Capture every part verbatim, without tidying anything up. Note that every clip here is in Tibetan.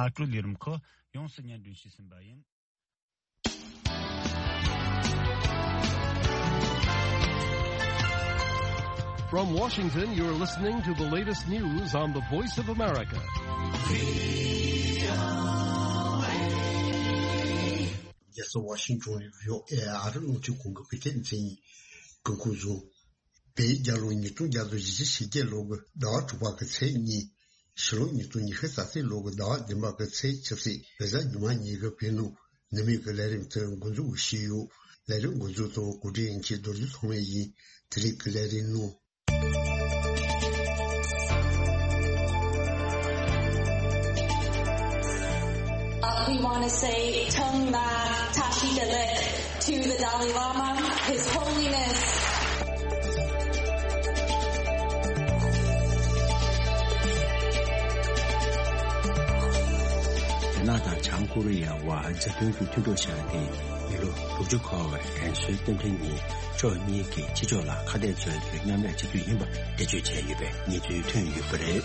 ཨ་ཀྲུ་ལི་རིམ་ཁོ་ཡོངས་སུ་སྙན་སྒྲོན་ཞུས་ཟིན་པ་ཡིན། From Washington, you're listening to the latest news on the Voice of America. རྒྱལ་ས་ཝ་ཤིང་ཊོན་ནས་བྷི་ཨོ་ཨེ་ཨ་རི་རླུང་འཕྲིན་ཁང་གི་བོད་སྐད་སྡེ་ཚན་ཡིན། སྐུ་ཁམས་བཟང་། བོད་རྒྱལ་ལོ་ཉིས་སྟོང་བརྒྱ་དང་བཞི་བཅུ་ཞེ་བརྒྱད་ལོ་གི་ཟླ་བ་དྲུག་པ་གི་ཚེས་གཉིས། ཕྱི་ལོ་ཉིས་སྟོང་ཉི་ཤུ་རྩ་གཅིག་ལོ་གི་ཟླ་བ་བདུན་པ་གི་ཚེས་བཅུ་བཞི། རེས་གཟའ་ཉི་མ་ཉིན་གྱི་བོད་ནང་ནུབ་མོན་གྱི་ལས་རིམ་དེ་འགོ་འཛུགས་ཞུས་ཡོད། ལས་རིམ་འགོ་འཛུགས་དང་གོ་སྒྲིག་མཁན་རྡོ་རྗེ་ཚང་མ་ཡིན། དེ་རིང་གི་ལས་རིམ་ནང་། Uh, we want to say Tongna Tashi Delek to the Dalai Lama, His Holiness. རྒྱ་ནག་དང་བྱང་ཀོ་རི་ཡའི་དབར་མཛའ་མཐུན་གྱི་མཐུན་གྲོགས་བཞག་སྟེ། མི་ལོ་དྲུག་ཅུ་འཁོར་བའི་རྒན་གསོའི་རྟེན་འབྲེལ་ཉིན་ཕྱོགས་གཉིས་ཀྱིས་ཕྱི་ཕྱོགས་ལ་ཁ་གཏད་གཅོག་རྒྱུའི་མཉམ་ལས་བྱེད་རྒྱུ་ཡིན་པ་འགྲེལ་བརྗོད་བྱས་ཡོད་པའི་གནས་ཚུལ་ཐོན་ཡོད་པ་རེད།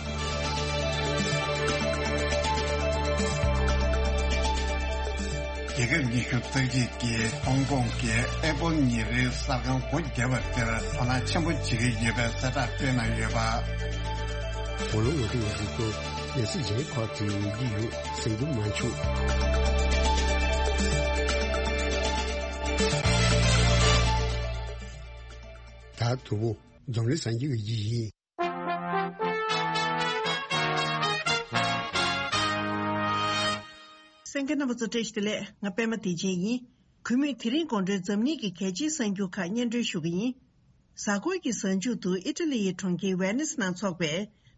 རྒྱལ་ཁབ་ཉི་ཤུ་རྩ་གཅིག་གིས་ཧོང་ཀོང་གི་ཨེ་པོལ་ཉིན་རེའི་གསར་ཁང་སྒོ་བརྒྱབ་པ་དེར་དོ་སྣང་ཆེན་པོ་བྱེད་ཀྱི་ཡོད་པའི་གསལ་བསྒྲགས་སྤེལ་གནང་ཡོད་པ། ཝ་ལུང་ངོ་སྤྲོད་ཡག་པོ། ལས་སི་ཇེ་ཁོ་ཙི་ཡོང་གི་ཡོད་ཟེར་རྒྱུ་མ་བྱུང་། ད་དུ་བོ་འཛམ་གླིང་སངས་རྒྱས་ཀྱི་ཡིན། གསན་མཁན་རྣམ་པ་ཚོ་བཀྲ་ཤིས་བདེ་ལེགས། ང་པད་མ་བདེ་ཆེན་ཡིན། གུས་མོས་དེ་རིང་དགོང་དྲོའི་འཛམ་གླིང་གི་གལ་ཆེའི་གསར་འགྱུར་ཁག་སྙན་སྒྲོན་ཞུ་གི་ཡིན། གཟའ་འཁོར་གྱི་གཟའ་མཇུག་ཏུ་ཨི་ཊ་ལི་ཡི་གྲོང་ཁྱེར་ཝེ་ནིས་ནང་འཚོགས་པའི་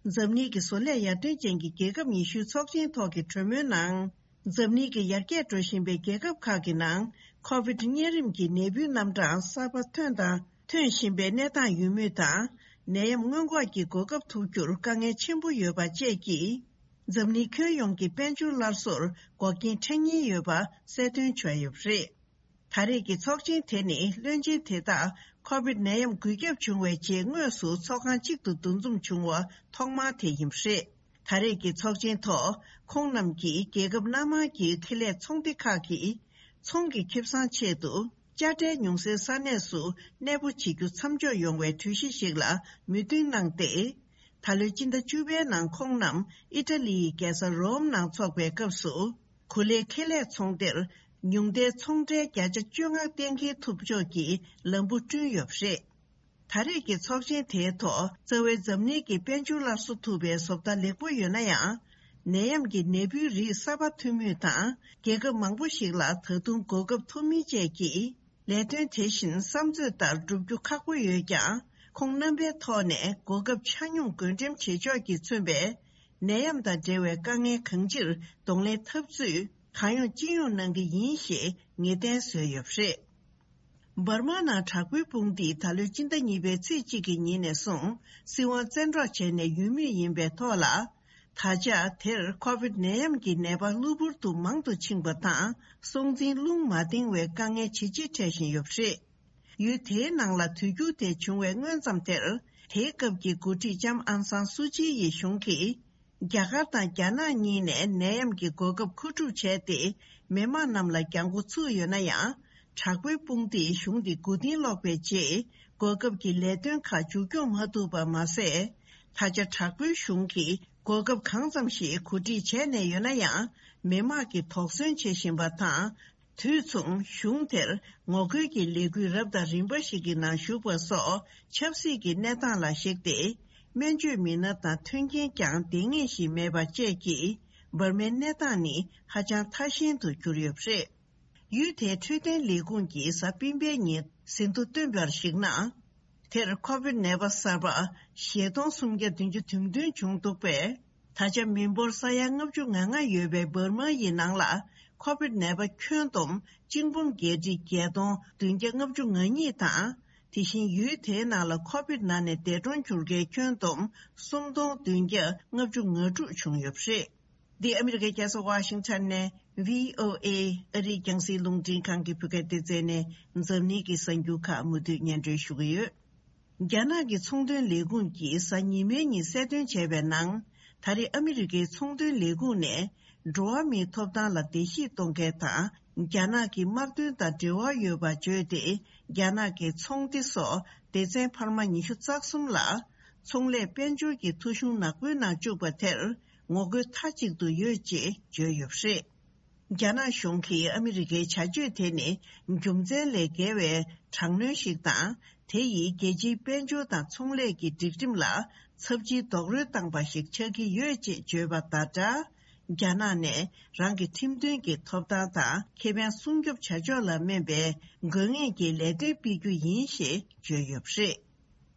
འཛམ་གླིང་གི་བཟོ་ལས་ཡར་ཐོན་ཅན་གྱི་རྒྱལ་ཁབ་ཉི་ཤུའི་ཚོགས་ཆེན་ཐོག་གི་གྲོས་མོལ་ནང་། འཛམ་གླིང་གི་ཡར་རྒྱས་འགྲོ་བཞིན་པའི་རྒྱལ་ཁབ་ཁག་གི་ནང་ཁོ་བིད་གཉན་རིམས་ཀྱི་ནད་འབུའི་རྣམ་གྲངས་གསར་པ་ཐོན་དང་ཐོན་བཞིན་པའི་གནས་སྟངས་ཡོད་མུས་དང་། ནད་ཡམས་སྔོན་འགོག་གི་གོ་སྐབས་ཐོབ་རྒྱུར་དཀའ་ངལ་ཆེན་པོ་ཡོད་པ་བཅས་ཀྱིས། འཛམ་གླིང་ཁྱོན་ཡོངས་ཀྱི་དཔལ་འབྱོར་སླར་གསོར་འགོག་རྐྱེན་འཕྲད་ཉེན་ཡོད་པ་གསལ་སྟོན་བྱས་ཡོད་པ་རེད། ད་རེས་ཀྱི་ཚོགས་ཆེན་དེ་ནི་བློན་ཆེན་དེ་དག་ཁོ་བིད་ནད་ཡམས་འགོས་ཁྱབ་བྱུང་བའི་རྗེས་དངོས་སུ་ཚོགས་ཁང་གཅིག་ཏུ་འདུ་འཛོམས་བྱུང་བ་ཐོག་མ་དེ་ཡིན་པ་རེད། ད་རེས་ཀྱི་ཚོགས་ཆེན་ཐོག་ཁོང་རྣམས་ཀྱིས་རྒྱལ་ཁབ་སྣ་མང་གི་ཁེ་ལས་ཚོང་སྡེ་ཁག་གིས་ཚོང་གི་ཁེ་བཟང་ཆེད་དུ་དཔྱ་ཁྲལ་ཉུང་སའི་ས་གནས་སུ་གནས་སྤོ་བྱེད་རྒྱུ་མཚམས་འཇོག་ཡོང་བའི་གྲོས་གཞི་ཞིག་ལ་མོས་མཐུན་གནང་སྟེ། ད་ལོའི་སྤྱི་ཟླ་བཅུ་པའི་ནང་ཁོང་རྣམས་ཨི་ཊ་ལི་ཡི་རྒྱལ་ས་རོམ་ནང་འཚོགས་པའི་སྐབས་སུ། གོ་ལའི་ཁེ་ལས་ཚོང་སྡེར་ཉུང་མཐའི་ཚོང་ཁྲལ་བརྒྱ་ཆ་བཅོ་ལྔ་གཏན་འཁེལ་ཐུབ་ཕྱོགས་ཀྱི་ལམ་བུ་བསྐྲུན་ཡོད་པ་རེད། ད་རེས་ཀྱི་ཚོགས་ཆེན་དེའི་ཐོག་རྩ་བའི་འཛམ་གླིང་གི་དཔལ་འབྱོར་སླར་གསོ་ཐུབ་པའི་བཟོ་ལྟ་ལེགས་པོ་ཡོད་ན་ཡང་། ནད་ཡམས་ཀྱི་ནད་འབུའི་རིགས་གསར་པ་ཐོན་མུས་དང་། རྒྱལ་ཁབ་མང་པོ་ཞིག་ལ་ད་དུང་གོ་སྐབས་ཐོབ་མིན་བཅས་ཀྱིས། ལས་དོན་དེ་བཞིན་བསམ་ཚོད་ལྟར་བསྒྲུབ་རྒྱུ་ཁག་པོ་ཡོད་ཀྱང་། ཁོང་རྣམ་པའི་ཐོག་ནས་གོ་སྐབས་ཆ་སྙོམས་བགོ་འགྲེམས་བྱེད་ཕྱོགས་ཀྱིས་མཚོན་པའི་ནད་ཡམས་དང་འབྲེལ་བའི་དཀའ་ངལ་གང་ཅིར་གདོང་ལེན་འཐབ་ཚུལ་གང་ཡོང་ཅི་ཡོང་གནང་གི་ཡིན་ཞེས་ངེས་གཏན་བཟོས་ཡོད་པ་རེད། འབར་མ་ནང་དྲག་པོའི་དཔུང་སྡེས་ད་ལོའི་སྤྱི་ཟླ་གཉིས་པའི་ཚེས་གཅིག་གི་ཉིན་ནས་བཟུང་སྲིད་དབང་བཙན་འཕྲོག་བྱས་ནས་ཡོད་མུས་ཡིན་པའི་ཐོག་ལ། ད་ཆ་དེར་ཁོ་བིད་ནད་ཡམས་ཀྱི་ནད་པ་གློ་བུར་དུ་མང་དུ་ཕྱིན་པ་དང་། སྲོག་འཛིན་རླུང་མ་ལྡང་བའི་དཀའ་ངལ་ཇེ་ཆེ་འཕྲད་བཞིན་ཡོད་པ་རེད། ཡུལ་དེའི་ནང་ལ་དུས་འགྱུར་དེ་བྱུང་བའི་སྔོན་ཙམ་དེར། དེའི་སྐབས་ཀྱི་འགོ་ཁྲིད་ལྕམ་ཨང་སང་སུ་ཅི་ཡི་གཞུང་གིས། རྒྱ་གར་དང་རྒྱ་ནག་གཉིས་ནས་ནད་ཡམས་ཀྱི་གོ་སྐབས་མཁོ་སྒྲུབ་བྱས་ཏེ། མི་དམངས་རྣམས་ལ་རྒྱང་མགོ་ཚུགས་ཡོད་ན་ཡང་། དྲག་པོའི་དཔུང་སྡེས་གཞུང་འདི་མགོ་རྟིང་སློག་པའི་རྗེས། གོ་སྐབས་ཀྱི་ལས་དོན་ཁག་མཇུག་སྐྱོང་མ་ཐུབ་པ་མ་ཟད། ད་ཆ་དྲག་པོའི་གཞུང་གིས་གོ་སྐབས་གང་ཙམ་ཞིག་གོ་སྒྲིག་བྱས་ནས་ཡོད་ན་ཡང་། མི་དམངས་ཀྱིས་དོགས་ཟོན་བྱེད་བཞིན་པ་དང་། དུས་མཚུངས་གཞུང་དེར་ངོ་རྒོལ་གྱི་ལས་འགུལ་རབ་དང་རིམ་པ་ཞིག་གི་ནང་ཞུགས་པ་སོགས་ཆབ་སྲིད་ཀྱི་གནས་སྟངས་ལ་གཞིགས་ཏེ། སྨན་བཅོས་མི་སྣ་དང་མཐུན་རྐྱེན་ཀྱང་ལྡེང་ངེས་ཤིག་མེད་པ་བཅས་ཀྱིས་འབར་མའི་གནས་སྟངས་ནི་ཧ་ཅང་ཐ་ཞན་དུ་གྱུར་ཡོད་པ་རེད། ཡུལ་དེའི་འཕྲོད་བསྟེན་ལས་ཁུངས་ཀྱིས་གཟའ་སྤེན་པའི་ཉིན་ཟིན་ཐོ་བཏོན་པར་གཞིགས་ན། དེར་ཁོ་བིད་ནད་པ་གསར་པ་བཞི་སྟོང་སུམ་བརྒྱ་བདུན་ཅུ་དོན་བདུན་བྱུང་འདུག་པས། ད་ཆ་མི་འབོར་ས་ཡ་ལྔ་བཅུ་ང་ལྔ་ཡོད་པའི་འབར་མ་ཡི་ནང་ལ་ཁོ་བིད་ནད་པ་ཁྱོན་བསྡོམས་གཅིག་འབུམ་བརྒྱད་ཁྲི་བརྒྱད་སྟོང་བདུན་བརྒྱ་ལྔ་བཅུ་ང་གཉིས་དང་། དེ་བཞིན་ཡུལ་དེའི་ནང་ལ་ཁོ་བིད་ནང་ནས་འདས་གྲོངས་གྱུར་མཁན་ཁྱོན་བསྡོམས་སུམ་སྟོང་བདུན་བརྒྱ་ལྔ་བཅུ་ང་དྲུག་བྱུང་ཡོད་པ་རེད། འདི་ཨ་མི་རི་ཀའི་རྒྱལ་ས་ཝ་ཤིང་ཊོན་ནས་བྷི་ཨོ་ཨེ་ཨ་རིའི་རྒྱང་སྲིང་རླུང་འཕྲིན་ཁང་གི་བོད་སྐད་སྡེ་ཚན་ནས་འཛམ་གླིང་གི་གསར་འགྱུར་ཁག་མུ་མཐུད་སྙན་སྒྲོན་ཞུ་གི་ཡོད། རྒྱ་ནག་གི་ཚོང་དོན་ལས་ཁུངས་ཀྱིས་གཟའ་ཉི་མའི་ཉིན་གསལ་སྟོན་བྱས་པའི་ནང་། ད་རེས་ཨ་མི་རི་ཀའི་ཚོང་དོན་ལས་ཁུངས་ནས་ འགྲོ་བ་མིའི་ཐོབ་ཐང་ལ་བརྡལ་བཤིག་གཏོང་མཁན་དང་། རྒྱ་ནག་གི་དམག་དོན་དང་འབྲེལ་བ་ཡོད་པ་བརྗོད་དེ། རྒྱ་ནག་གི་ཚོང་སྡེ་སོགས་སྡེ་ཚན་འཕར་མ་ཉི་ཤུ་རྩ་གསུམ་ལ། ཚོང་ལས་དཔལ་འབྱོར་གྱི་ཐོ་གཞུང་ནག་པོའི་ནང་བཅུག་པ་དེར་ངོ་རྒོལ་མཐའ་གཅིག་ཏུ་ཡོད་ཅེས་བརྗོད་ཡོད་པ་རེད། རྒྱ་ནག་གཞུང་གིས་ཨ་མི་རི་ཀའི་བྱ་སྤྱོད་དེ་ནི་རྒྱུ་མཚན་ལས་བརྒལ་བའི་དྲག་གནོན་ཞིག་དང་། དེ་ཡིས་རྒྱལ་སྤྱིའི་དཔལ་འབྱོར་དང་ཚོང་ལས་ཀྱི་སྒྲིག་ཁྲིམས་ལ་ཚབས་ཆེའི་རྡོག་རོལ་བཏང་པ་ཞིག་ཆགས་ཀྱི་ཡོད་ཅེས་བརྗོད་པ་དང་སྦྲགས། རྒྱ་ནག་ནས་རང་གི་ཁྲིམས་མཐུན་གྱི་ཐོབ་ཐང་དང་ཁེ་ཕན་སྲུང་སྐྱོབ་བྱ་ཕྱོགས་ལ་སྨན་པའི་དགོས་ངེས་ཀྱི་ལས་དོན་སྤེལ་རྒྱུ་ཡིན་ཞེས་བརྗོད་ཡོད་པ་རེད།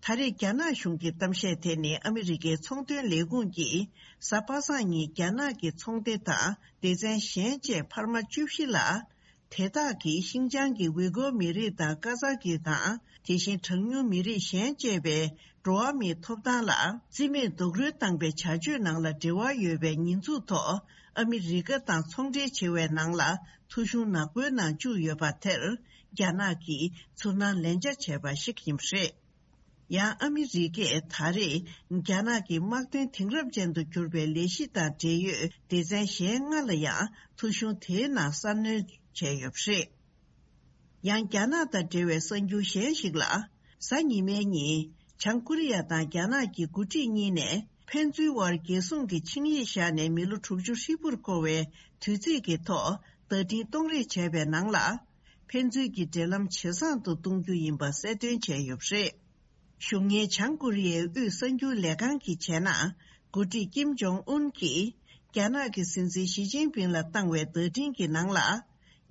ད་རེས་རྒྱ་ནག་གཞུང་གི་གཏམ་བཤད་དེ་ནི་ཨ་མི་རི་ཀའི་ཚོང་དོན་ལས་ཁུངས་ཀྱིས་གཟའ་པ་སངས་ཉིན་རྒྱ་ནག་གི་ཚོང་སྡེ་དང་སྡེ་ཚན་གཞན་བཅས་འཕར་མ་བཅུ་བཞི་ལ། དེ་དག་གིས་ཤིན་ཅང་གི་ཝི་གོ་མི་རིགས་དང་ཀ་ཛ་ཀི་དང་། དེ་བཞིན་གྲངས་ཉུང་མི་རིགས་གཞན་བཅས་པའི་འགྲོ་བ་མིའི་ཐོབ་ཐང་ལ་བརྩི་མེད་རྡོག་རོལ་བཏང་པའི་བྱ་སྤྱོད་ནང་ལ་འབྲེལ་བ་ཡོད་པའི་ཉེས་འཛུགས་ཐོག་ཨ་མི་རི་ཀ་དང་ཚོང་འབྲེལ་བྱེད་པའི་ནང་ལ་ཐོ་གཞུང་ནག་པོའི་ནང་བཅུག་ཡོད་པ་དེར། རྒྱ་ནག་གིས་ཚུར་སྣང་ལན་ཆ་བྱས་པ་ཞིག་ཡིན་པ་རེད། ཡང་ཨ་མི་རི་ཀས་ད་རེས་རྒྱ་ནག་གི་དམག་དོན་དེང་རབས་ཅན་དུ་གྱུར་པའི་ལས་གཞི་དང་འབྲེལ་ཡོད་སྡེ་ཚན་གཞན་ལྔ་ལ་ཡང་ཐོ་གཞུང་དེའི་ནང་གསར་སྣོན་བྱས་ཡོད་པ་རེད། ཡང་རྒྱ་ནག་དང་འབྲེལ་བའི་གསར་འགྱུར་གཞན་ཞིག་ལ། གཟའ་ཉི་མའི་ཉིན་བྱང་ཀོ་རི་ཡ་དང་རྒྱ་ནག་གི་འགོ་ཁྲིད་གཉིས་ནས་ཕན་ཚུན་དབར་རྒྱལ་སྲུང་གི་ཆིངས་ཡིག་བཞག་ནས་མི་ལོ་དྲུག་ཅུ་ཧྲིལ་པོར་འཁོར་བའི་དུས་ཚིགས་ཀྱི་ཐོག་བརྡ་འཕྲིན་གཏོང་རེས་བྱས་པའི་ནང་ལ། ཕན་ཚུན་གྱི་འབྲེལ་ལམ་ཇེ་བཟང་དུ་གཏོང་རྒྱུ་ཡིན་པ་གསལ་སྟོན་བྱས་ཡོད་པ་རེད། གཞུང་གཉེར་བྱང་ཀོ་རི་ཡའི་དབུས་གསར་འགྱུར་ལས་ཁང་གིས་བྱས་ན། འགོ་ཁྲིད་ཀིམ་ཇོང་ཨུན་གྱིས་རྒྱ་ནག་གི་སྲིད་འཛིན་ཞི་ཅིན་ཕིང་ལ་བཏང་བའི་བརྡ་འཕྲིན་གྱི་ནང་ལ།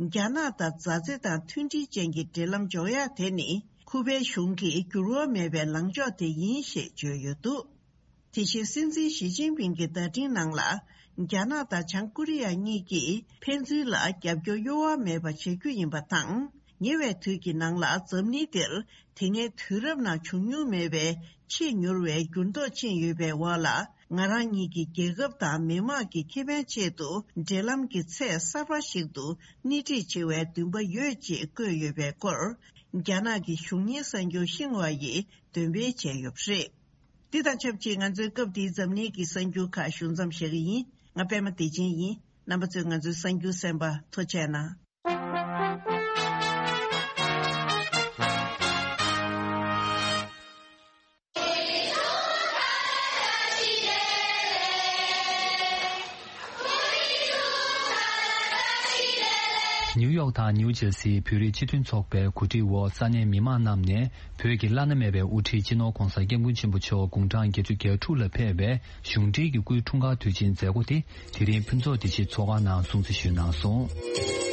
རྒྱ་ནག་དང་མཛའ་བརྩེ་དང་མཐུན་སྒྲིལ་ཅན་གྱི་འབྲེལ་ལམ་འཇོག་ཡག་དེ་ནི་ཁུ་པའི་གཞུང་གི་འགྱུར་བ་མེད་པའི་ལངས་ཕྱོགས་དེ་ཡིན་ཞེས་བརྗོད་ཡོད་འདུག་དེ་བཞིན་སྲིད་འཛིན་ཞི་ཅིན་ཕིང་གི་བརྡ་འཕྲིན་ནང་ལ། རྒྱ་ནག་དང་བྱང་ཀོ་རི་ཡ་གཉིས་ཀྱིས་ཕན་ཚུན་ལ་རྒྱབ་སྐྱོར་གཡོ་བ་མེད་པ་བྱ་རྒྱུ་ཡིན་པ་དང་། ཉེ་བའི་དུས་ཀྱི་ནང་ལ་འཛམ་གླིང་འདིར་དེ་སྔའི་དུས་རབས་ནང་བྱུང་མྱོང་མེད་པའི་ཆེས་མྱུར་བའི་འགྱུར་ལྡོག་ཕྱིན་ཡོད་པའི་འོག་ལ། ང་རང་ཉིད་ཀྱི་རྒྱལ་ཁབ་དང་མི་དམངས་ཀྱི་ཁེ་ཕན་ཆེད་དུ་འབྲེལ་ལམ་གྱི་ཚད་གསར་པ་ཞིག་ཏུ་སྣེ་ཁྲིད་བྱེད་པའི་འདུན་པ་ཡོད་ཅེས་བཀོད་ཡོད་པའི་སྐོར། རྒྱ་ནག་གི་གཞུང་གཉེར་གསར་འགྱུར་ཤིན་ཧྭ་ཡིས་འདོན་སྤེལ་བྱས་ཡོད་པ་རེད། འདི་དང་ཆབས་ཅིག་ང་ཚོའི་སྐབས་འདིའི་འཛམ་གླིང་གི་གསར་འགྱུར་ཁག་ཞུ་མཚམས་བཞག་གི་ཡིན། ང་པད་མ་བདེ་ཆེན་ཡིན། རྣམ་པ་ཚོས་ང་ཚོའི་གསར་འགྱུར་གསན་པར་ཐུགས་རྗེ་གནང་། ནིའུ་ཡོག་དང་ནིའུ་ཇར་སིའི་བོད་རིགས་སྤྱི་མཐུན་ཚོགས་པའི་གོ་སྒྲིག་འོག་ས་གནས་མི་མང་རྣམས་ནས་བོད་ཀྱི་བླ་ན་མེད་པའི་དབུ་ཁྲིད་སྤྱི་ནོར་༧གོང་ས་༧སྐྱབས་མགོན་ཆེན་པོ་མཆོག་དགུང་གྲངས་བརྒྱད་ཅུ་གྱ་དྲུག་ལ་ཕེབས་པའི་གཞུང་འབྲེལ་གྱི་སྐུའི་འཁྲུངས་སྐར་དུས་ཆེན་མཛད་སྒོ་དེ་དེ་རིང་ཕུན་ཚོགས་བདེ་སྐྱིད་ཚོགས་ཁང་ནང་སྲུང་བརྩི་ཞུས་གནང་སོང་།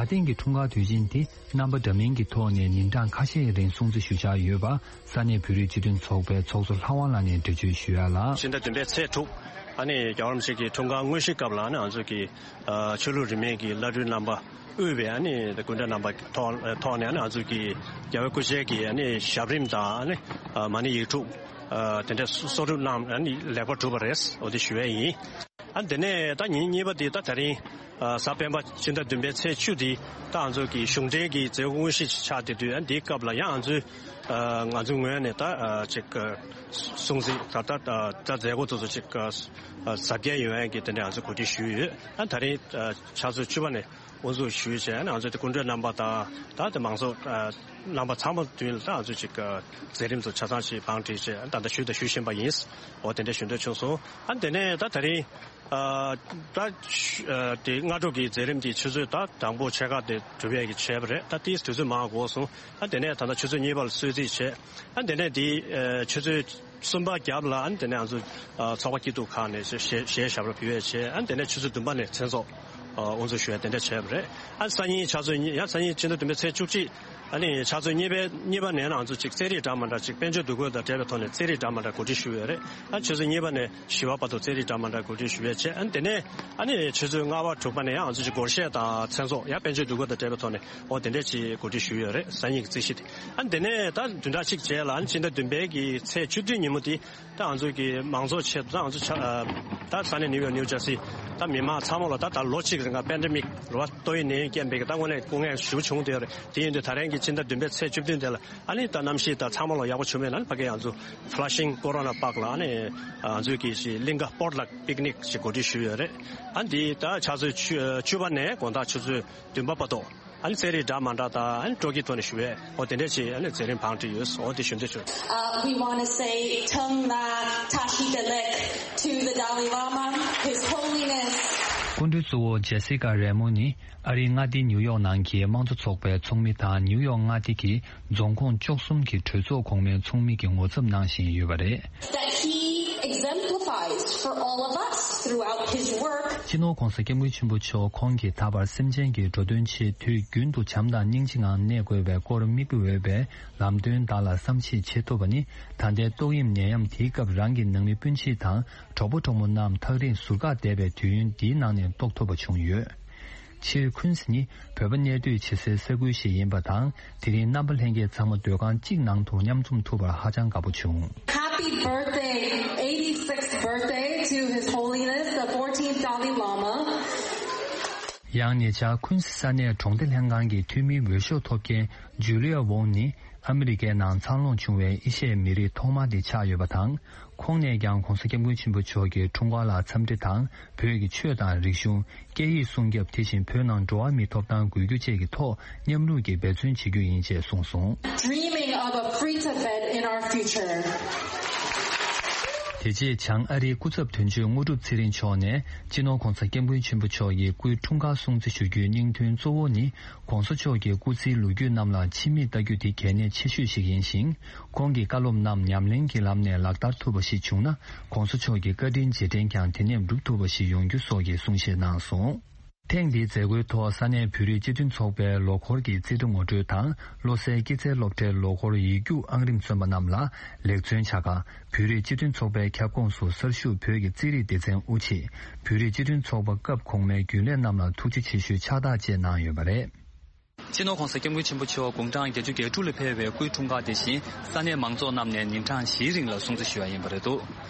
ད་ཐེངས་ཀྱི་འཁྲུངས་སྐར་དུས་ཆེན་དེ་རྣམ་པ་འདྲ་མིན་གྱི་ཐོག་ནས་ཉིན་གྲངས་ཁ་ཤས་རིང་སྲུང་བརྩི་ཞུ་འཆར་ཡོད་པ། ས་གནས་བོད་རིགས་སྤྱི་མཐུན་ཚོགས་པའི་ཚོགས་གཙོ་ལྷ་དབང་ལགས་ནས་འགྲེལ་བརྗོད་ཞུ་ཡ་ལ། ཕྱི་ཟླ་བདུན་པའི་ཚེས་དྲུག་ཨ་ནི་རྒྱལ་བ་རིན་པོ་ཆེ་གི་འཁྲུངས་སྐར་དངོས་གཞིའི་སྐབས་ལ་ཨ་ནི་ང་ཚོ་གི་ཨ་ཆོས་ལུགས་རིས་མེད་ཀྱི་བླ་སྤྲུལ་རྣམ་པ་དབུས་པའི་ཨ་ནི་སྐུ་མགྲོན་རྣམ་པ་ཐོག་ཐོག་ནས་ཨ་ནི་ང་ཚོ་གི་རྒྱལ་བའི་སྐུ་ཕྱྭའི་གི་ཨ་ནི་ཞབས་རིམ་དང་ཨ་ནི་ཨ་མ་ཎི་ཡིག་དྲུག་ཨ་དེ་འདྲའི་གསོག་སྒྲུབ་གནང་ཨ་ནི་ལེགས་པར་གྲུབ་པ་རེད། འོ་དེ་ཞུ་ཡས་ཡིན། ཨ་དེ་ནས་ད་ཉིན་གཉིས་པ་དེ་ད་ད་རིང་ཨ་གཟའ་སྤེན་པ་ཕྱི་ཟླ་བདུན་པའི་ཚེས་བཅུ་དེ་ད་ང་ཚོ་གི་གཞུང་འབྲེལ་གྱི་མཛད་སྒོ་དངོས་གཞི་ཆགས་བསྡད་དུས་ཨ་འདིའི་སྐབས་ལ་ཡང་ང་ཚོའི་ཨ་ང་ཚོའི་ངོས་ནས་ད་ཨ་ཅིག་ཨ་སྲུང་བརྩི་ད་ད་ད་མཛད་སྒོ་དེ་ཚོ་ཅིག་ཨ་གཟབ་རྒྱས་ཡོང་ཡས་ཀྱི་དེ་འདྲ་ང་ཚོ་གོ་སྒྲིག་ཞུས་ཡོད། ཨ་ད་རིང་ཨ་ཕྱག་ཚོད་བཅུ་པ་ནས་དབུ་འཛུགས་ཞུས་བྱས་ཨ་ང་ཚོ་དེ་སྐུ་མགྲོན་རྣམ་པ་དང་ད་དེ་མང་ཚོགས་ཨ་རྣམ་པ་ཚང་མ་མདུན་ལ་ད་ང་ཚོ་ཅིག་ཨ་མཛད་རིམ་ཚོ་ཆ་ཚང་ཞིག་བང་བསྒྲིགས་བྱས་ཨ་ད་ལྟ་ཞུས་དང་ཞུ་བཞིན་པ་ཡིན། འོ་དེ་འདྲ་ཞུ་འདོད་བྱུང་སོང་། ཨ་དེ་ནས་ད་ད་རིང་ཨ་ད་ཨ་དེ་སྔ་དྲོ་གི་མཛད་རིམ་དེ་ཆུ་ཚོད་ད་དང་པོ་ཕྱེད་ཀ་དེ་གྲུབ་ཡས་ཀྱི་བྱས་པ་རེད། ད་དེའི་དུས་ཚོད་མང་འགོར་སོང་། ཨ་དེ་ནས་ད་ལྟ་ཆུ་ཚོད་གཉིས་པ་ལ་གསོལ་ཚིགས་བྱས། ཨ་དེ་ནས་དེ་ཨ་ཆུ་ཚོད་གསུམ་པ་རྒྱབ་ལ་ཨ་དེ་ནས་ང་ཚོ་ཨ་ཚོགས་པ་སྐྱིད་སྡུག་ཁག་ནས་གཞས་གཞས་ཞབས་བྲོ་ཕུལ་ཡས་བྱས། ཨ་དེ་ནས་ཆུ་ཚོད་བདུན་པ་ནས་མཚན་ཚོགས་ཨ་དབུ་འཛུགས་ཞུ་ཡས་དེ་འདྲ་བྱས་པ་རེད། ཨ་སང་ཉིན་ཕྱག་ཚོད་གཉིས་ཡང་སང་ཉིན་ཕྱི་ཟླ་བདུན་པའི་ཚེས་བཅུ་གཅིག་ཨ་ནི་ཕྱག་ཚོད་གཉིས་པའི་གཉིས་པ་ནས་ང་ཚོ་ཅིག་རྩེད་རིགས་འདྲ་མི་འདྲ་ཅིག་དཔལ་འབྱོར་འདུ་འགོད་དང་འབྲེལ་བའི་ཐོག་ནས་རྩེད་རིགས་འདྲ་མི་འདྲ་གོ་སྒྲིག་ཞུས་ཡོད་རེད། ཨ་ཆུ་ཚོད་གཉིས་པ་ནས་བཞི་པ་བར་དུ་རྩེད་རིགས་འདྲ་མི་འདྲ་གོ་སྒྲིག་ཞུ་ཡས་བྱས། ཨ་དེ་ནས་ཨ་ནི་ཆུ་ཚོད་ལྔ་པ་དྲུག་པ་ནས་ཡང་ང་ཚོ་ཅིག་སྒོར་གཞས་དང་མཚན་ཚོགས་ཡང་དཔལ་འབྱོར་འདུ་འགོད་དང་འབྲེལ་བའི་ཐོག་ནས་འོ་དེ་འདྲས་ཅིག་གོ་སྒྲིག་ཞུས་ཡོད་རེད། སང་ཉིན་གྱི་རྩིས་གཞི་དེ། ཨ་དེ་ནས་ད་བདུན་ཕྲག་གཅིག་རྗེས་ལ་ཨ་ནི་ཕྱི་ཟླ་བདུན་པའི་གི་ཚེས་བཅུ་བདུན་ཉིན་མོ་དེ། ད་ང་ཚོ་གི་མང་ཚོགས་ཆེད་དུ་ད་ང་ཚོ་ཆ་ཨ་ད་ས་གནས་ནིའུ་ཡོག་ནིའུ་ཇར་སི་ ད་མི་མང་ཚང་མ་ལ་ད་ད་ལོ་གཅིག་རིང་ལ་པེན་ཌེ་མིག་རེད་བ། ཏོག་དབྱིབས་ནད་ཡམས་རྐྱེན་པས་ད་དངོས་གནས་སྐུ་ངལ་ཞེ་པོ་བྱུང་བསྡད་ཡོད་རེད། དེ་ཡིན་དུས་ད་རིང་གི་ཕྱི་ཟླ་བདུན་པའི་ཚེས་བཅུ་བདུན་དེ་ལ་ཨ་ནི་ད་གནམ་གཤིས་ད་ཚང་མ་ལ་ཡག་པོ་བྱུང་བས་ན་ཕ་གི་ང་ཚོ་Flushing Corona Park ལ་ཨ་ནི་ང་ཚོས་ཀྱི་ཞིག་གླིང་ག་སྤོར་ཊི་ལག་པིག་ནིག་ཞིག་གོ་སྒྲིག་ཞུས་ཡོད་རེད། ཨ་འདི་ད་ཆུ་ཚོད་བཅུ་བཅུ་པ་ནས་དགོང་དག་ཆུ་ཚོད་བདུན་པ་བར་དུ། ཨ་ནི་རྩེད་རིགས་འདྲ་མི་འདྲ་དང་ཨ་ནི་སྤྲོ་སྐྱིད་ཐོག་ནས་ཞུ་བས། འོ་དེ་འདྲས་ཅིག་ཨ་ནི་རྩེད་རིམ་བང་སྒྲིག་ཡོད། འོ་དེ་ཞུ་འདོད་བྱུང་། Uh, we want to say Tongna Tashi Delek to the Dalai Lama, His Holiness. སྐུ་མགྲོན་གཙོ་བོ་ཇེ་སི་ཀ་རེ་མོ་ནི་ཨ་རིའི་མངའ་སྡེ་ནིའུ་ཡོག་ནང་གི་དམངས་གཙོ་ཚོགས་པའི་ཚོགས་མི་དང་ནིའུ་ཡོག་མངའ་སྡེ་གི་རྫོང་ཁོངས་བཅུ་གསུམ་གྱི་གྲོས་ཚོགས་གོང་མའི་ཚོགས་མི་གི་ངོ་ཚབ་གནང་བཞིན་ཡོད་པ་རེད། That he exemplifies for all of us throughout his work. སྤྱི་ནོར་༧གོང་ས་༧སྐྱབས་མགོན་ཆེན་པོ་མཆོག་ཁོང་གིས་ད་བར་སེམས་ཅན་གྱི་འགྲོ་དོན་ཆེད་དུས་རྒྱུན་དུ་བྱམས་དང་སྙིང་རྗེའི་ངང་གནས་དགོས་པའི་སྐོར་མིག་དཔེ་འོས་པའི་ལམ་སྟོན་དག་ལ་བསམ་གཞིག་བྱེད་ཐུབ་པ་ནི། ད་ལྟའི་ཏོག་དབྱིབས་ནད་ཡམས་དེའི་སྐབས་རང་གི་ནང་མི་སྤུན་མཆེད་དང་གྲོགས་པོ་གྲོགས་མོ་རྣམས་ཐག་རིང་ཟུར་བཀག་བསྡད་པའི་དུས་ཡུན་འདིའི་ནང་ནས་རྟོགས་ཐུབ་པ་བྱུང་ཡོད། སྤྱིར་ཁུན་སི་ནི་བོད་པ་གནས་སྡོད་བྱེད་སའི་ས་ཁུལ་ཞིག་ཡིན་པ་དང་། དེ་རིང་རྣམ་པ་ལྷན་རྒྱས་ཚང་མ་སྡོད་ཁང་གཅིག་ནང་དུ་མཉམ་འཛོམས་ཐུབ་པར་ཧ་ཅང་དགའ་པོ་བྱུང་། Happy birthday, eighty-sixth birthday to His Holiness the fourteenth Dalai Lama. ཡང་ཉེ་ཆར་ཁུན་སི་ས་གནས་གྲོང་སྡེ་ལྷན་ཁང་གི་འཐུས་མིའི་འོས་ཤོག་ཐོབ་མཁན་ཇུ་ལི་ཡ་ཝོང་ནི་ཨ་མི་རི་ཀའི་ནང་འཚར་ལོངས་བྱུང་བའི་ཨེ་ཤ་ཡའི་མི་རིགས་ཐོག་མ་དེ་ཆགས་ཡོད་པ་དང་། ཁོང་ནས་ཀྱང་༧གོང་ས་༧སྐྱབས་མགོན་ཆེན་པོ་མཆོག་གི་འཁྲུངས་སྐར་ལ་འཚམས་འདྲི་དང་བོད་ཀྱི་ཆོས་དང་རིག་གཞུང་། སྐད་ཡིག་སྲུང་སྐྱོབ། དེ་བཞིན་བོད་ནང་འགྲོ་བ་མིའི་ཐོབ་ཐང་དགོས་རྒྱུ་བཅས་ཀྱི་ཐོག་མཉམ་རུབ་ཀྱིས་འབད་བརྩོན་བྱེད་རྒྱུ་ཡིན་ཅེས་གསུངས་སོང་། Dreaming of a free Tibet in our future. དེ་རྗེས་བྱང་ཨ་རིའི་སྐུ་ཚབ་དོན་གཅོད་དངོས་གྲུབ་ཚེ་རིང་མཆོག་ནས་སྤྱི་ནོར་༧གོང་ས་༧སྐྱབས་མགོན་ཆེན་པོ་མཆོག་གི་སྐུའི་འཁྲུངས་སྐར་སྲུང་བརྩི་ཞུ་རྒྱུའི་སྙིང་དོན་གཙོ་བོ་ནི། ༸གོང་ས་མཆོག་གི་སྐུ་ཚེའི་ལོ་རྒྱུས་རྣམས་ལ་ཕྱི་མིག་ལྟ་རྒྱུ་དེ་གལ་གནད་ཆེ་ཤོས་ཤིག་ཡིན་ཞིང་། ཁོང་གི་བཀའ་སློབ་རྣམས་ཉམས་ལེན་གྱི་ལམ་ནས་ལག་བསྟར་ཐུབ་པ་ཞིག་བྱུང་ན། ༸གོང་ས་མཆོག་གི་བཀའ་དྲིན་རྗེས་དྲན་ཀྱང་དེ་ནས་འགྲུབ་ཐུབ་པ་ཞིག་ཡོང་རྒྱུ་སོགས་ཀྱི་གསུང་བཤད་གནང་སོང་། ཐེངས་འདིའི་མཛད་སྒོའི་ཐོག་ས་གནས་བོད་རིགས་སྤྱི་མཐུན་ཚོགས་པའི་ལོ་འཁོར་གྱི་རྩིས་ཁྲ་ངོ་སྤྲོད་དང་། བློ་གསལ་སྐྱེད་ཚལ་སློབ་གྲྭའི་ལོ་འཁོར་ཡིག་རྒྱུགས་ཨང་རིམ་སོན་པ་རྣམས་ལ་ལེགས་བརྩོན་བྱ་གར། བོད་རིགས་སྤྱི་མཐུན་ཚོགས་པའི་ཁྱབ་ཁོངས་སུ་གསར་ཞུགས་བོད་ཀྱི་རྩིས་རིག་སྡེ་ཚན་དབུ་ཆེད། བོད་རིགས་སྤྱི་མཐུན་ཚོགས་པ་སྐབས་གོང་མའི་རྒྱུན་ལས་རྣམས་ལ་ཐུགས་རྗེ་ཆེ་ཞུའི་ཕྱག་རྟགས་བཅས་གནང་ཡོད་པ་རེད། སྤྱི་ནོར་༸གོང་ས་༸སྐྱབས་མགོན་ཆེན་པོ་མཆོག་དགུང་གྲངས་བརྒྱད་ཅུ་གྱ་དྲུག་ལ་ཕེབས་པའི་སྐུའི་འཁྲུངས་སྐར་དེ་བཞིན་ས་གནས་མང་ཚོགས་རྣམས་ནས་ཉིན་གྲངས་བཞིའི་རིང་ལ་སྲུང་བརྩི་ཞུ་བ་ཡིན་པ་རེད་འདུག་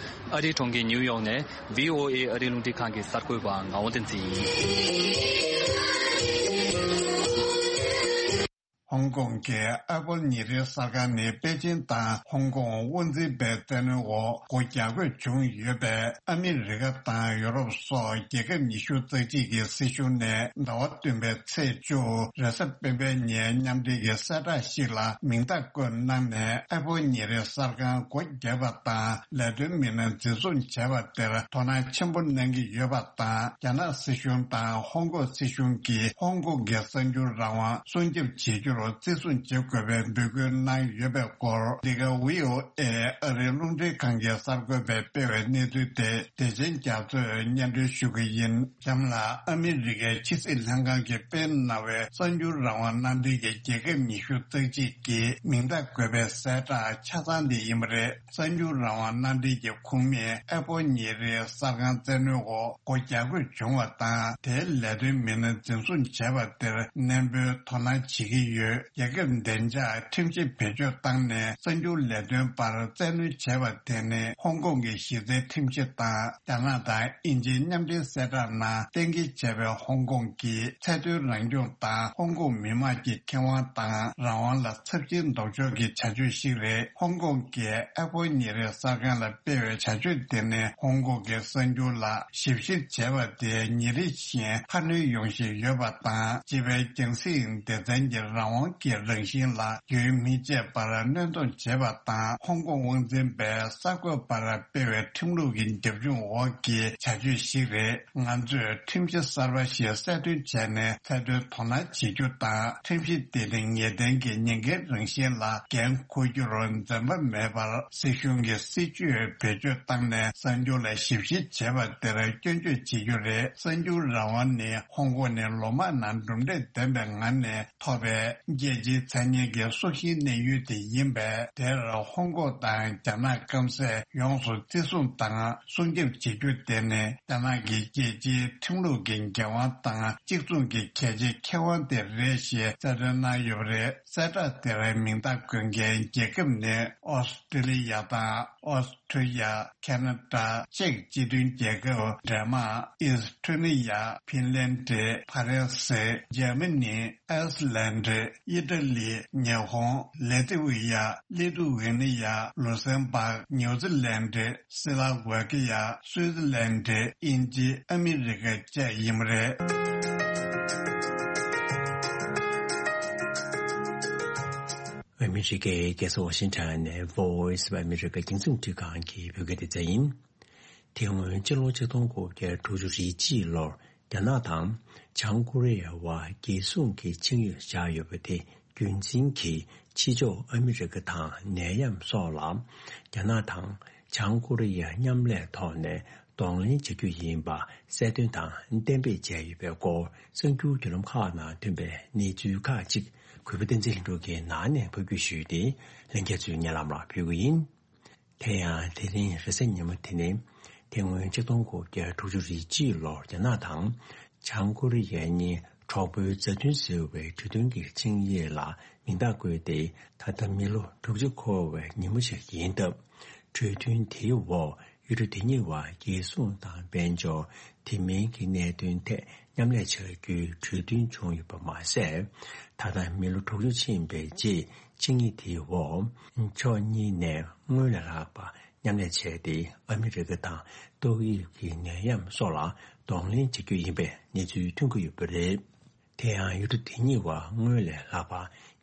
ཨ་རིའི་གྲོང་ཁྱེར་ནིའུ་ཡོག་ནས་བྷི་ཨོ་ཨེ་ཨ་རིའི་རླུང་འཕྲིན་ཁང་གི་གསར་འགོད་པ་ངག་དབང་བསྟན་འཛིན་ཡིན། ཧོང་ཀོང་གི་ཨེ་པོལ་ཉིན་རེའི་གསར་ཁང་ནི་པེ་ཅིན་དང་ཧོང་ཀོང་དབུ་འཛིན་པའི་བཙན་གནོན་འོག་སྒོ་རྒྱག་དགོས་བྱུང་ཡོད་པས། ཨ་མི་རི་ཀ་དང་ཡོ་རོབ་སོགས་རྒྱལ་ཁབ་ཉི་ཤུ་རྩ་གཅིག་གི་སྲིད་གཞུང་ནས་ཟླ་བ་བདུན་པའི་ཚེས་བཅུ་རེས་གཟའ་སྤེན་པའི་ཉིན་མཉམ་འབྲེལ་གྱི་གསལ་བསྒྲགས་ཤིག་ལ་མིང་རྟགས་བཀོད་གནང་ནས། ཨེ་པོལ་ཉིན་རེའི་གསར་ཁང་སྒོ་བརྒྱབ་པ་དང་ལས་དོན་མི་སྣ་འཛིན་བཟུང་བྱས་པ་དེར་དོ་སྣང་ཆེན་པོ་གནང་གི་ཡོད་པ་དང་། རྒྱ་ནག་སྲིད་གཞུང་དང་ཧོང་ཀོང་སྲིད་གཞུང་གིས་ཧོང་ཀོང་གི་གསར་འགྱུར་རང་དབང་སྲུང་སྐྱོབ་བྱེད་རྒྱུར་བརྩི་སྲུང་བྱེད་དགོས་པའི་འབོད་སྐུལ་གནང་ཡོད་པའི་སྐོར། འདི་ག་བྷི་ཨོ་ཨེ་ཨ་རིའི་རླུང་འཕྲིན་ཁང་གི་གསར་འགོད་པས་སྤེལ་བའི་གནས་ཚུལ་དེ་བདེ་ཆེན་རྒྱ་མཚོས་སྙན་སྒྲོན་ཞུ་གི་ཡིན། གཤམ་ལ་ཨ་མི་རི་ཀའི་ཕྱི་སྲིད་ལྷན་ཁང་གིས་སྤེལ་གནང་བའི་གསར་འགྱུར་རང་དབང་མནའ་འབྲེལ་གྱི་རྒྱལ་ཁབ་ཉི་ཤུ་རྩ་གཅིག་གི་མིང་རྟགས་འགོད་པའི་གསལ་བསྒྲགས་ཆ་ཚང་དེ་ཡིན་པ་རེད། གསར་འགྱུར་རང་དབང་མནའ་འབྲེལ་གྱི་ཁོངས་མིས་ཨེ་པོལ་ཉིན་རེའི་གསར་ཁང་བཙན་གནོན་འོག་སྒོ་རྒྱག་དགོས་བྱུང་བ་དང་། དེའི་ལས་དོན་མི་སྣ་འཛིན་བཟུང་བྱས་པ་དེར་ནན་པོའི་དོ་སྣང་བྱེད་ཀྱི་ཡོད། རྒྱལ་ཁབ་བདེ་འཇགས་ཁྲིམས་གཞི་བེད་སྤྱོད་བཏང་ནས་གསར་འགྱུར་ལས་དོན་པར་བཙན་གནོན་བྱས་པ་དེ་ནི་ཧོང་ཀོང་གི་གཞི་རྩའི་ཁྲིམས་གཞི་དང་། རྒྱ་ནག་དང་དབྱིན་ཇིའི་མཉམ་འབྲེལ་གསལ་བསྒྲགས་ནང་གཏན་འཁེལ་བྱས་པའི་ཧོང་ཀོང་གི་ཚད་མཐོའི་རང་སྐྱོང་དང་ཧོང་ཀོང་མི་དམངས་ཀྱི་ཁེ་དབང་དང་རང་དབང་ལ་ཚབས་ཆེའི་ལྡོག་ཕྱོགས་ཀྱི་བྱ་སྤྱོད་ཤིག་རེད། ཧོང་ཀོང་གི་ཨེ་པོལ་ཉིན་རེའི་གསར་ཁང་ལ་སྤེལ་བའི་བྱ་སྤྱོད་དེ་ནི་ཧོང་ཀོང་གི་གསར་འགྱུར་ལ་ཞིབ་བཤེར་བྱས་པ་དེ་ཉིན་རེ་བཞིན་འཕར་སྣོན་ཡོང་བཞིན་ཡོད་པ་དང་། སྤྱི་པའི་རྒྱང་སྲིང་སྡེ་ཚན་གྱི་རང་དབང་གི་རང་བཞིན་ལ་རྒྱུན་མི་ཆད་པར་གནོན་སྡོམ་བྱས་པ་དང་། ཧོང་ཀོང་དབང་འཛིན་པས་གསར་འགོད་པར་སྤེལ་བའི་ཁྲིམས་ལུགས་ཀྱི་རྒྱབ་ལྗོངས་འོག་གི་བྱ་སྤྱོད་ཞིག་རེད། ང་ཚོས་ཁྲིམས་གཞི་གསར་པ་ཞིག་གསལ་སྟོན་བྱས་ནས་ཚད་མཐོའི་དོ་སྣང་བྱེད་རྒྱུ་དང་། ཁྲིམས་གཞི་དེ་ནི་ངེས་གཏན་གྱི་ཉེན་ཁའི་རང་བཞིན་ལ་འགན་འཁུར་རྒྱུར་འཛེམ་པ་མེད་པར་སྲིད་གཞུང་གི་སྲིད་ཇུས་བེད་སྤྱོད་བཏང་ནས་གསར་འགྱུར་ལ་ཞིབ་བཤེར་བྱེད་པ་དེར་སྐྱོན་བརྗོད་བྱེད་རྒྱུ་རེད། གསར་འགྱུར་རང་དབང་ནི་ཧོང་ཀོང་ནས་ལོ་མང་ནང་གྲུབ་འབྲས་ལྡན་པའི་ངང་ནས་ཐོབ་པའི་རྒྱལ་སྤྱིའི་མཚན་སྙན་གྱི་སྲོག་ཤིང་གནས་ཡུལ་དེ་ཡིན་པས། དེར་ཧོང་ཀོང་དང་རྒྱ་ནག་སྐམ་སས་ཡོངས་སུ་བརྩི་སྲུང་དང་སྲུང་སྐྱོབ་བྱེད་རྒྱུ་དེ་ནི་རྒྱ་ནག་གི་རྒྱལ་སྤྱིའི་ཁྲིམས་ལུགས་ཀྱི་འགན་དབང་དང་གཅིག་མཚུངས་ཀྱི་གལ་ཆེའི་ཁེ་དབང་དེ་རེད་ཞེས་གསལ་སྟོན་གནང་ཡོད་པ་རེད། གསལ་བསྒྲགས་དེར་མིང་རྟགས་འགོད་མཁན་རྒྱལ་ཁབ་ནི་ཨོ་སི་ཀྲི་ལི་ཡ་དང་། ཨོ་སི་ཁྲུ་ལི་ཡ། ཁེ་ན་ཌ། ཅེཀ་སྤྱི་མཐུན་རྒྱལ་ཁབ། ཌེན་མཱག་ཨིས་ཐོ་ནི་ཡ། ཕིན་ལན་ཌི། ཕ་རན་སི། འཇར་མ་ནི། ཨའི་སི་ལན་ཌི། ཨི་ཏ་ལི། ཉི་ཧོང་། ལེ་ཏི་ཝི་ཡ། ལི་ཐུ་ཝེ་ནི་ཡ། ལུ་སེམ་བྷག་ཉུ་ཛི་ལན་ཌི། སི་ལ་ཝེ་ཀི་ཡ། སུའི་ཙི་ལན་ཌི། དབྱིན་ཇི། ཨ་མི་རི་ཀ་བཅས་ཡིན་པ་རེད། ཨ་མི་རི་ཀའི་རྒྱལ་ས་ཝ་ཤིང་ཊོན་ནས་Voice of America རྒྱང་སྲིང་འཕྲིན་ཁང་གི་བོད་སྐད་སྡེ་ཚན་ཡིན། དེ་སྔོན་སྤྱི་ལོ་ཆིག་སྟོང་དགུ་བརྒྱ་དྲུག་ཅུ་རེ་གཅིག་ལོར་རྒྱ་ནག་དང་བྱང་ཀོ་རི་ཡའི་བར་རྒྱལ་སྲུང་གི་ཆིངས་ཡིག་བཞག་ཡོད་པ་དེ་རྒྱུན་འཛིན་གྱིས་ཕྱི་ཕྱོགས་ཨ་མི་རི་ཀ་དང་ནད་ཡམས་སོགས་ལ་རྒྱ་ནག་དང་བྱང་ཀོ་རི་ཡ་མཉམ་ལས་ཐོག་ནས་གདོང་ལེན་བྱ་རྒྱུ་ཡིན་པ་གསལ་སྟོན་དང་གཏན་འབེབས་བྱས་ཡོད་པའི་སྐོར་གསར་འགྱུར་བརྒྱུད་ལམ་ཁག་ནང་ཐོན་པའི་གནས་ཚུལ་ཁག་ཅིག་གུས་པ་བསྟན་འཛིན་ལྷུན་གྲུབ་ཀྱིས་ནང་ནས་ཕབ་སྒྱུར་ཞུས་ཏེ་ལྷན་རྒྱས་ཚོའི་སྙན་ལམ་ལ་ཕུལ་གྱི་ཡིན། དེ་ཡང་དེ་རིང་རེས་གཟའ་ཉི་མ་དེ་ནི་དེ་སྔོན་ཆིག་སྟོང་དགུ་བརྒྱ་དྲུག་ཅུ་རེ་གཅིག་ལོར་རྒྱ་ནག་དང་བྱང་ཀོ་རི་ཡ་གཉིས་གྲོགས་པོའི་མཛའ་མཐུན་ཟེར་བའི་གྲོས་མཐུན་གྱི་ཆིངས་ཡིག་ལ་མིང་རྟགས་བཀོད་དེ་ད་ལྟ་མི་ལོ་དྲུག་ཅུ་འཁོར་བའི་ཉིན་མོ་ཞིག་ཡིན་སྟབས། གྲོས་མཐུན་དེའི་འོག་ཡུལ་གྲུ་དེ་གཉིས་བར་རྒྱལ་སྲུང་དང་དཔལ་འབྱོར། དེ་མིན་གྱི་གནད་དོན་ཐད་མཉམ་ལས་བྱ་རྒྱུའི་གྲོས་མཐུན་བྱུང་ཡོད་པ་མ་ཟད། ད་ལྟ་མི་ལོ་དྲུག་ཅུ་ཕྱིན་པའི་རྗེས་ཆིངས་ཡིག་དེའི་འོག་ཕྱོགས་གཉིས་ནས་སྔོན་ལས་ལྷག་པ་མཉམ་ལས་བྱས་ཏེ་ཨ་མི་རི་ཀ་དང་ཏོག་དབྱིབས་ཀྱི་ནད་ཡམས་སོགས་ལ་གདོང་ལེན་བྱ་རྒྱུ་ཡིན་པའི་གནས་ཚུལ་ཐོན་གྱི་ཡོད་པ་རེད། དེ་ཡང་ཡུལ་གྲུ་དེ་གཉིས་བར་སྔོན་ལས་ལྷག་པ་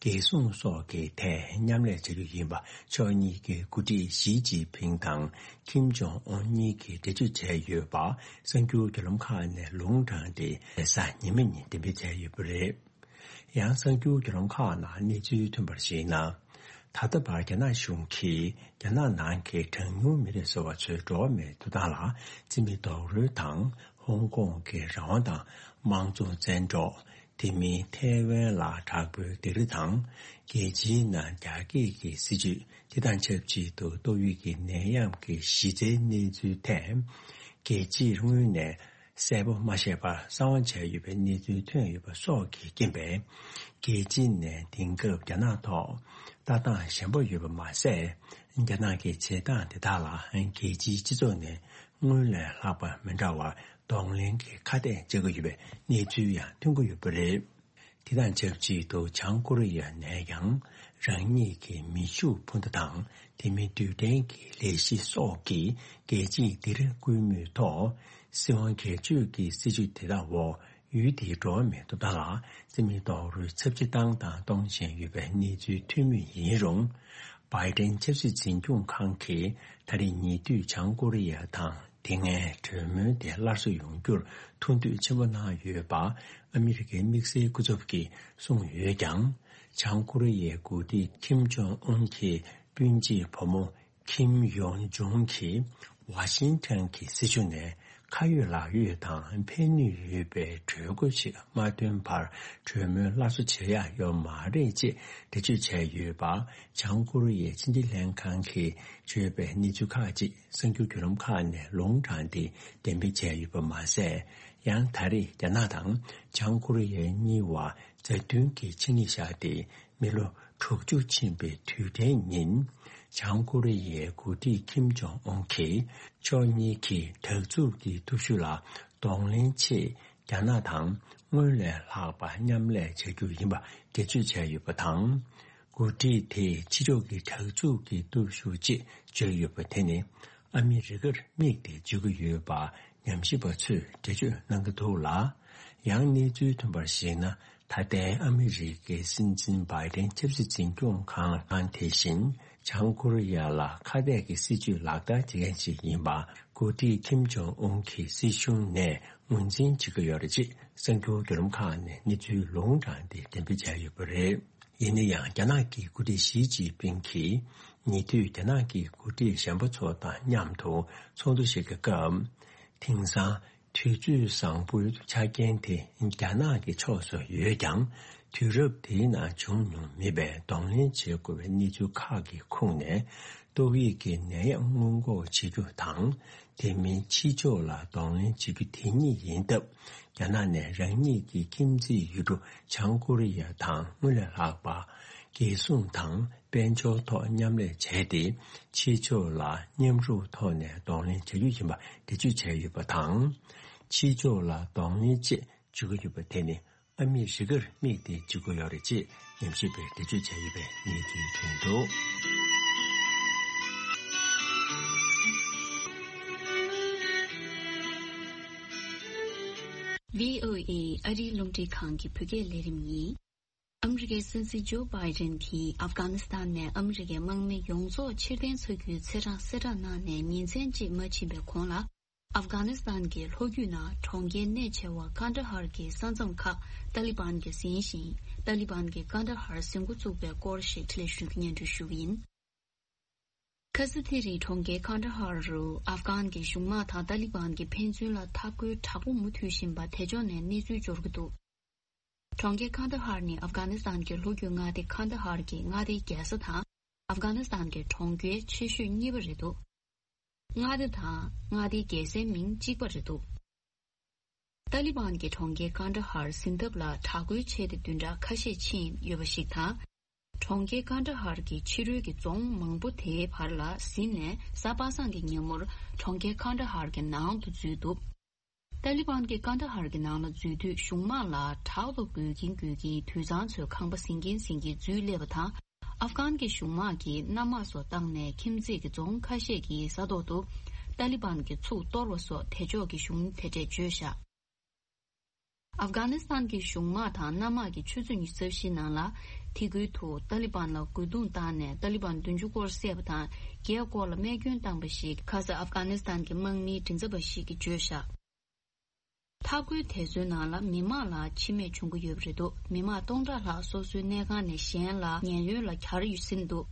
རྒྱལ་སྲུང་སོགས་ཀྱི་ཐད་མཉམ་ལས་བྱ་རྒྱུ་ཡིན་པ་ཕྱོགས་གཉིས་ཀྱི་འགོ་ཁྲིད་ཞི་ཅིན་ཕིང་དང་ཁིམ་ཇོང་ཨུན་གཉིས་ཀྱིས་འགྲེལ་བརྗོད་བྱས་ཡོད་པ་གསར་འགྱུར་བརྒྱུད་ལམ་ཁག་ནས་ལུང་དྲངས་ཏེ་རེས་གཟའ་ཉི་མ་ཉིན་གཏན་འབེབས་བྱས་ཡོད་པ་རེད། ཡང་གསར་འགྱུར་བརྒྱུད་ལམ་ཁག་ནང་གནས་ཚུལ་ཐོན་པར་གཞིགས་ན། ད་ལྟ་བར་རྒྱ་ནག་གཞུང་གིས་རྒྱ་ནག་ནང་གི་གྲངས་ཉུང་མི་རིགས་ཟེར་བ་ཚོའི་འགྲོ་བ་མིའི་ཐོབ་ཐང་ལ་རྩིས་མེད་རྡོག་རོལ་དང་། ཧོང་ཀོང་གི་རང་དབང་དང་དམངས་གཙོ་བཙན་འཕྲོག་དེ་མིན་ཐའེ་ཝན་ལ་དྲག་པོའི་སྡིགས་ར་དང་། རྒྱལ་སྤྱིའི་ནང་རྒྱ་སྐྱེད་ཀྱི་སྲིད་བྱུས། དེ་དང་ཆབས་ཅིག་ཏུ་ཏོག་དབྱིབས་ཀྱི་ནད་ཡམས་ཀྱི་གཞི་རྩའི་གནས་ཚུལ་ཐད། རྒྱལ་སྤྱིར་སྔོན་ནས་གསལ་པོ་མ་བཤད་པར་གསང་བ་བྱས་ཡོད་པའི་གནས་ཚུལ་ཐོན་ཡོད་པ་སོགས་ཀྱི་རྐྱེན་པས། རྒྱལ་སྤྱི་ནས་དེང་སྐབས་རྒྱ་ནག་ཐོག་ལྟ་སྟངས་ཞན་པོ་ཡོད་པ་མ་ཟད། རྒྱ་ནག་གི་བྱེད་སྟངས་དེ་དག་ལ་རྒྱལ་སྤྱིའི་སྤྱི་ཚོགས་ནས་སྔོན་ལས་ལྷག་པ་མི་འདྲ་བར་གདོང་ལེན་གྱི་ཁ་གཏད་བྱེད་ཀྱི་ཡོད་པའི་གནས་ཚུལ་ཡང་ཐོན་གྱི་ཡོད་པ་རེད། དེ་དང་ཆབས་ཅིག་ཏུ་བྱང་ཀོ་རི་ཡ་ནས་ཀྱང་རང་ཉིད་ཀྱི་མི་ཤུགས་འཕུར་མདའ་དང་དེ་མིན་རྡུལ་ཕྲན་གྱི་ལས་གཞི་སོགས་ཀྱི་རྒྱལ་སྤྱིའི་སྡིགས་ར་བསྐུལ་མུས་ཐོག་སྲིད་དབང་སྒེར་གཅོད་ཀྱི་སྲིད་བྱུས་དེ་དག་འོག་ཡུལ་དེའི་འགྲོ་བ་མིའི་ཐོབ་ཐང་ལ་རྩིས་མེད་རྡོག་རོལ་ཚབས་ཆེ་བཏང་དང་གཏོང་བཞིན་ཡོད་པའི་གནས་ཚུལ་ཐོན་མུས་ཡིན་རུང་། བྷའི་ཏན་ཆབ་སྲིད་འཛིན་སྐྱོང་ཁང་གིས་ད་རེས་ཉེ་དུས་བྱང་ཀོ་རི་ཡ་དང་དེ་སྔའི་གྲོས་མོལ་དེ་སླར་གསོ་ཡོང་རྒྱུར་ཐུགས་འདོད་ཆེན་པོ་གནང་ཡོད་པ་ཨ་མི་རི་ཀའི་དམིགས་བསལ་སྐུ་ཚབ་ཀྱིས་གསུངས་ཡོད་ཀྱང་། བྱང་ཀོ་རི་ཡའི་འགོ་ཁྲིད་ཁིམ་ཇོང་ཨུན་གྱི་སྤུན་མཆེད་བུ་མོ་ཁིམ་ཡོང་ཇུང་གིས་ཝ་ཤིང་ཊོན་གྱི་སྲིད་བྱུས་ནས་ཁ་ཡོད་ལག་ཡོད་དང་ཕན་ནུས་ཡོད་པའི་གྲོས་འགོ་ཞིག་མ་བཏོན་བར་གྲོས་མོལ་སླར་གསོ་བྱེད་ཡག་ཡོད་མ་རེད་ཅེས་འགྲེལ་བརྗོད་བྱས་ཡོད་པ། བྱང་ཀོ་རི་ཡའི་ཕྱི་འབྲེལ་ལྷན་ཁང་གིས་བརྗོད་པའི་གནས་ཚུལ་ཁག་ཅིག་གསར་འགྱུར་བརྒྱུད་ལམ་ཁག་ནས་ལུང་དྲངས་ཏེ་གཏན་འབེབས་བྱས་ཡོད་པ་མ་ཟད། ཡང་ད་རེས་རྒྱ་ནག་དང་བྱང་ཀོ་རི་ཡའི་གཉིས་བར་མཛའ་མཐུན་གྱི་ཆིངས་ཡིག་བཞག་སྟེ་མི་ལོ་དྲུག་ཅུ་ཕྱིན་པའི་དུས་དྲན་ཉིན། བྱང་ཀོ་རི་ཡའི་འགོ་ཁྲིད་ཁིམ་ཇོང་ཨུན་གྱིས་ཕྱོགས་གཉིས་ཀྱི་དྲག་རྩུབ་ཀྱི་སྟོབས་ཤུགས་ལ་གདོང་ལེན་ཆེད། རྒྱ་ནག་དང་སྔོན་ལས་ལྷག་པ་མཉམ་ལས་བྱ་རྒྱུ་ཡིན་པ་འགྲེལ་བརྗོད་བྱས་ཡོད་པ་དང་། འགོ་ཁྲིད་དེས་ཕྱི་ཕྱོགས་ཀྱི་དྲག་རྩུབ་ཀྱི་སྟོབས་ཤུགས་ཅེས་བརྗོད་ཡོད་པ་དེ་ནི་ཨ་མི་རི་ཀར་དམིགས་ཏེ་བརྗོད་ཀྱི་ཡོད་པ་ཉམས་ཞིབ་པ་ཚོས་འགྲེལ་བརྗོད་གནང་གི་འདུག་ལ། ཡང་གནས་ཚུལ་ཐོན་པར་གཞིགས་ན། ད་ལྟའི་ཨ་མི་རི་ཀའི་སྲིད་འཛིན་བྷའི་ཏན་ཆབ་སྲིད་འཛིན་སྐྱོང་ཁང་དེ་བཞིན། བྱང་ཀོ་རི་ཡ་ལ་ཁ་གཏད་ཀྱི་སྲིད་བྱུས་ལག་བསྟར་བྱེད་མཁན་ཞིག་ཡིན་པ། འགོ་ཁྲིད་ཁིམ་ཇོང་ཨུན་གྱི་སྲིད་གཞུང་ནས་ངོས་འཛིན་བྱེད་ཀྱི་ཡོད་རེད་ཅེས་གསར་འགྱུར་བརྒྱུད་ལམ་ཁག་ནས་གནས་ཚུལ་ལུང་དྲངས་ཏེ་གཏན་འབེབས་བྱས་ཡོད་པ་རེད། ཡིན་ན་ཡང་རྒྱ་ནག་གི་འགོ་ཁྲིད་ཞི་ཅིན་ཕིང་གིས་ཉེ་དུས་རྒྱ་ནག་གི་འགོ་ཁྲིད་གཞན་པ་ཚོ་དང་མཉམ་དུ་ཚོགས་འདུ་ཞིག་གི་སྐབས། དེང་སང་དུས་ཚོད་བཟང་པོའི་ཆ་རྐྱེན་དེ་རྒྱ་ནག་གི་ཕྱོགས་སུ་ཡོད་ཀྱང་། དུས་རབས་དེའི་ནང་བྱུང་མྱོང་མེད་པའི་གདོང་ལེན་བྱེད་དགོས་པའི་གནས་ཚུལ་ཁག་གི་ཁོངས་ནས། ཏོག་དབྱིབས་ཀྱི་ནད་ཡམས་སྔོན་འགོག་བྱེད་རྒྱུ་དང་། དེ་མིན་ཕྱི་ཕྱོགས་ལ་གདོང་ལེན་བྱེད་རྒྱུ་དེ་གཉིས་ཡིན་སྟབས། རྒྱ་ནག་ནས་རང་ཉིད་ཀྱི་ཁྱིམ་མཚེས་ཡུལ་གྲུ་བྱང་ཀོ་རི་ཡ་དང་སྔོན་ལས་ལྷག་པ། རྒྱལ་སྲུང་དང་དཔལ་འབྱོར་ཐོག་མཉམ་ལས་བྱས་ཏེ། ཕྱི་ཕྱོགས་ལ་མཉམ་རུབ་ཐོག་ནས་གདོང་ལེན་བྱ་རྒྱུ་ཡིན་པ་འགྲེལ་བརྗོད་བྱས་ཡོད་པ་དང་། ཕྱི་ཕྱོགས་ལ་གདོང་ལེན་བཅས་བྱེད་ཀྱི་ཡོད་པ་དེ་ནི་ཨ་མི་རི་ཀར་དམིགས་ཏེ་བྱེད་ཀྱི་ཡོད་རེད་ཅེས་ཉམས་ཞིབ་པས་འགྲེལ་བརྗོད་བྱས་ཡོད་པའི་གནས་ཚུལ་ཐོན་འདུག་བྷི་ཨོ་ཨེ་ཨ་རིའི་རླུང་འཕྲིན་ཁང་གི་བོད་སྐད་ལས་རིམ་ཡིན། ཨ་མི་རི་ཀའི་སྲིད་འཛིན་ཇོ་བྷའི་ཌེན་གྱིས་ཨབ་གྷ་ནི་སི་ཐན་ནས་ཨ་མི་རི་ཀའི་དམག་མི་ཡོངས་རྫོགས་ཕྱིར་འཐེན་བྱ་རྒྱུའི་ཚེས་གྲངས་གསལ་བསྒྲགས་གནང་ནས་ཉིན་མཚན་གཅིག་མ་ཕྱིན་པའི་གོང་ལ། ཨབ་གྷ་ནི་སི་ཐན་གྱི་ལྷོ་རྒྱུད་ནང་གྲོང་ཁྱེར་གནད་ཆེ་བ་ཀན་ད་ཧར་གྱི་ས་མཚམས་ཁག་ཏཱ་ལི་བན་གྱིས་ཟིན་ཞིང་། ཏཱ་ལི་བན་གྱིས་ཀན་ད་ཧར་ཟིན་འགོ་བཙུགས་པའི་སྐོར་ཞིག་འཕྲིན་ལས་གཞུང་གིས་སྙན་སྒྲོན་ཞུ་གི་ཡིན། ཁ་སང་དེ་རིང་གྲོང་ཁྱེར་ཀན་ད་ཧར་རུ་ཨབ་གྷན་གྱི་གཞུང་དམག་དང་ཏཱ་ལི་བན་གྱི་ཕན་ཚུན་ལ་འཐབ་རྒོལ་དྲག་པོ་མུ་མཐུད་བཞིན་པ་དེ་ཕྱོགས་ནས་གནས་ཚུལ་འབྱོར་གྱི་འདུག་གྲོང་ཁྱེར་ཀན་ད་ཧར་ནི་ཨབ་གྷ་ནི་སི་ཐན་གྱི་ལྷོ་རྒྱུད་མངའ་སྡེ་ཀན་ད་ཧར་གྱི་མངའ་སྡེའི་རྒྱལ་ས་དང་ཨབ་གྷ་ནི་སི་ཐན་གྱི་གྲོང་ཁྱེར་ཆེ་ཤོས་གཉིས་པ་རེད་འདུག་མངའ་སྡེ་དང་མངའ་སྡེའི་རྒྱལ་སའི་མིང་གཅིག་པ་རེད་འདུག་ཏཱ་ལི་བན་གྱི་གྲོང་ཁྱེར་ཀན་ད་ཧར་ཟིན་ཐབས་ལ་དྲག་རྒོལ་བྱས་ཏེ་བདུན་ཕྲག་ཁ་ཤས་ཕྱིན་ཡོད་པ་ཞིག་དང་། གྲོང་ཁྱེར་ཀན་ད་ཧར་གྱི་ཕྱི་རོལ་གྱི་རྫོང་མང་པོ་དེའི་བར་ལ་ཟིན་ནས་གཟའ་པ་སངས་ཀྱི་ཉིན་མོར་གྲོང་ཁྱེར་ཀན་ད་ཧར་གྱི་ནང་དུ་འཛུལ་འདུག་ཏཱ་ལི་བན་གྱིས་ཀན་ད་ཧར་གྱི་ནང་ལ་འཛུལ་དུས་གཞུང་དམག་ལ་དྲག་ཏུ་རྒོལ་གྱིན་རྒོལ་གྱིན་དུད་ཚང་ཚོའི་ཁང་པ་ཟིན་གྱིན་ཟིན་གྱིན་འཛུལ་སླེབས་པ་དང་། ཨབ་གྷན་གྱི་གཞུང་དམག་གིས་གནམ་དམག་སོགས་བཏང་ནས་ཁྱིམ་མཚེས་ཀྱི་རྫོང་ཁ་ཤས་ཀྱི་ས་ཐོག་ཏུ་ཏཱ་ལི་བན་གྱི་ཚུགས་གཏོར་བ་སོགས་དེ་ཕྱོགས་ཀྱི་གཞུང་དེ་འདྲས་བརྗོད་བཞག་ཨབ་གྷ་ནི་སི་ཐན་གྱི་གཞུང་དམག་དང་གནམ་དམག་གིས་ཆུ་ཚོད་ཉི་ཤུ་རྩ་བཞིའི་ནང་ལ་ཐི་གུའི་ཐོག་ཏཱ་ལི་བན་ལ་རྒོལ་རྡུང་བཏང་ནས་ཏཱ་ལི་བན་བདུན་ཅུ་སྐོར་བསད་པ་དང་། བརྒྱད་སྐོར་ལ་རྨས་སྐྱོན་བཏང་པ་ཞིག་ཁ་སང་ཨབ་གྷ་ནི་སི་ཐན་གྱི་དམག་མིའི་མགྲིན་ཚབ་པ་ཞིག་གིས་བརྗོད་བཞག་འཐབ་རྒོལ་དེ་ཚོའི་ནང་ལ་མི་མང་ལ་འཆི་རྨས་བྱུང་གི་ཡོད་པ་རེད་འདུག་མི་མང་སྟོང་ཕྲག་ལྷག་སོ་སོའི་གནས་ཁང་ནས་གཞན་ལ་ཉེན་གཡོལ་ལ་གྱར་ཡོད་ཟིན་འདུག་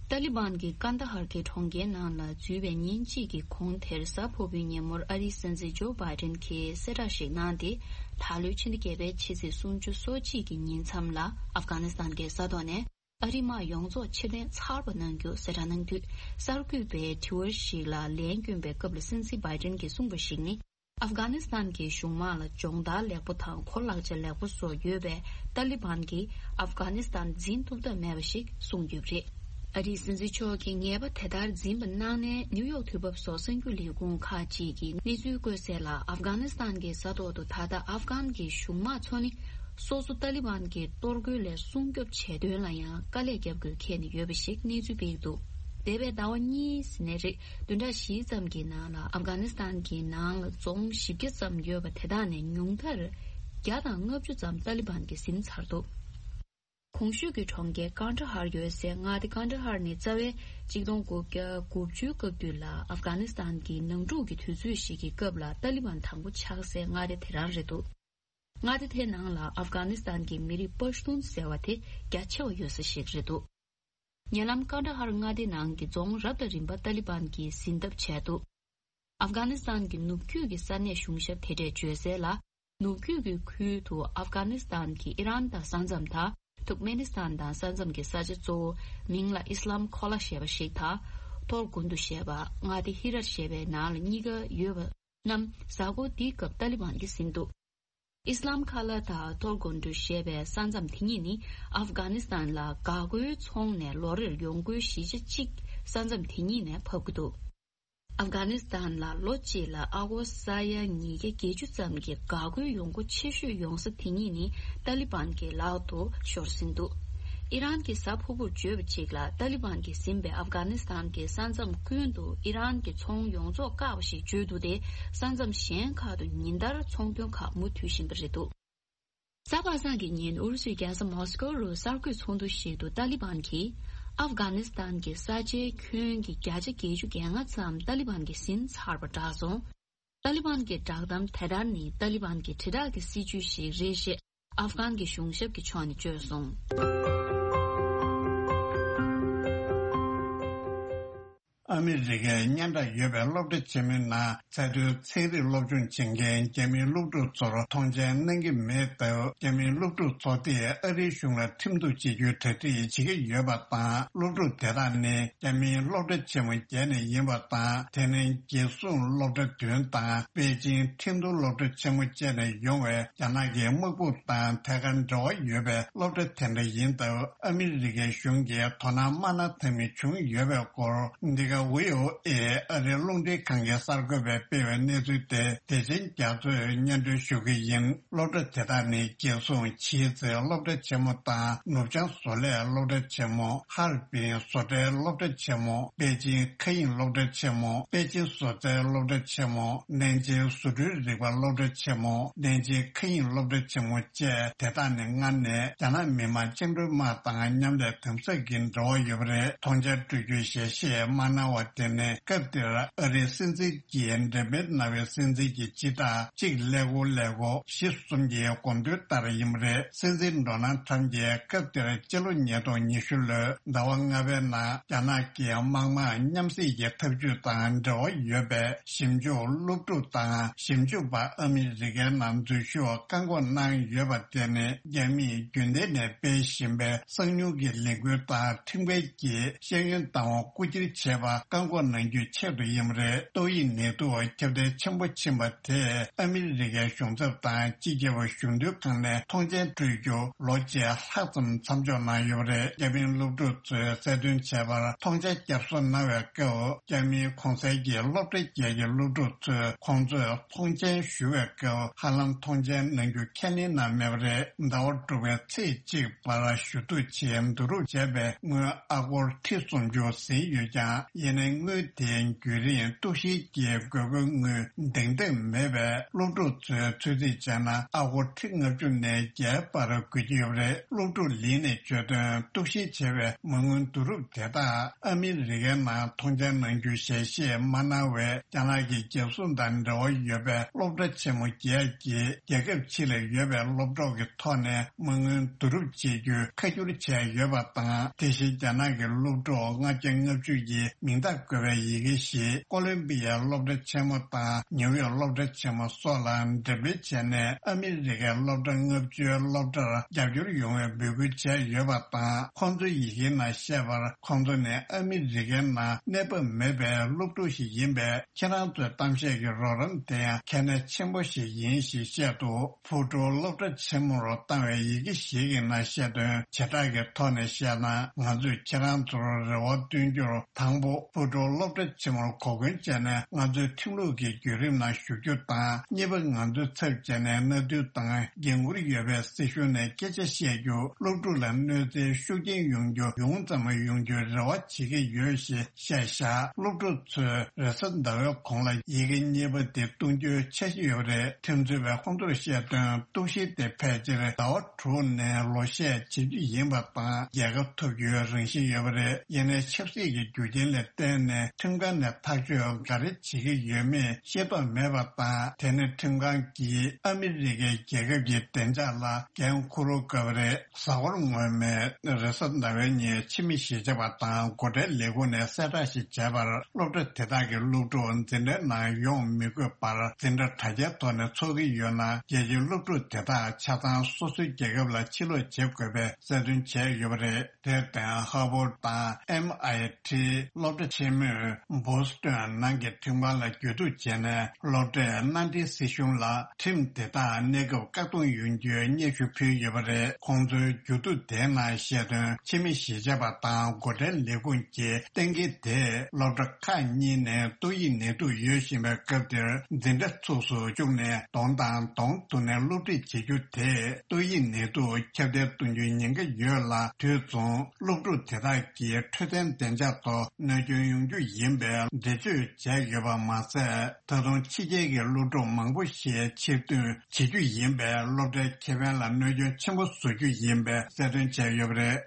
ཏཱ་ལི་བན་གྱིས་ཀན་ད་ཧར་གྱི་གྲོང་ཁྱེར་ནང་ལ་འཛུལ་བའི་ཉིན་གཅིག་གི་གོང་དེར་གཟའ་ཕུར་བུའི་ཉིན་མོར་ཨ་རིའི་སྲིད་འཛིན་ཇོ་བྷའི་ཌེན་གྱིས་གསལ་བསྒྲགས་ཤིག་གནང་སྟེ། ད་ལོའི་ཕྱི་ཟླ་བརྒྱད་པའི་ཕྱི་ཚེས་སུམ་ཅུ་སོ་གཅིག་གི་ཉིན་མཚམས་ལ་ཨབ་གྷ་ནི་སི་ཐན་གྱི་ས་ཐོག་ནས་ཨ་རིའི་དམག་ཡོངས་རྫོགས་ཕྱིར་འཐེན་ཚར་བ་གནང་རྒྱུ་གསལ་བསྒྲགས་གནང་དུས། གསར་འགོད་པས་དྲི་བ་ཞིག་ལ་ལན་བསྐྱོན་པའི་སྐབས་ལ་སྲིད་འཛིན་བྷའི་ཌེན་གྱིས་གསུངས་པ་ཞིག་ནི། ཨབ་གྷ་ནི་སི་ཐན་གྱི་གཞུང་དམག་ལ་སྦྱོང་བརྡར་ལེགས་པོ་དང་གོ་ལག་ཆ་ལེགས་པོ་སོགས་ཡོད་པས་ཏཱ་ལི་བན་གྱིས་ཨབ་གྷ་ནི་སི་ཐན་འཛིན་ཐུབ་ཐབས་མེད་པ་ཞིག་གསུངས་ཡོད་པ་རེད། ཨ་རིའི་སྲིད་འཛིན་མཆོག་གིས་ངེས་པ་དེ་ལྟར་འཛིན་པ་གནང་ནས་ནིའུ་ཡོག་དུས་བབ་སོགས་གསར་འགྱུར་ལས་ཁུངས་ཁག་ཅིག་གིས་གནས་ཚུལ་བཀོད་གསལ་ལ། ཨབ་གྷ་ནི་སི་ཐན་གྱི་ས་ཐོག་ཏུ་ད་ལྟ་ཨབ་གྷན་གྱི་གཞུང་དམག་ཚོ་ནི་སོ་སོ་ཏཱ་ལི་བན་གྱི་གཏོར་རྒོལ་ལས་སྲུང་སྐྱོབ་བྱེད་དོན་ལ་ཡང་དཀའ་ལས་བརྒྱབ་དགོས་འཁེལ་ནས་ཡོད་པ་ཞིག་གནས་ཚུལ་སྤེལ་འདུག་འདས་པའི་ཟླ་བ་གཉིས་ནས་རེས་བདུན་ཕྲག་བཞི་ཙམ་གྱི་ནང་ལ་ཨབ་གྷ་ནི་སི་ཐན་གྱི་ནང་ལ་རྫོང་བཞི་བརྒྱ་ཙམ་ཡོད་པ་དེ་དག་ནས་ཉུང་མཐར་བརྒྱ་དང་ལྔ་བཅུ་ཙམ་ཏཱ་ལི་བན་གྱིས་ཟིན་ཚར་འདུག་གོང་ཞུས་ཀྱི་གྲོང་ཁྱེར་ཀན་ད་ཧར་ཡོད་སའི་མངའ་སྡེ་ཀན་ད་ཧར་ནི་རྩ་བའི་གཅིག་སྟོང་དགུ་བརྒྱ་དགུ་བཅུའི་སྐབས་དུས་ལ་ཨབ་གྷ་ནི་སི་ཐན་གྱི་ནང་འཁྲུག་གི་དུས་ཚོད་ཞིག་གི་སྐབས་ལ་ཏཱ་ལི་བན་དང་པོ་ཆགས་སའི་མངའ་སྡེ་དེ་རང་རེད་འདུག་མངའ་སྡེ་དེའི་ནང་ལ་ཨབ་གྷ་ནི་སི་ཐན་གྱི་མི་རིགས་པ་ཤ་ཏུན་ཟེར་བ་དེ་རྒྱ་ཆེ་བ་ཡོད་ས་ཞིག་རེད་འདུག་ཉེ་ལམ་ཀན་ད་ཧར་མངའ་སྡེ་ནང་གི་རྫོང་རབ་དང་རིམ་པ་ཏཱ་ལི་བན་གྱིས་ཟིན་ཐབས་བྱས་འདུག་ཨབ་གྷ་ནི་སི་ཐན་གྱི་ནུབ་རྒྱུད་ཀྱི་ས་གནས་གཞུང་ཞབས་དེ་འདྲས་བརྗོད་གསལ་ལ། ནུབ་རྒྱུད་ཀྱི་ཁུལ་དུ་ཨབ་གྷ་ནི་སི་ཐན་གྱི་ཨི་རན་དང་ས་མཚམས་དང་། ཐུར་ཀ་མེ་ནི་སི་ཐན་དང་ས་མཚམས་ཀྱི་ས་ཆ་གཙོ་བོ་མིང་ལ་ཨི་སི་ལམ་ཁོ་ལ་ཞེས་པ་ཞིག་དང་། ཐོར་གོན་ཏུ་ཞེས་པ་མངའ་སྡེ་ཧི་ར་ཞེས་པའི་ནང་ལ་གཉིས་ཀ་ཡོད་པ་རྣམས་གཟའ་འཁོར་འདིའི་སྐབས་ཏཱ་ལི་བན་གྱིས་ཟིན་འདུག་ཨི་སི་ལམ་ཁ་ལ་དང་ཐོར་གོན་ཏུ་ཞེས་པའི་ས་མཚམས་དེ་གཉིས་ནི་ཨབ་གྷ་ནི་སི་ཐན་ལ་འགག་སྒོའི་ཚོང་ནས་ལོ་རེར་ཡོང་སྒོའི་བཞི་ཆ་གཅིག་ས་མཚམས་དེ་གཉིས་ནས་ཕབ་ཀྱི་འདུག་ཨབ་གྷ་ནི་སི་ཐན་ལ་ལོ་གཅིག་ལ་ཨ་སྒོར་ས་ཡ་ཉིས་བརྒྱ་བརྒྱད་ཅུ་ཙམ་གྱི་འགག་སྒོའི་ཡོང་སྒོ་ཆེ་ཤོས་ཡོང་ས་དེ་གཉིས་ནི་ཏཱ་ལི་བན་གྱི་ལག་ཏུ་ཤོར་ཟིན་འདུག་ཨི་རན་གྱིས་གཟའ་ཕུར་བུར་བརྗོད་པ་གཅིག་ལ་ཏཱ་ལི་བན་གྱིས་ཟིན་པའི་ཨབ་གྷ་ནི་སི་ཐན་གྱི་ས་མཚམས་ཀུན་ཏུ་ཨི་རན་གྱི་ཚོང་ཡོངས་རྫོགས་བཀག་པ་ཞིག་བརྗོད་འདུག་སྟེ། ས་མཚམས་གཞན་ཁག་ཏུ་ཉིན་ལྟར་ཚོང་དོན་ཁག་མུ་མཐུད་བཞིན་པ་རེད་འདུག་གཟའ་པ་སངས་ཀྱི་ཉིན་ཨུ་རུ་སུའི་རྒྱལ་ས་མོ་སི་ཀོ་རུ་གསར་འགོད་ཚོགས་འདུ་ཞིག་ཏུ་ཏཱ་ལི་བན་གྱིས་ཨབ་གྷ་ནི་སི་ཐན་གྱི་ས་ཆའི་ཁྱོན་གྱི་བརྒྱ་ཆ་བརྒྱད་ཅུ་གྱ་ལྔ་ཙམ་ཏཱ་ལི་བན་གྱིས་ཟིན་ཚར་བ་བསྒྲགས་སོང་། ཏཱ་ལི་བན་གྱི་བསྒྲགས་གཏམ་དེ་ལྟར་ནི་ཏཱ་ལི་བན་གྱི་དྲིལ་བསྒྲགས་ཀྱི་སྲིད་ཇུས་ཤིག་རེད་ཅེས་ཨབ་གྷན་གྱི་གཞུང་ཞབས་ཀྱི་ཕྱོགས་ནས་བརྗོད་སོང་། ཨ་མི་རི་ཀའི་སྙན་གྲགས་ཡོད་པའི་སློབ་གྲྭ་ཆེན་མོའི་ནང་ཚད་མཐོའི་ཚན་རིག་སློབ་སྦྱོང་བྱེད་མཁན་རྒྱ་མིའི་སློབ་ཕྲུག་ཚོར་མཐོང་མཆན་གནང་གི་མེད་སྟབས། རྒྱ་མིའི་སློབ་ཕྲུག་ཚོ་དེས་ཨ་རིའི་གཞུང་ལ་ཁྲིམས་གཏུག་བྱེད་རྒྱུའི་གྲ་སྒྲིག་བྱེད་ཀྱི་ཡོད་པ་དང་། སློབ་ཕྲུག་དེ་དག་ནི་རྒྱ་མིའི་སློབ་གྲྭ་ཆེན་མོ་བརྒྱད་ནས་ཡིན་པ་དང་། དེ་ནི་རྒྱལ་སྲུང་སློབ་གྲྭ་བདུན་དང་པེ་ཅིང་ཁྲིན་ཏུའུ་སློབ་གྲྭ་ཆེན་མོ་བཅས་ནས་ཡོང་བའི་རྒྱ་ནག་གི་དམག་དཔུང་དང་ཐད་ཀར་འབྲེལ་བ་ཡོད་པའི་སློབ་གྲྭ་དེ་འདྲ་ཡིན་སྟབས། ཨ་མི་རི་ཀའི་གཞུང་གིས་དོ་སྣང་མ་གནང་ཐབས་མེད་བྱུང་ཡོད་པའི་སྐོར། འདི་ག་ཝི་ཨོ་ཨེ་ཨ་རིའི་རླུང་འཕྲིན་ཁང་གི་གསར་འགོད་པས་སྤེལ་བའི་གནས་ཚུལ་དེ་དེ་བཞིན་རྒྱ་མཚོས་སྙན་སྒྲོན་ཞུ་གི་ཡིན། སློབ་གྲྭ་དེ་དག་ནི་རྒྱལ་སྲུང་ཆི་ཙེ་སློབ་གྲྭ་ཆེན་མོ་དང་། ནུབ་བྱང་བཟོ་ལས་སློབ་གྲྭ་ཆེན་མོ། ཧར་པིན་བཟོ་གྲྭའི་སློབ་གྲྭ་ཆེན་མོ། པེ་ཅིང་མཁའ་དབྱིངས་སློབ་གྲྭ་ཆེན་མོ། པེ་ཅིང་བཟོ་རྩལ་སློབ་གྲྭ་ཆེན་མོ། ནན་ཅིང་བཟོ་སྐྲུན་རིག་པ་སློབ་གྲྭ་ཆེན་མོ། ནན་ཅིང་མཁའ་དབྱིངས་སློབ་གྲྭ་ཆེན་མོ་བཅས། དེ་དག་ནི་སྔར་ནས་རྒྱ་ནག་མི་དམངས་བཅིངས་འགྲོལ་དམག་དང་མཉམ་ལས་དམ་ཟབ་ཀྱི་འབྲེལ་བ་ཡོད་པ་རེད། མཐོང་མཆན་སྤྲོད་རྒྱུའི་ཞལ་བཞེས་མ་གནང་བ་དེ་ནི་སྐབས་དེར་ཨ་རིའི་སྲིད་འཛིན་གྱིས་འགྲེམས་སྤེལ་གནང་བའི་སྲིད་འཛིན་གྱི་སྤྱི་རྟགས་གཅིག་ཀླད་ཀོར་ཀླད་ཀོར་བཞི་གསུམ་གྱི་དགོངས་དོན་ལྟར་ཡིན་པ་རེད། སྲིད་འཛིན་ཌོ་ནལ་ཁྲམ་གྱིས་སྐབས་དེར་སྤྱི་ལོ་ཉིས་སྟོང་ཉི་ཤུ་ལོའི་ཟླ་བ་ལྔ་པའི་ནང་རྒྱ་ནག་གི་དམག་དམངས་མཉམ་བསྲེས་ཀྱི་ཐབས་ཇུས་དང་འབྲེལ་བ་ཡོད་པའི་ཞིབ་འཇུག་སློབ་ཕྲུག་དང་ཞིབ་འཇུག་པ་ཨ་མི་རི་ཀའི་ནང་འཛུལ་ཞུགས་བཀག་འགོག་གནང་ཡོད་པ་དེ་ནི་རྒྱ་མིས་རྒྱུན་ལྡན་ནས་སྤེལ་བཞིན་པའི་གསང་མྱུལ་གྱི་ལས་འགུལ་དང་ཁྲིམས་འགལ་གྱི་ཤེས་ཡོན་བདག་དབང་རྐུ་འཁྱེར་བྱས་པ་བཀག་འགོག་གནང་རྒྱུའི་ཆེད་དུ་ཡིན་པ་རེད། ཏོག་དབྱིབས་ནད་དུག་ཁྱབ་གདལ་ཆེན་པོ་ཕྱིན་པ་དེས་ཨ་མི་རི་ཀའི་གཞུང་ཚབ་དང་སྤྱི་ཁྱབ་གཞུང་དོན་ཁང་ནས་མཐོང་མཆན་སྤྲོད་རྒྱུ་ལོ་གཅིག་ལྷག་ཙམ་མཚམས་འཇོག་གནང་ཡོད་པ་རེད། རྒྱ་མིའི་སློབ་ཕྲུག་ཚོས་གསལ་སྟོན་བྱས་པར་མཐོང་མཆན་བསྐྱར་གསོ་གནང་བའི་སྐབས། རྒྱ་མིའི་གོང་གསལ་གྱི་སློབ་གྲྭ་བརྒྱད་ཀྱི་སློབ་ཕྲུག་ཚོས་ཁོང་ཚོས་མཐོང་མཆན་ཞུ་བའི་སྐབས་ཧ་ལམ་མཐོང་མཆན་གནང་རྒྱུ་ཁས་ལེན་གནང་མེད་པ་རེད། ཟླ་བ་དྲུག་པའི་ཚེས་གཅིག་བར་ཞུ་གཏུག་ཆེད་བསྡུ་རུབ་བྱས་པའི་དངུལ་ཨ་སྒོར་ཁྲི་སུམ་ཅུ་ཟིན་ཡོད་ཀྱང་། ཡིན་ནའི་དངུལ་དེའི་བརྒྱུད་རིམ་གཏུག་བཤེར་གྱི་དགོས་མཁོའི་དངུལ་འདང་འདང་མེད་པས། སློབ་ཕྲུག་ཚོས་ཚོད་རྩིས་བྱས་ན་ཨ་སྒོར་ཁྲི་ལྔ་བཅུ་ནས་བརྒྱའི་བར་དགོས་ཀྱི་ཡོད་པ་རེད། སློབ་ཕྲུག་ལིན་ནས་བརྗོད་དོན། གཏུག་བཤེར་བྱས་པའི་མ་དངུལ་བསྡུ་རུབ་དེ་དག་ཨ་མི་རི་ཀའི་ནང་མཐོང་མཆན་གནང་རྒྱུའི་ཞལ་བཞེས་མ་གནང་བའི་རྒྱ་ནག་གི་རྒྱལ་སྲུང་དང་འབྲེལ་བ་ཡོད་པའི་སློབ་གྲྭ་ཆེན་མོ་བརྒྱད་ཀྱིས་རྒྱལ་ཁབ་ཕྱི་ལ་ཡོད་པའི་སློབ་གྲོགས་ཀྱི་ཐོག་ནས་མ་དངུལ་བསྡུ་རུབ་བྱེད་རྒྱུའི་ཁ་བསྒྱུར་བྱས་ཡོད་པ་དང་། དེ་བཞིན་རྒྱ་ནག་གི་སློབ་ཕྲུག་ལྔ་བརྒྱ་ལྔ་བཅུ་ཡི་མིང་རྟགས་བཀོད་པའི་ཡི་གེ་ཞིག་ཀོ་ལོམ་པི་ཡའི་སློབ་གྲྭ་ཆེན་མོ་དང་ནིའུ་ཡོག་སློབ་གྲྭ་ཆེན་མོ་སོགས་ལ་འགྲེམས་སྤེལ་བྱས་ནས། ཨ་མི་རི་ཀའི་སློབ་གྲྭ་ལྔ་བཅུའི་སློབ་གྲྭར་རྒྱབ་སྐྱོར་ཡོང་བའི་འབོད་སྐུལ་བྱས་ཡོད་པ་དང་། ཁོང་ཚོའི་ཡི་གེའི་ནང་བཤད་པར། ཁོང་ཚོ་ནི་ཨ་མི་རི་ཀའི་ནང་གནས་བབ་མེད་པའི་སློབ་ཕྲུག་ཞིག་ཡིན་པས། ཁྱེད་རང་ཚོའི་གཏམ་བཤད་ཀྱི་རོགས་རམ་དེ་ཡང་གལ་གནད་ཆེན་པོ་ཞིག་ཡིན་ཞེས་བཤད་འདུག་ཕུའུ་ཀྲོའུ་སློབ་གྲྭ་ཆེན་མོ་རུ་བཏང་བའི་ཡི་གེ་ཞིག་གི་ནང་བཤད་དོན་བྱེ་བྲག་གི་ཐོག་ནས་བཤད་ན། ང་ཚོས་ཁྱེད་རང་ཚོར་རེ་བ་བཏོན་རྒྱུར། དང་པོ། ཕུའུ་ཀྲོའུ་སློབ་གྲྭ་ཆེན་མོར་གོ་སྐོན་བྱས་ནས་ང་ཚོའི་ཁྲིམས་ལུགས་ཀྱི་བརྒྱུད་རིམ་ནང་ཞུགས་རྒྱུ་དང་། གཉིས་པ། ང་ཚོའི་ཚབ་བྱས་ནས་མནའ་མཐུན་དང་འགན་འཁུར་ཡོད་པའི་སྲིད་གཞུང་ནས་སྐད་ཆ་བཤད་རྒྱུ། སློབ་ཕྲུག་ལ་གནོད་འཚེའི་ཤུགས་རྐྱེན་ཡོང་རྒྱུ་ཡོང་ཙམ་ཡོང་རྒྱུའི་རེ་བ་བྱེད་ཀྱི་ཡོད་ཞེས་བཤད་བཞག་སློབ་ཕྲུག་ཚོས་རེས་གཟའ་ཟླ་བའི་གོང་ལ་ཡི་གེ་གཉིས་པ་དེ་གཏོང་རྒྱུའི་འཆར་གཞི་ཡོད་པ་རེད། ཁྲིམས་རྩོད་པས་ཁོང་ཚོར་བཤད་དོན། གཏུག་བཤེར་དེ་ཕལ་ཆེར་ཟླ་བ་དྲུག་ནས་ལོ་ཤས་བྱེད་རྒྱུ་ཡིན་པ་དང་། རྒྱལ་ཁ་ཐོབ་རྒྱུའི་རང་བཞིན་ཡོད་པ་རེད། ཡིན་ནའི་ཆབ་སྲིད་ཀྱི་རྒྱུ་རྐྱེན་ལ་བརྟེན་ནས་ཁྲིམས་ཁང་ནས་ཐག་གཅོད་ག་རེ་བྱེད་ཀྱི་ཡོད་མེད་ཤེས་རྟོགས་མེད་པ་དང་། དེ་ནི་ཁྲིམས་ཁང་གིས་ཨ་མི་རི་ཀའི་རྒྱལ་ཁབ་ཀྱི་བདེ་འཇགས་ལ་འགན་འཁུར་དགོས་པ་རེད། གཟའ་འཁོར་སྔོན་མའི་རེས་གཟའ་ཟླ་བའི་ཉིན་ཕྱི་མི་གཞིས་ཆགས་པ་དང་སྒོ་ཁྲལ་ལས་ཁུངས་ནས་གསལ་བསྒྲགས་ཤིག་བྱས་པར། སློབ་གྲྭ་དེ་དག་གི་སློབ་ཕྲུག་འཛིན་གྲྭའི་ནང་ཡོང་མི་དགོས་པར་འཛིན་གྲྭ་དྲ་རྒྱའི་ཐོག་ནས་འཚོགས་ཀྱི་ཡོད་ན། རྒྱལ་སྤྱིའི་སློབ་ཕྲུག་དེ་དག་ཆ་ཚང་སོ་སོའི་རྒྱལ་ཁབ་ལ་ཕྱིར་ལོག་བྱེད་དགོས་པའི་གསལ་སྟོན་བྱས་ཡོད་པ་རེད། དེར་བརྟེན། ཧར་ཝརཌ་དང་ཨེམ་ཨའི་ཊི་སློབ་གྲྭ་ཆེན་མོས་བྷོ་སི་ཊོན་ནང་གི་ཁྲིམས་ཁང་ལ་གྱོད་གཏུག་བྱས་ནས། སློབ་གྲྭས་མནའ་འབྲེལ་སྲིད་གཞུང་ལ་ཁྲིམས་དེ་དག་གནས་སྐབས་བཀག་སྡོམ་ཡོང་རྒྱུའི་སྙན་ཞུ་ཕུལ་ཡོད་པ་རེད། ཁོང་ཚོའི་གྱོད་གཏུག་དེའི་ནང་བཤད་དོན། ཕྱི་མི་གཞིས་ཆགས་པ་དང་སྒོ་ཁྲལ་ལས་ཁུངས་ཀྱིས་གཏན་འཁེལ་དེས་སློབ་གྲྭ་ཁག་གཉིས་ནས་ཏོག་དབྱིབས་ནད་དུག་ཡོད་བཞིན་པའི་སྐབས་དེར། འཛིན་གྲྭ་ཚུགས་སུ་བཅུག་ནས་གདོང་དང་གདོང་ཐུག་ནས་སློབ་ཁྲིད་བྱེད་རྒྱུ་དེས་ཏོག་དབྱིབས་ནད་དུག་ཁྱབ་གདལ་གཏོང་རྒྱུའི་ཉེན་ཁ་ཡོད་ལ། དུས་མཚུངས་སློབ་ཕྲུག་དེ་དག་གི་འཕྲོད་བསྟེན་བདེ་འཇགས་ཐོག་གནོད་སྐྱོན་ཡོང་རྒྱུ་ཡིན་པའི་འགྲེལ་བརྗོད་བྱས་ཡོད་པ་མ་ཟད། ད་དུང་ཕྱི་རྒྱལ་གྱི་སློབ་ཕྲུག་མང་པོ་ཞིག་ཕྱིར་ཐོན་བྱེད་རྒྱུ་ཡིན་པས། སློབ་གྲྭའི་ཁེ་ཕན་ལ་གནོད་སྐྱོན་ཆེན་པོ་བཟོ་རྒྱུ་ཡིན་པའི་གསལ་སྟོན་བྱས་ཡོད་པ་རེད།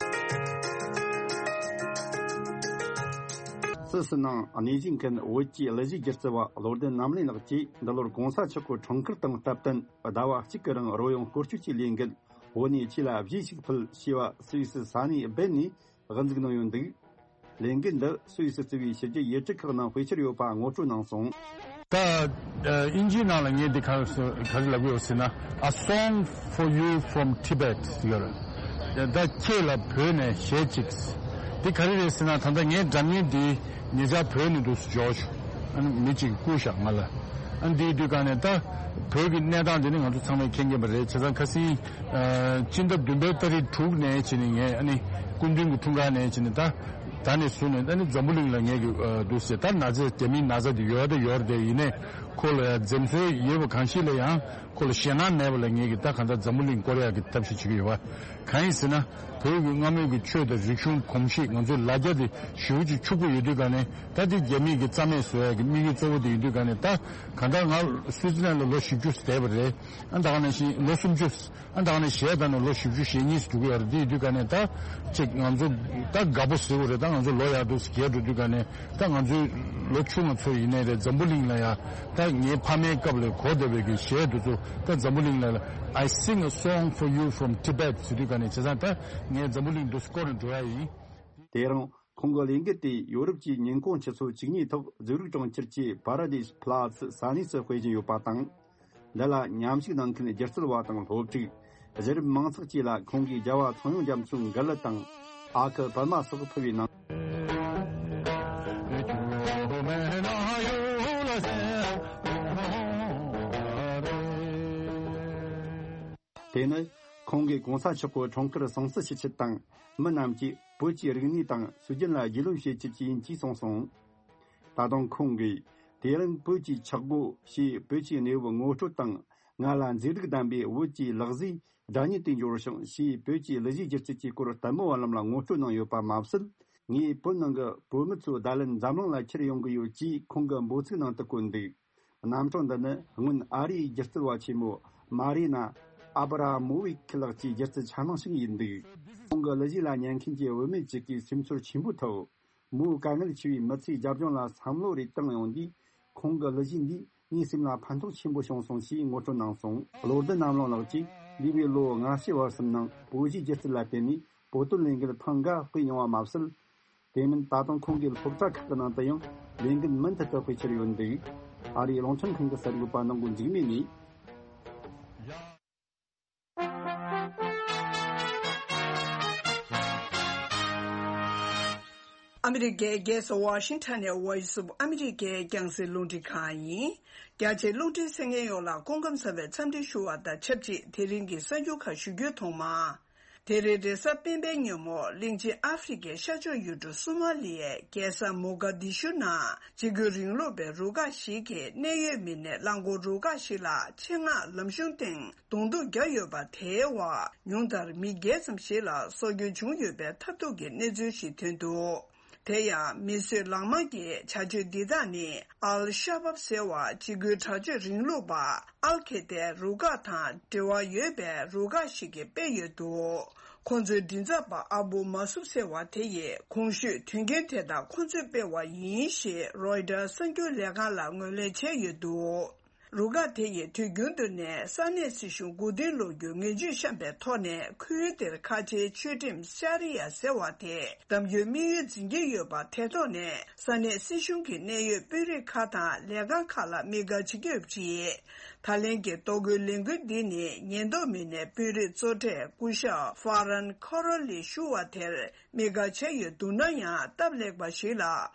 སུད་སི་ནང་གནས་བཞུགས་མཁན་བོད་ཀྱི་གླུ་གཞས་སྒྱུ་རྩལ་བ་བློ་ལྡན་རྣམ་གླིང་ལགས་ཀྱིས། འདི་ལོར་གོང་ས་མཆོག་གི་འཁྲུངས་སྐར་དང་སྟབས་བསྟུན་ཟླ་བ་གཅིག་གི་རིང་རོལ་དབྱངས་སྐོར་སྐྱོད་ཀྱི་ལས་འགུལ། བོད་ནས་ཆོས་ལ་གཞས་ཤིག་ཕུལ་ཞེས་པ་སུད་སི་ས་གནས་སྦེན་ནས་དབུ་འཛུགས་གནང་ཡོད་འདུག་ལས་འགུལ་འདི་སུད་སི་གཙོས་པའི་ཕྱི་རྒྱལ་ཡུལ་གྲུ་ཁག་ནང་སྤེལ་འཆར་ཡོད་པ་ངོ་སྤྲོད་གནང་སོང་། ད་ཨ་དབྱིན་ཇིའི་ནང་ལ་ངས་འདི་ག་རེ་ཟེར་ག་རེ་ལབ་ཀྱི་ཡོད་ཟེར་ན། A song for you from Tibet ཟེར་གྱི་ཡོད་རེད། ད་ཁྱེད་ལ་བོད་ནས་གཞས་གཅིག་འདི་ག་རེ་རེད་ཟེར་ན། ད་ལྟ་ངའི་སྒྲ་སྙན་འདི་ཉེ་ཆར་བོད་ནས་འདུག་སེ་འབྱོར་བྱུང་། ཨ་ནི་མི་གཅིག་བསྐུར་བཞག་ང་ལ། ཨ་ནི་འདིའི་དུས་ག་ནས་ད་བོད་ཀྱི་གནས་སྟངས་འདི་ནི་ང་ཚོ་ཚང་མས་མཁྱེན་གྱི་ཡོད་པ་རེད། བྱས་ཙང་ཁ་སང་ཨ་སྤྱི་ཟླ་བདུན་པའི་ཏ་རིག་དྲུག་ནས་བྱས་ནས་ངས་ཨ་ནི་སྐུ་མདུན་གྱི་འཁྲུངས་སྐར་ནས་བྱས་ནས་ད་ད་ནས་བཟུང་ནས་ཨ་ནི་འཛམ་བུ་གླིང་ལ་ངས་ཀྱི་ཨ་འདུག་སེ། ད་ན་ཚ་རྒྱ་མིའི་ན་ཚ་འདི་ཡོད་ད་ཡོད་རེད། དེ་ཡིན་ནའི་ཁོ་ལ་ཡང་འཛེམ་ཟོན་ཡོད་པ་གང་ཞིག་ལ་ཡང་ཁོ་ལ་ཞེད་སྣང་མེད་པ་ལ་ངས་ཀྱི་ད་གང་ལྟར་འཛམ་བུ་གླིང་སྐོར་ཡག་གི་ཐབས་ཤེས་བྱེད་ཀྱི་ཡོད་པ། གང་ཡིན་ཟེར་ན། བོད་ཀྱི་སྔ་མོའི་གི་ཆོས་དང་རིག་གཞུང་གོམས་གཤིས། ང་ཚོའི་ལ་རྒྱ་དེ་ཞེ་པོ་ཅིག་ཕྱུག་པོ་ཡོད་དུས་ག་ནས། ད་དེ་རྒྱ་མིས་ཀྱི་རྩ་མེད་བཟོ་ཡག་གི་དམིགས་ཡུལ་གཙོ་བོ་དེ་ཡིན་དུས་ག་ནས། ད་གང་ལྟར་ང་སུའི་ཙི་ལན་ལ་ལོ་བཞི་བཅུ་བསྡད་པ་རེད། ཨ་ད་ག་ནང་བཞིན་ལོ་སུམ་ཅུ། ཨ་ད་ག་ནས་གཞས་བཏང་ནས་ལོ་བཞི་བཅུ་ཞེ་གཉིས་སུ་འགྲོ་གི་ཡོད་རེད། དེ་ཡིན་དུས་ག་ནས་ད་ཅིག་ང་ཚོ་ད་དགའ་པོ་ཟེར་དགོས་རེད། ད་ང་ཚོ་ལོ་ཡར་འདུག་སེ་རྒས་འགྲོ་དུས་ག་ནས། ད་ང་ཚོའི་ལོ་ཆུང་བ་ཚོ་ཡིན་ནའི་རེད། འཛམ་བུ་གླིང་ལ་ཡ་ད་ངའི་ཕ་མའི་སྐབས་ལ་གོ་བསྡད་པའི་གི་གཞས་དེ་ཚོ་ད་འཛམ་བུ་གླིང་ལ་ལ། I sing a song for you from Tibet ཟེར་དུས་ག་ནས། བྱས་ཙང་ད་ངས་འཛམ་བུ་གླིང་འདུག་སེ་བསྐོར་ནས་འགྲོ་ཡ་ཡིན། དེ་རིང་ཁོང་གི་ལས་འགུལ་དེ་ཡོ་རོབ་ཀྱི་ཉིན་གུང་ཆུ་ཚོད་བཅུ་གཉིས་ཐོག་ཛུ་རིག་གྲོང་ཁྱེར་གྱི་Paradise Platz ས་གནས་སུ་སྤེལ་བཞིན་ཡོད་པ་དང་། འདི་ལ་མཉམ་ཞུགས་གནང་མཁན་སྒྱུ་རྩལ་བ་དང་སློབ་ཕྲུག་གཞི་རིམ་མང་ཚོགས་བཅས་ལ་ཁོང་གིས་རྒྱལ་བ་ཚངས་དབྱངས་རྒྱ་མཚོའི་མགུར་གླུ་དང་ཨ་ཁུ་པདྨ་སོགས་ཕུལ་བའི་ནང་། དེ་ནི་ཁོང་གིས་གོང་ས་མཆོག་གི་འཁྲུངས་སྐར་སྲུང་བརྩི་ཞུ་ཆེད་དང་། མི་རྣམས་ཀྱིས་བོད་ཀྱི་རིག་གནས་དང་སྲོལ་རྒྱུན་ལ་རྒྱུས་ལོན་བྱེད་ཆེད་ཀྱི་ཡིན་ཅེས་གསུངས་སོང་། ད་དུང་ཁོང་གིས། དེ་རིང་བོད་ཀྱི་ཆག་སྒོ་ཞེས་བོད་ཀྱི་གནས་བབ་ངོ་སྤྲོད་དང་། ང་ལ་མཛེས་སྡུག་ལྡན་པའི་བོད་ཀྱི་ལག་བཟོའི་སྒྲ་སྙན་དེ་འབྱོར་བྱུང་ཞེས་བོད་ཀྱི་གླུ་གཞས་སྒྱུ་རྩལ་གྱི་སྐོར་ལྟད་མོ་བ་རྣམས་ལ་ངོ་སྤྲོད་གནང་ཡོད་པ་མ་ཟད། ངས་བོད་ནང་གི་བོད་མི་ཚོ་བརྡ་ལན་འཛམ་གླིང་ལ་ཁྱེར་ཡོང་གི་ཡོད་ཅེས་ཁོང་གི་འབོད་ཚིག་ནང་དུ་བཀོད་འདུག། རྣམ་གྲངས་འདི་ནི་སྔོན་ཨ་རིའི་སྒྱུ་རྩལ་བ་ཆེན་མོ་མ་རི་ན་ཨ་བྷ་ར་མོ་ཝི་ཁི་ལགས་ཀྱི་སྒྱུ་རྩལ་འཆར་སྣང་ཞིག་ཡིན་འདུག། ཁོང་གི་གླུ་གཞས་ལ་ཉན་མཁན་གྱི་བུད་མེད་ཅིག་གིས་སེམས་ཚོར་ཆེན་པོ་ཐོབ། མོའི་དཀའ་ངལ་ཆེ་བའི་མི་ཚེའི་རྒྱབ་ལྗོངས་ལ་བསམ་བློ་རེ་བཏང་ཡོང་དུས། ཁོང་གི་གླུ་གཞས་འདིས་ངའི་སེམས་ལ་ཕན་ཐོགས་ཆེན་པོ་བྱུང་སོང་ཞེས་ངོ་སྤྲོད་གནང་སོང་། བློ་ལྡན་རྣམ་གླིང་ལགས་ཀྱིས་འདས་པའི་ལོ་ལྔ་བཅུ་བར་གསུམ་ནང་བོད་གཞས་སྒྱུ་རྩལ་ལ་བརྟེན་ནས་བོད་དོན་ལས་འགུལ་ཐེངས་འགའ་སྤེལ་མྱོང་བ་མ་ཟད། དེ་མིན་ད་དུང་ཁོང་གི་སློབ་གྲྭ་ཁག་གི་ནང་དུ་ཡང་ལས་འགུལ་མུ་མཐུད་དུ་སྤེལ་འཆར་ཡོད་འདུག། ཨ་རིའི་རླུང་འཕྲིན་ཁང་གི་གསར་འགོད་པ་ནང་གོ་འཇིགས་མེད་ནས། ཨ་མི་རི་ཀའི་རྒྱལ་ས་ཝ་ཤིང་ཊོན་ནས་Voice of America རྒྱང་སྲིང་རླུང་འཕྲིན་ཁང་ཡིན། རྒྱ་ཆེའི་རླུང་འཕྲིན་གསན་མཁན་ཡོངས་ལ་སྐུ་ཁམས་བཟང་བའི་འཚམས་འདྲི་ཞུ་བ་དང་ཆབས་ཅིག་དེ་རིང་གི་གསར་འགྱུར་ཁག་ཞུ་རྒྱུའི་ཐོག་མ། དེ་རིང་རེས་གཟའ་སྤེན་པའི་ཉིན་མོ་གླིང་ཆེན་ཨ་ཧྥེ་རི་ཁའི་ཤར་ཕྱོགས་ཡུལ་གྲུ་སོ་མ་ལི་ཡའི་རྒྱལ་ས་མོ་ག་དི་ཤུ་ནང་འཇིགས་སྐུལ་རིང་ལུགས་པའི་རུ་ཁག་ཞིག་གིས་གནད་ཡོད་མི་སྣའི་རླངས་འཁོར་རུ་ཁག་ཞིག་ལ་ཆེད་མངགས་ལམ་གཞུང་སྟེང་གདོང་ཐུག་བརྒྱབ་ཡོད་པ། དེའི་འོག་ཉུང་མཐར་མི་བརྒྱད་ཙམ་ཞིག་ལ་སྲོག་སྐྱོན་བྱུང་ཡོད་པའི་ཐབས་སྡུག་གི་གནས་ཚུལ་ཞིག་ཐོན་འདུག། དེ་ཡང་མི་གསོད་ལག་དམར་གྱི་བྱ་སྤྱོད་འདི་དག་ནི་ཨལ་ཤ་བབ་ཟེར་བ་འཇིགས་སྐུལ་དྲག་སྤྱོད་རིང་ལུགས་པ་ཨལ་ཁེ་ཏའི་རུ་ཁག་དང་འབྲེལ་བ་ཡོད་པའི་རུ་ཁག་ཞིག་གིས་སྤེལ་ཡོད་འདུག། ཁོང་ཚོའི་མགྲིན་ཚབ་པ་ཨ་བུ་མ་སུབ་ཟེར་བ་དེ་ཡིས་གོང་ཞུས་དོན་རྐྱེན་དེ་དག་ཁོང་ཚོས་སྤེལ་བ་ཡིན་ཞེས་རོའི་ཊར་གསར་འགྱུར་ལས་ཁང་ལ་ངོས་ལེན་བྱས་ཡོད་འདུག། རུ་ཁག་དེ་ཡིས་དུས་རྒྱུན་དུ་ནས་ས་གནས་སྲིད་གཞུང་མགོ་རྟིང་སློག་རྒྱུའི་ངན་ཇུས་བཤམས་པའི་ཐོག་ནས་ཁུལ་དེར་ཁ་ཆེའི་ཆོས་ཁྲིམས་ཤ་རི་ཡ་ཟེར་བ་དེ་གདམ་རྒྱུའི་དམིགས་ཡུལ་འཛིན་གྱི་ཡོད་པ། དེ་ཐོག་ནས་ས་གནས་སྲིད་གཞུང་གི་གནད་ཡོད་དཔོན་རིགས་ཁག་དང་ལས་ཁང་ཁག་ལ་དམིགས་བཀར་བྱེད་ཀྱི་ཡོད་པ་རེད། ད་ལན་གྱི་གཏོར་རྒོལ་ལས་འགུལ་འདི་ནི་ཉེན་རྟོག་མི་སྣས་དཔོན་རིགས་གཙོ་གྲས་སྐུ་ཞབས་ཧྥ་རན་ཁོ་རོ་ལི་ཞུ་བ་དེར་དམིགས་བཀར་བྱས་ཡོད་འདུག་ན་ཡང་། སྟབས་ལེགས་པ་ཞིག་ལ་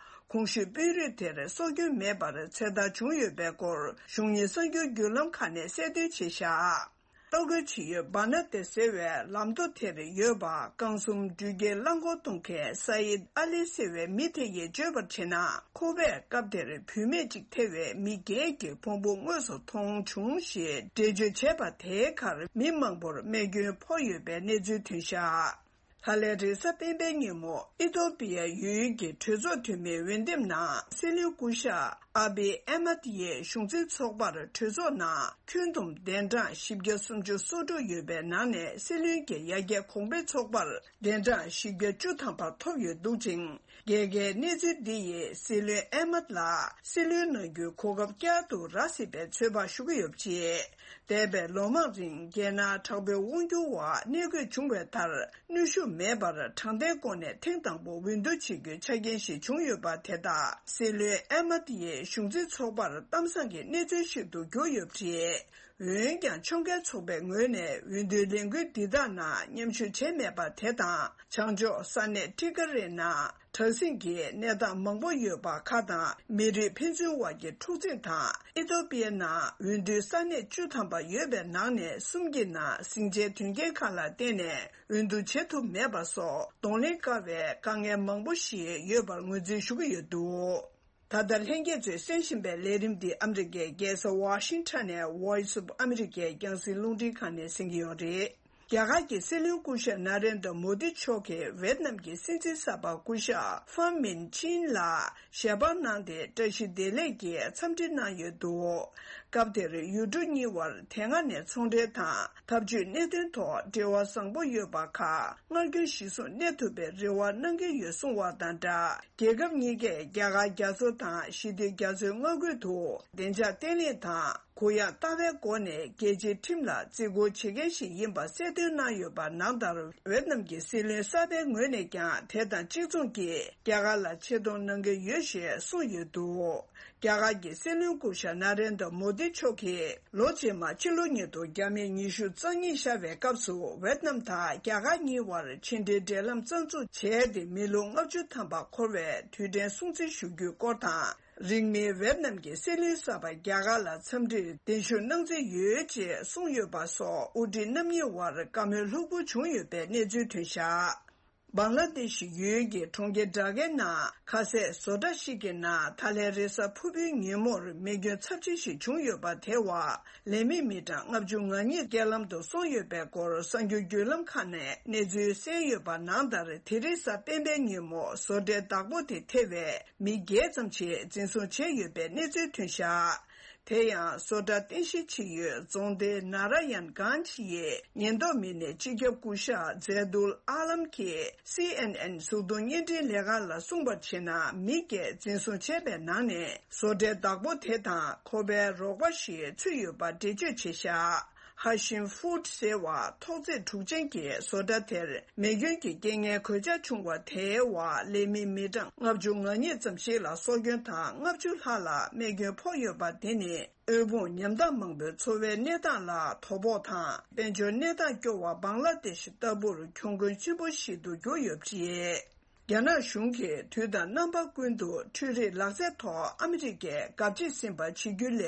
གོང་ཞུས་དཔོན་རིགས་དེར་སྲོག་སྐྱོན་མེད་པར་ཚེ་ཐར་བྱུང་ཡོད་པའི་སྐོར་གཞུང་གཉེར་གསར་འགྱུར་བརྒྱུད་ལམ་ཁག་ནས་གསལ་སྟོན་བྱས་བཞག། གཏོར་རྒོལ་བྱེད་ཡུལ་བ་ན་ཏེ་ཟེར་བའི་ལམ་མདོ་དེར་ཡོད་པ། རྐང་གསུམ་འགྲུལ་སྐྱེལ་རླངས་འཁོར་གཏོང་མཁན་སཱ་ཡིད་ཨ་ལི་ཟེར་བའི་མི་དེ་ཡིས་བརྗོད་པར་བྱས་ན། ཁོ་པས་སྐབས་དེར་བུད་མེད་ཅིག་ཐེ་བའི་མི་བརྒྱད་ཀྱི་ཕུང་པོ་དངོས་སུ་མཐོང་བྱུང་ཞེས་འགྲེལ་བརྗོད་བྱས་པ་དེའི་ཁར་མི་མང་པོར་རྨས་སྐྱོན་ཕོག་ཡོད་པའི་གནས་ཚུལ་ཐོན་བཞག། ཧ་ལས་རེས་གཟའ་སྤེན་པའི་ཉིན་མོ་ཨི་ཐོ་པི་ཡ་ཡུལ་གྱི་གྲོས་ཚོགས་འཐུས་མིའི་འོས་འདེམས་ནང་སྲིད་བློན་སྐུ་ཞབས་ ཨ་བི་ཨེ་མད་ཡིས་གཞུང་འཛིན་ཚོགས་པར་གྲོས་ཚོགས་ནང་ཁྱོན་བསྡོམས་གདན་གྲངས་བཞི་བརྒྱ་སུམ་ཅུ་སོ་དྲུག་ཡོད་པའི་ནང་ནས་སྲིད་བློན་གྱི་ཡ་གྱལ་གོང་འཕེལ་ཚོགས་པར་གདན་གྲངས་བཞི་བརྒྱ་བཅུ་ཐམ་པ་ཐོབ་ཡོད་འདུག་ཅིང་། རྒྱལ་ཁའི་གནས་ཚུལ་འདི་ཡིས་སྲིད་བློན་ཨེ་མད་ལ་སྲིད་བློན་གནང་རྒྱུའི་གོ་སྐབས་བསྐྱར་དུ་རག་སྲིད་པའི་ཚོད་དཔག་ཞུ་གི་ཡོད་པ་རེད། འདས་པའི་ལོ་མང་རིང་རྒྱལ་ནང་དྲག་པོའི་དབང་སྒྱུར་འོག་གནས་དགོས་བྱུང་བའི་མཐར། གནོན་ཤུགས་མེད་པར་དྲང་བདེན་སྒོ་ནས་ཐེངས་དང་པོ་འོས་བསྡུ་བྱེད་རྒྱུའི་ཆ་རྐྱེན་ཞིག་བྱུང་ཡོད་པ་དེ་དག་སྲིད་བློན་ཨེ་མད་ཡི་གཞུང་འཛིན་ཚོགས་པར་གཏམ་བཟང་གི་གནས་ཚུལ་ཞིག་ཏུ་གྱུར་ཡོད་པ་རེད། འོན་ཀྱང་ཕྱོགས་འགལ་ཚོགས་པའི་ངོས་ནས་འོས་བསྡུའི་ལས་འགུལ་འདི་དག་ནང་མཉམ་ཞུགས་བྱས་མེད་པ་དེ་དང་། བྱང་ཕྱོགས་ས་གནས་ཏི་ཀ་རེ་ནང་དྲག་ཟིང་གི་གནས་སྟངས་མང་པོ་ཡོད་པ་ཁག་དང་། མི་རིགས་ཕན་ཚུན་དབར་གྱི་འཁྲུག་འཛིང་དང་། ཨི་ཐོ་པི་ཡའི་ནང་འོས་བསྡུའི་ས་གནས་བཅུ་ཐམ་པ་ཡོད་པའི་ནང་ནས་གསུམ་གྱི་ནང་ཟིང་ཆའི་དོན་རྐྱེན་ཁག་ལ་བརྟེན་ནས་འོས་བསྡུ་བྱེད་ཐུབ་མེད་པ་སོགས་གདོང་ལེན་དཀའ་བའི་དཀའ་ངལ་མང་པོ་ཞིག་ཡོད་པར་ངོས་འཛིན་ཞུ་གི་ཡོད་འདུག། ད་ལྟ་ལྷན་རྒྱས་ཚོས་གསན་བཞིན་པའི་ལས་རིམ་འདི་ཨ་མི་རི་ཀའི་རྒྱལ་ས་ཝ་ཤིང་ཊོན་ནས་Voice of America་རྒྱང་སྲིང་རླུང་འཕྲིན་ཁང་ནས་གསན་གྱི་ཡོད་རེད། རྒྱ་གར་གྱི་སྲིད་བློན་སྐུ་ཞབས་ན་རེན་དྲ་མོ་དི་མཆོག་གིས་ཝེད་ནམ་གྱི་སྲིད་འཛིན་གསར་པ་སྐུ་ཞབས་ཧྥམ་མིན་ཅིན་ལ་ཞལ་པར་གནང་སྟེ་བཀྲ་ཤིས་བདེ་ལེགས་ཀྱི་འཚམས་འདྲི་གནང་ཡོད་འདུག། སྐབས་དེར་ཡུལ་གྲུ་གཉིས་བར་དེ་སྔ་ནས་ཚོང་འབྲེལ་དང་འཐབ་ཇུས་གནད་དོན་ཐོག་འབྲེལ་བ་བཟང་པོ་ཡོད་པ་ཁག་སྔར་རྒྱུན་གཞིར་བཟུང་གནས་ཐུབ་པའི་རེ་བ་གནང་གི་ཡོད་གསུངས་བ་དང་སྦྲགས། རྒྱལ་ཁབ་གཉིས་ཀས་རྒྱ་གར་རྒྱ་མཚོ་དང་ཞི་བདེ་རྒྱ་མཚོའི་མངའ་ཁུལ་དུ་བདེ་འཇགས་བརྟན་ལྷིང་དང་གུ་ཡངས་ལྟ་བའི་སྒོ་ནས་རྒྱལ་སྤྱིའི་ཁྲིམས་ལ་བརྩི་བཀུར་བྱེད་མཁན་ཞིག་ཡིན་པ་གསལ་སྟོན་གནང་ཡོད་པ་ནང་ལྟར། ཝེད་ནམ་གྱི་སྲིད་བློན་གསར་པའི་ངོས་ནས་ཀྱང་དེ་དང་གཅིག་མཚུངས་ཀྱིས་རྒྱ་གར་ལ་ཆེ་མཐོང་གནང་གི་ཡོད་ཞེས་གསུངས་ཡོད་འདུག། རྒྱ་གར་གྱི་སྲིད་བློན་སྐུ་ཞབས་ན་རེན་དྲ་མོ་དི་མཆོག་གིས་ལོ་རྗེས་མ་ཕྱི་ལོ་ཉིས་སྟོང་བརྒྱ་མེད་ཉི་ཤུ་རྩ་གཉིས་ཤར་བའི་སྐབས་སུ་ཝེད་ནམ་དང་རྒྱ་གར་གཉིས་བར་ཕྱི་འབྲེལ་འབྲེལ་ལམ་རྩ་འཛུགས་བྱས་ཏེ་མི་ལོ་ལྔ་བཅུ་ཐམ་པ་འཁོར་བའི་དུས་དྲན་སྲུང་བརྩི་ཞུ་རྒྱུའི་སྐོར་དང་། རིང་མིན་ཝེད་ནམ་གྱི་སྲིད་བློན་གསར་པ་རྒྱ་གར་ལ་འཚམས་འདྲིར་གདན་ཞུ་གནང་རྩིས་ཡོད་ཅེས་གསུངས་ཡོད་པ་སོགས་དབུ་ཁྲིད་རྣམ་གཉིས་བར་བཀའ་མོལ་ལྷུག་པོ་བྱུང་ཡོད་པའི་གནས་ཚུལ་ཐོན་བཞག། བང་ལ་དེ་ཤི་ཡུལ་གྱི་གྲོང་ཁྱེར་ཌ་ཀའི་ནང་ཁ་ཟས་བཟོ་གྲྭ་ཞིག་གི་ནང་ད་ལན་རེས་གཟའ་ཕུར་བུའི་ཉིན་མོར་རྨས་སྐྱོན་ཚབས་ཆེ་ཞིག་བྱུང་ཡོད་པ་དེ་བ། ལས་མི་མི་གྲངས་ལྔ་བཅུ་ང་གཉིས་རྐྱེན་ལམ་དུ་སོང་ཡོད་པའི་སྐོར་གསར་འགྱུར་བརྒྱུད་ལམ་ཁག་ནས་གནས་ཚུལ་གསན་ཡོད་པ་ནང་ལྟར། དེ་རིང་གཟའ་སྤེན་པའི་ཉིན་མོ་བཟོ་གྲྭའི་བདག་པོ་དེ་ཐེ་བའི་མི་བརྒྱད་ཙམ་ཞིག་འཛིན་བཟུང་བྱས་ཡོད་པའི་གནས་ཚུལ་ཐོན་བཞག། དེ་ཡང་བཟོ་གྲྭ་རྟེན་གཞི་བྱེད་ཡུལ་རྫོང་སྡེ་ན་ར་ཡན་གྷན་ཇི་ཡི་ཉེན་རྟོག་མི་སྣས་སྤྱི་ཁྱབ་སྐུ་ཞབས་ཛེ་དུལ་ཨ་ལམ་གྱིས་སི་ཨེན་ཨེན་གཟུགས་མཐོང་བརྙན་འཕྲིན་ལས་ཁང་ལ་གསུངས་པར་བྱས་ན། མི་བརྒྱད་འཛིན་བཟུང་བྱས་པའི་ནང་ནས་བཟོ་གྲྭའི་བདག་པོ་དེ་དང་ཁོ་པའི་རོགས་པ་ཞིག་ཚུད་ཡོད་པ་འགྲེལ་བརྗོད་བྱས་བཞག། ཧ་ཤིམ་ཧྥུད་ཟེར་བ་ཐོག་བརྩེགས་དྲུག་ཅན་གྱི་བཟོ་གྲྭ་དེར་མེ་སྐྱོན་གྱི་རྐྱེན་ངན་གོད་ཆག་བྱུང་བ་དེའི་འོག་ལས་མི་མི་གྲངས་ལྔ་བཅུ་ང་གཉིས་ཙམ་ཞིག་ལ་སྲོག་སྐྱོན་དང་། ལྔ་བཅུ་ལྷག་ལ་རྨས་སྐྱོན་ཕོག་ཡོད་པ་དེ་ནི། དབུལ་ཕོངས་ཉམ་ཐག་མང་པོའི་འཚོ་བའི་གནས་སྟངས་ལ་དོ་ཕོག་དང་། དཔལ་འབྱོར་གནས་སྟངས་སྐྱོ་བ་བང་ལ་དེ་ཤི་ལྟ་བུར་གྱོང་གུན་ཆེན་པོ་ཞིག་ཏུ་གྱུར་ཡོད་པ་རེད། རྒྱ་ནག་གཞུང་གིས་དུས་དང་རྣམ་པ་ཀུན་ཏུ་འཕྲུལ་རིག་ལག་རྩལ་ཐོག་ཨ་མི་རི་ཀས་དགའ་བྱེད་ཟིན་པ་བྱེད་རྒྱུ་ལས།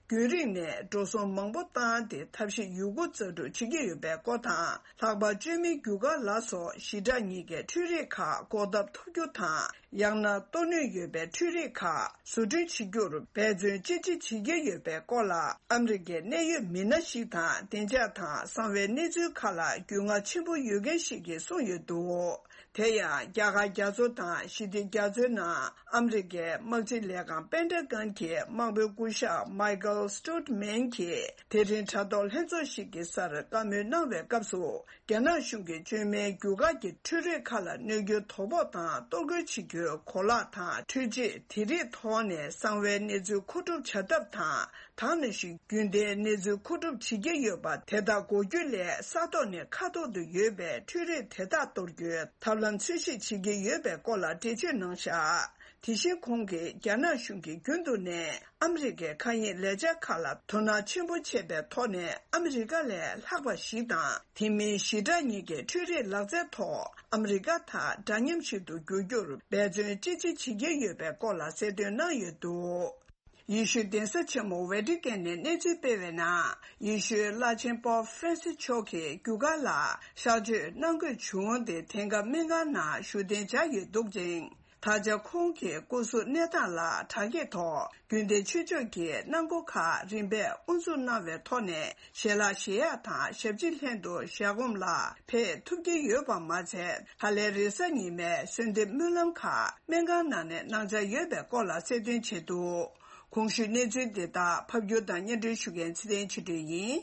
རྒྱུན་རིང་ནས་འགྲོ་སོང་མང་པོ་བཏང་སྟེ་ཐབས་ཤེས་ཡོད་རྒུ་རྩལ་སྤྲུགས་བྱེད་ཀྱི་ཡོད་པའི་སྐོར་དང་། ལྷག་པར་བཅོས་མའི་རྒྱུ་སྐར་ལ་སོགས་ཞི་དྲག་གཉིས་ཀའི་འཕྲུལ་རིག་ཁག་འགོག་ཐབས་ཐུབ་རྒྱུ་དང་། ཡང་ན་གཏོར་ནུས་ཡོད་པའི་འཕྲུལ་རིག་ཁག་བཟོ་སྐྲུན་བྱེད་རྒྱུར་འབད་བརྩོན་ཅི་ཆེ་བྱེད་ཀྱི་ཡོད་པའི་སྐོར་ལ། ཨ་མི་རི་ཀའི་གནད་ཡོད་མི་སྣ་ཞིག་དང་། བདེ་འཇགས་དང་གསང་བའི་གནས་ཚུལ་ཁག་ལ་རྒྱུས་མངའ་ཆེན་པོ་ཡོད་མཁན་ཞིག་གིས་གསུངས་ཡོད་འདུག། དེ་ཡང་རྒྱ་གར་རྒྱ་མཚོ་དང་ཞི་བདེ་རྒྱ་མཚོའི་ནང་ཨ་མི་རི་ཀའི་དམག་སྤྱི་ལས་ཁང་པེན་ཏ་གོན་གྱི་དམག་དཔོན་སྐུ་ཞབས་མའི་ཀལ་སི་ཊུ་ཏི་མན་གྱིས་དེ་རིང་དྲ་ཐོག་ལྷན་ཚོགས་ཤིག་གི་སར་བཀའ་མོལ་གནང་བའི་སྐབས་སུ། རྒྱ་ནག་གཞུང་གིས་བཅོས་མའི་རྒྱུ་སྐར་གྱི་འཕྲུལ་རིག་ཁག་ལ་གནོད་སྐྱོན་དོ་ཕོག་དང་གཏོར་རྒོལ་བྱེད་རྒྱུའི་གོ་ལག་དང་འཕྲུལ་ཆས་དེ་རིགས་ཐོག་ནས་གསང་བའི་གནས་ཚུལ་མཁོ་སྒྲུབ་བྱ་ཐབས་དང་། ད་ནང་བཞིན་རྒྱུན་ལྡན་གནས་ཚུལ་མཁོ་སྒྲུབ་བྱེད་ཀྱི་ཡོད་པ་དེ་དག་འགོག་རྒྱུ་ལས། ས་ཐོག་ནས་མཁའ་ཐོག་ཏུ་ཡོད་པའི་འཕྲུལ་རིག་དེ་དག་གཏོར་རྒྱུའི་ཐབས་ལམ་འཚོལ་ཞིབ་བྱེད་ཀྱི་ཡོད་པའི་སྐོར་ལ་འགྲེལ་བརྗོད་གནང་བཞག། དེ་བཞིན་ཁོང་གིས་རྒྱ་ནག་གཞུང་གིས་རྒྱུན་དུ་ནས་ཨ་མི་རི་ཀའི་མཁའ་དབྱིངས་ལས་འཆར་ཁག་ལ་དོ་སྣང་ཆེན་པོ་བྱས་པའི་ཐོག་ནས། ཨ་མི་རི་ཀ་ལས་ལྷག་པ་ཞིག་དང་། དེ་མིན་ཞི་དྲག་གཉིས་ཀའི་འཕྲུལ་རིག་ལག་རྩལ་ཐོག་ཨ་མི་རི་ཀ་དང་འདྲ་མཉམ་ཞིག་ཏུ་འགྱུར་རྒྱུར་འབད་བརྩོན་ཅི་ཆེ་བྱེད་ཀྱི་ཡོད་པའི་སྐོར་ལ་གསལ་སྟོན་གནང་ཡོད་འདུག། ཡེ་ཤུའི་གདན་ས་ཆེན་མོ་ཝེ་ཏི་ཀན་ནས་གནས་ཚུལ་སྤེལ་བའི་ནང་། ཡེ་ཤུའི་བླ་ཆེན་པོབ་ཧྥ་རན་སི་མཆོག་གིས་རྒྱུ་སྐར་ལ་གཤག་བཅོས་གནང་དགོས་བྱུང་སྟེ། དེང་སྐབས་སྨན་ཁང་ནང་བཞུགས་གདན་འཇགས་ཡོད་འདུག་ཅིང་། ད་ཆ་ཁོང་གི་སྐུ་གཟུགས་གནས་སྟངས་ལ་དྲག་སྐྱེད་ཐོག་རྒྱུན་ལྡན་ཆོས་ཕྱོགས་ཀྱི་གནང་སྒོ་ཁག་རིམ་པས་དབུ་འཛུགས་གནང་བའི་ཐོག་ནས། ཞལ་ལག་བཞེས་ཡག་དང་ཞབས་ཕྱི་ལྷན་དུ་ཞལ་སྒོམ་ལ་ཕེབས་ཐུབ་ཀྱི་ཡོད་པ་མ་ཚད། ད་ལན་རེས་གཟའ་ཉི་མའི་གསོལ་འདེབས་སྨོན་ལམ་ཁག་སྨན་ཁང་ནང་ནས་གནང་འཆར་ཡོད་པའི་སྐོར་ལ་གསལ་སྟོན་བྱས་འདུག། གོང་ཞུས་གནས་ཚུལ་འདི་དག་ཕབ་སྒྱུར་དང་སྙན་སྒྲོན་ཞུ་མཁན་ཚེ་བརྟན་ཆོས་སྒྲོན་ཡིན།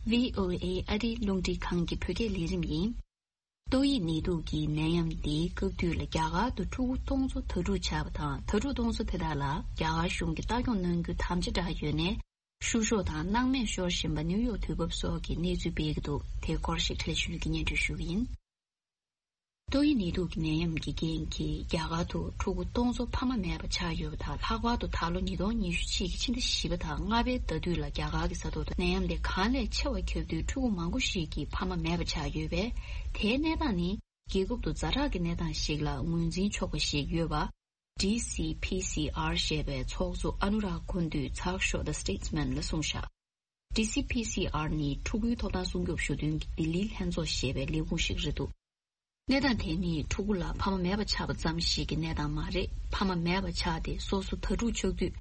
ཝི་ཨོ་ཨེ་ཨ་རིའི་རླུང་འཕྲིན་ཁང་གི་བོད་སྐད་ལས་རིམ་ཡིན། ཏོག་དབྱིབས་ནད་དུག་གི་ནད་ཡམས་འདིའི་སྐབས་དུས་ལ་རྒྱ་གར་དུ་ཕྲུ་གུ་སྟོང་ཚོ་དྭ་ཕྲུག་ཆགས་པ་དང་། དྭ་ཕྲུག་སྟོང་ཚོ་དེ་དག་ལ་རྒྱ་གར་གཞུང་གིས་ལྟ་སྐྱོང་གནང་རྒྱུ་དམ་བཅའ་བསྒྲགས་ཡོད་ནའི། བཤུ་གཞོག་དང་སྣང་མེད་ཤོར་བཞིན་པ་ནིའུ་ཡོག་དུས་བབ་སོགས་ཀྱི་གནས་ཚུལ་སྤེལ་གྱི་འདུག་དེའི་སྐོར་ཞིག་བཀྲ་ཤིས་ཆོས་སྒྲོན་གྱིས་སྙན་སྒྲོན་ཞུ་གི་ཡིན། ཏོག་དབྱིབས་ནད་དུག་གི་ནད་ཡམས་ཀྱི་རྐྱེན་གྱིས་རྒྱ་གར་དུ་ཕྲུ་གུ་སྟོང་ཚོ་ཕ་མ་མེད་པ་ཆགས་ཡོད་པ་དང་། ལྷག་པར་དུ་ད་ལོ་ཉིས་སྟོང་ཉི་ཤུ་གཅིག་གི་ཕྱི་ཟླ་བཞི་པ་དང་ལྔ་པའི་ཟླ་དུས་ལ་རྒྱ་གར་གྱི་ས་ཐོག་ཏུ་ནད་ཡམས་དེ་གང་ལས་ཆེ་བ་ཁྱབ་དུས་ཕྲུ་གུ་མང་པོ་ཞིག་གི་ཕ་མ་མེད་པ་ཆགས་ཡོད་པས། དེའི་གནས་སྟངས་ནི་རྒྱལ་ཁབ་ཏུ་ཛ་དྲག་གི་གནས་སྟངས་ཤིག་ལ་ངོས་འཛིན་ཆོག་པ་ཞིག་ཡོད་པ། ཌི་སི་ཕི་སི་ཨར་ཞེས་པའི་ཚོགས་གཙོ་ཨ་ནུ་རག་ཀུན་ཏུས་ཚགས་ཤོག་The Statesman ལ་གསུངས་བཞག་ཌི་སི་ཕི་སི་ཨར་ནི་ཕྲུ་གུའི་ཐོབ་ཐང་སྲུང་སྐྱོབ་ཞུ་དོན་གྱི་ལྡི་ལིའི་ལྷན་ཚོགས་ཞེས་པའི་ལས་ཁུངས་ཤིག་རེད་འདུག་གནས་སྟངས་དེ་ནི་ཕྲུ་གུ་ལ་ཕ་མ་མེད་པ་ཆགས་པ་ཙམ་ཞིག་གི་གནས་སྟངས་མ་རེད། ཕ་མ་མེད་པ་ཆགས་ཏེ་སོ་སོ་དྭ་ཕྲུག་ཆགས་དུས།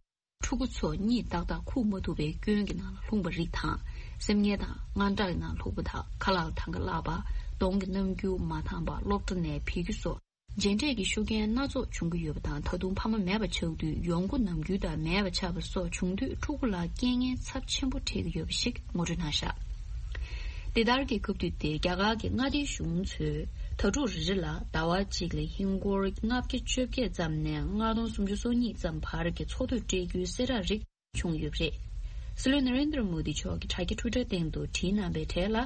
ཕྲུ་གུ་ཚོ་གཉིད་ཏག་ཏག་ཁུག་མ་ཐུབ་པའི་སྐྱོན་གྱི་ནང་ལ་ལྷུང་བ་རིགས་དང་། སེམས་ངལ་དང་དངངས་སྐྲག་གི་ནང་ལ་ལྷུང་བ་དང་། ཁ་ལག་ལ་ཐང་ག་བརླག་པ། གདོང་གི་རྣམ་འགྱུར་མ་འདང་བ། སློབ་གྲྭ་ནས་ཕུད་རྒྱུ་སོགས། རྗེས་འབྲས་ཀྱི་ཤུགས་རྐྱེན་སྣ་ཚོགས་འབྱུང་གི་ཡོད་པ་དང་། ད་དུང་ཕ་མ་མེད་པ་ཆགས་དུས་ཡོང་སྒོ་ནམ་རྒྱུན་དང་མེད་པ་ཆགས་པ་སོགས་བྱུང་དུས། ཕྲུ་གུ་ལ་རྐྱེན་ངན་ཚབས་ཆེན་པོ་འཕྲད་ཀྱི་ཡོད་པ་ཞིག་ངོ་སྤྲོད་གནང་བཞག་འདི་ལྟར་གྱི་སྐབས་དུས་དེ། རྒྱ་གར་གྱི་མངའ་སྡེའི་གཞུང་ཚོས་དྭ་ཕྲུག་རེ་རེ་ལ་ཟླ་བ་གཅིག་ལ་ཧིན་སྒོར་ལྔ་བརྒྱ་བཅོ་བརྒྱད་ཙམ་ནས་ལྔ་སྟོང་སུམ་ཅུ་སོ་གཉིས་ཙམ་བར་གྱི་འཚོ་སྡོད་སྤྲད་རྒྱུའི་གསལ་བསྒྲགས་རིགས་བྱུང་ཡོད་པ་རེད། སྲིད་བློན་ནཱ་རེན་དྲ་མོ་དི་མཆོག་གིས་དྲ་རྒྱ་ཊུའི་ཊར་སྟེང་དུ་བྲིས་གནང་བའི་གྲས་ལ།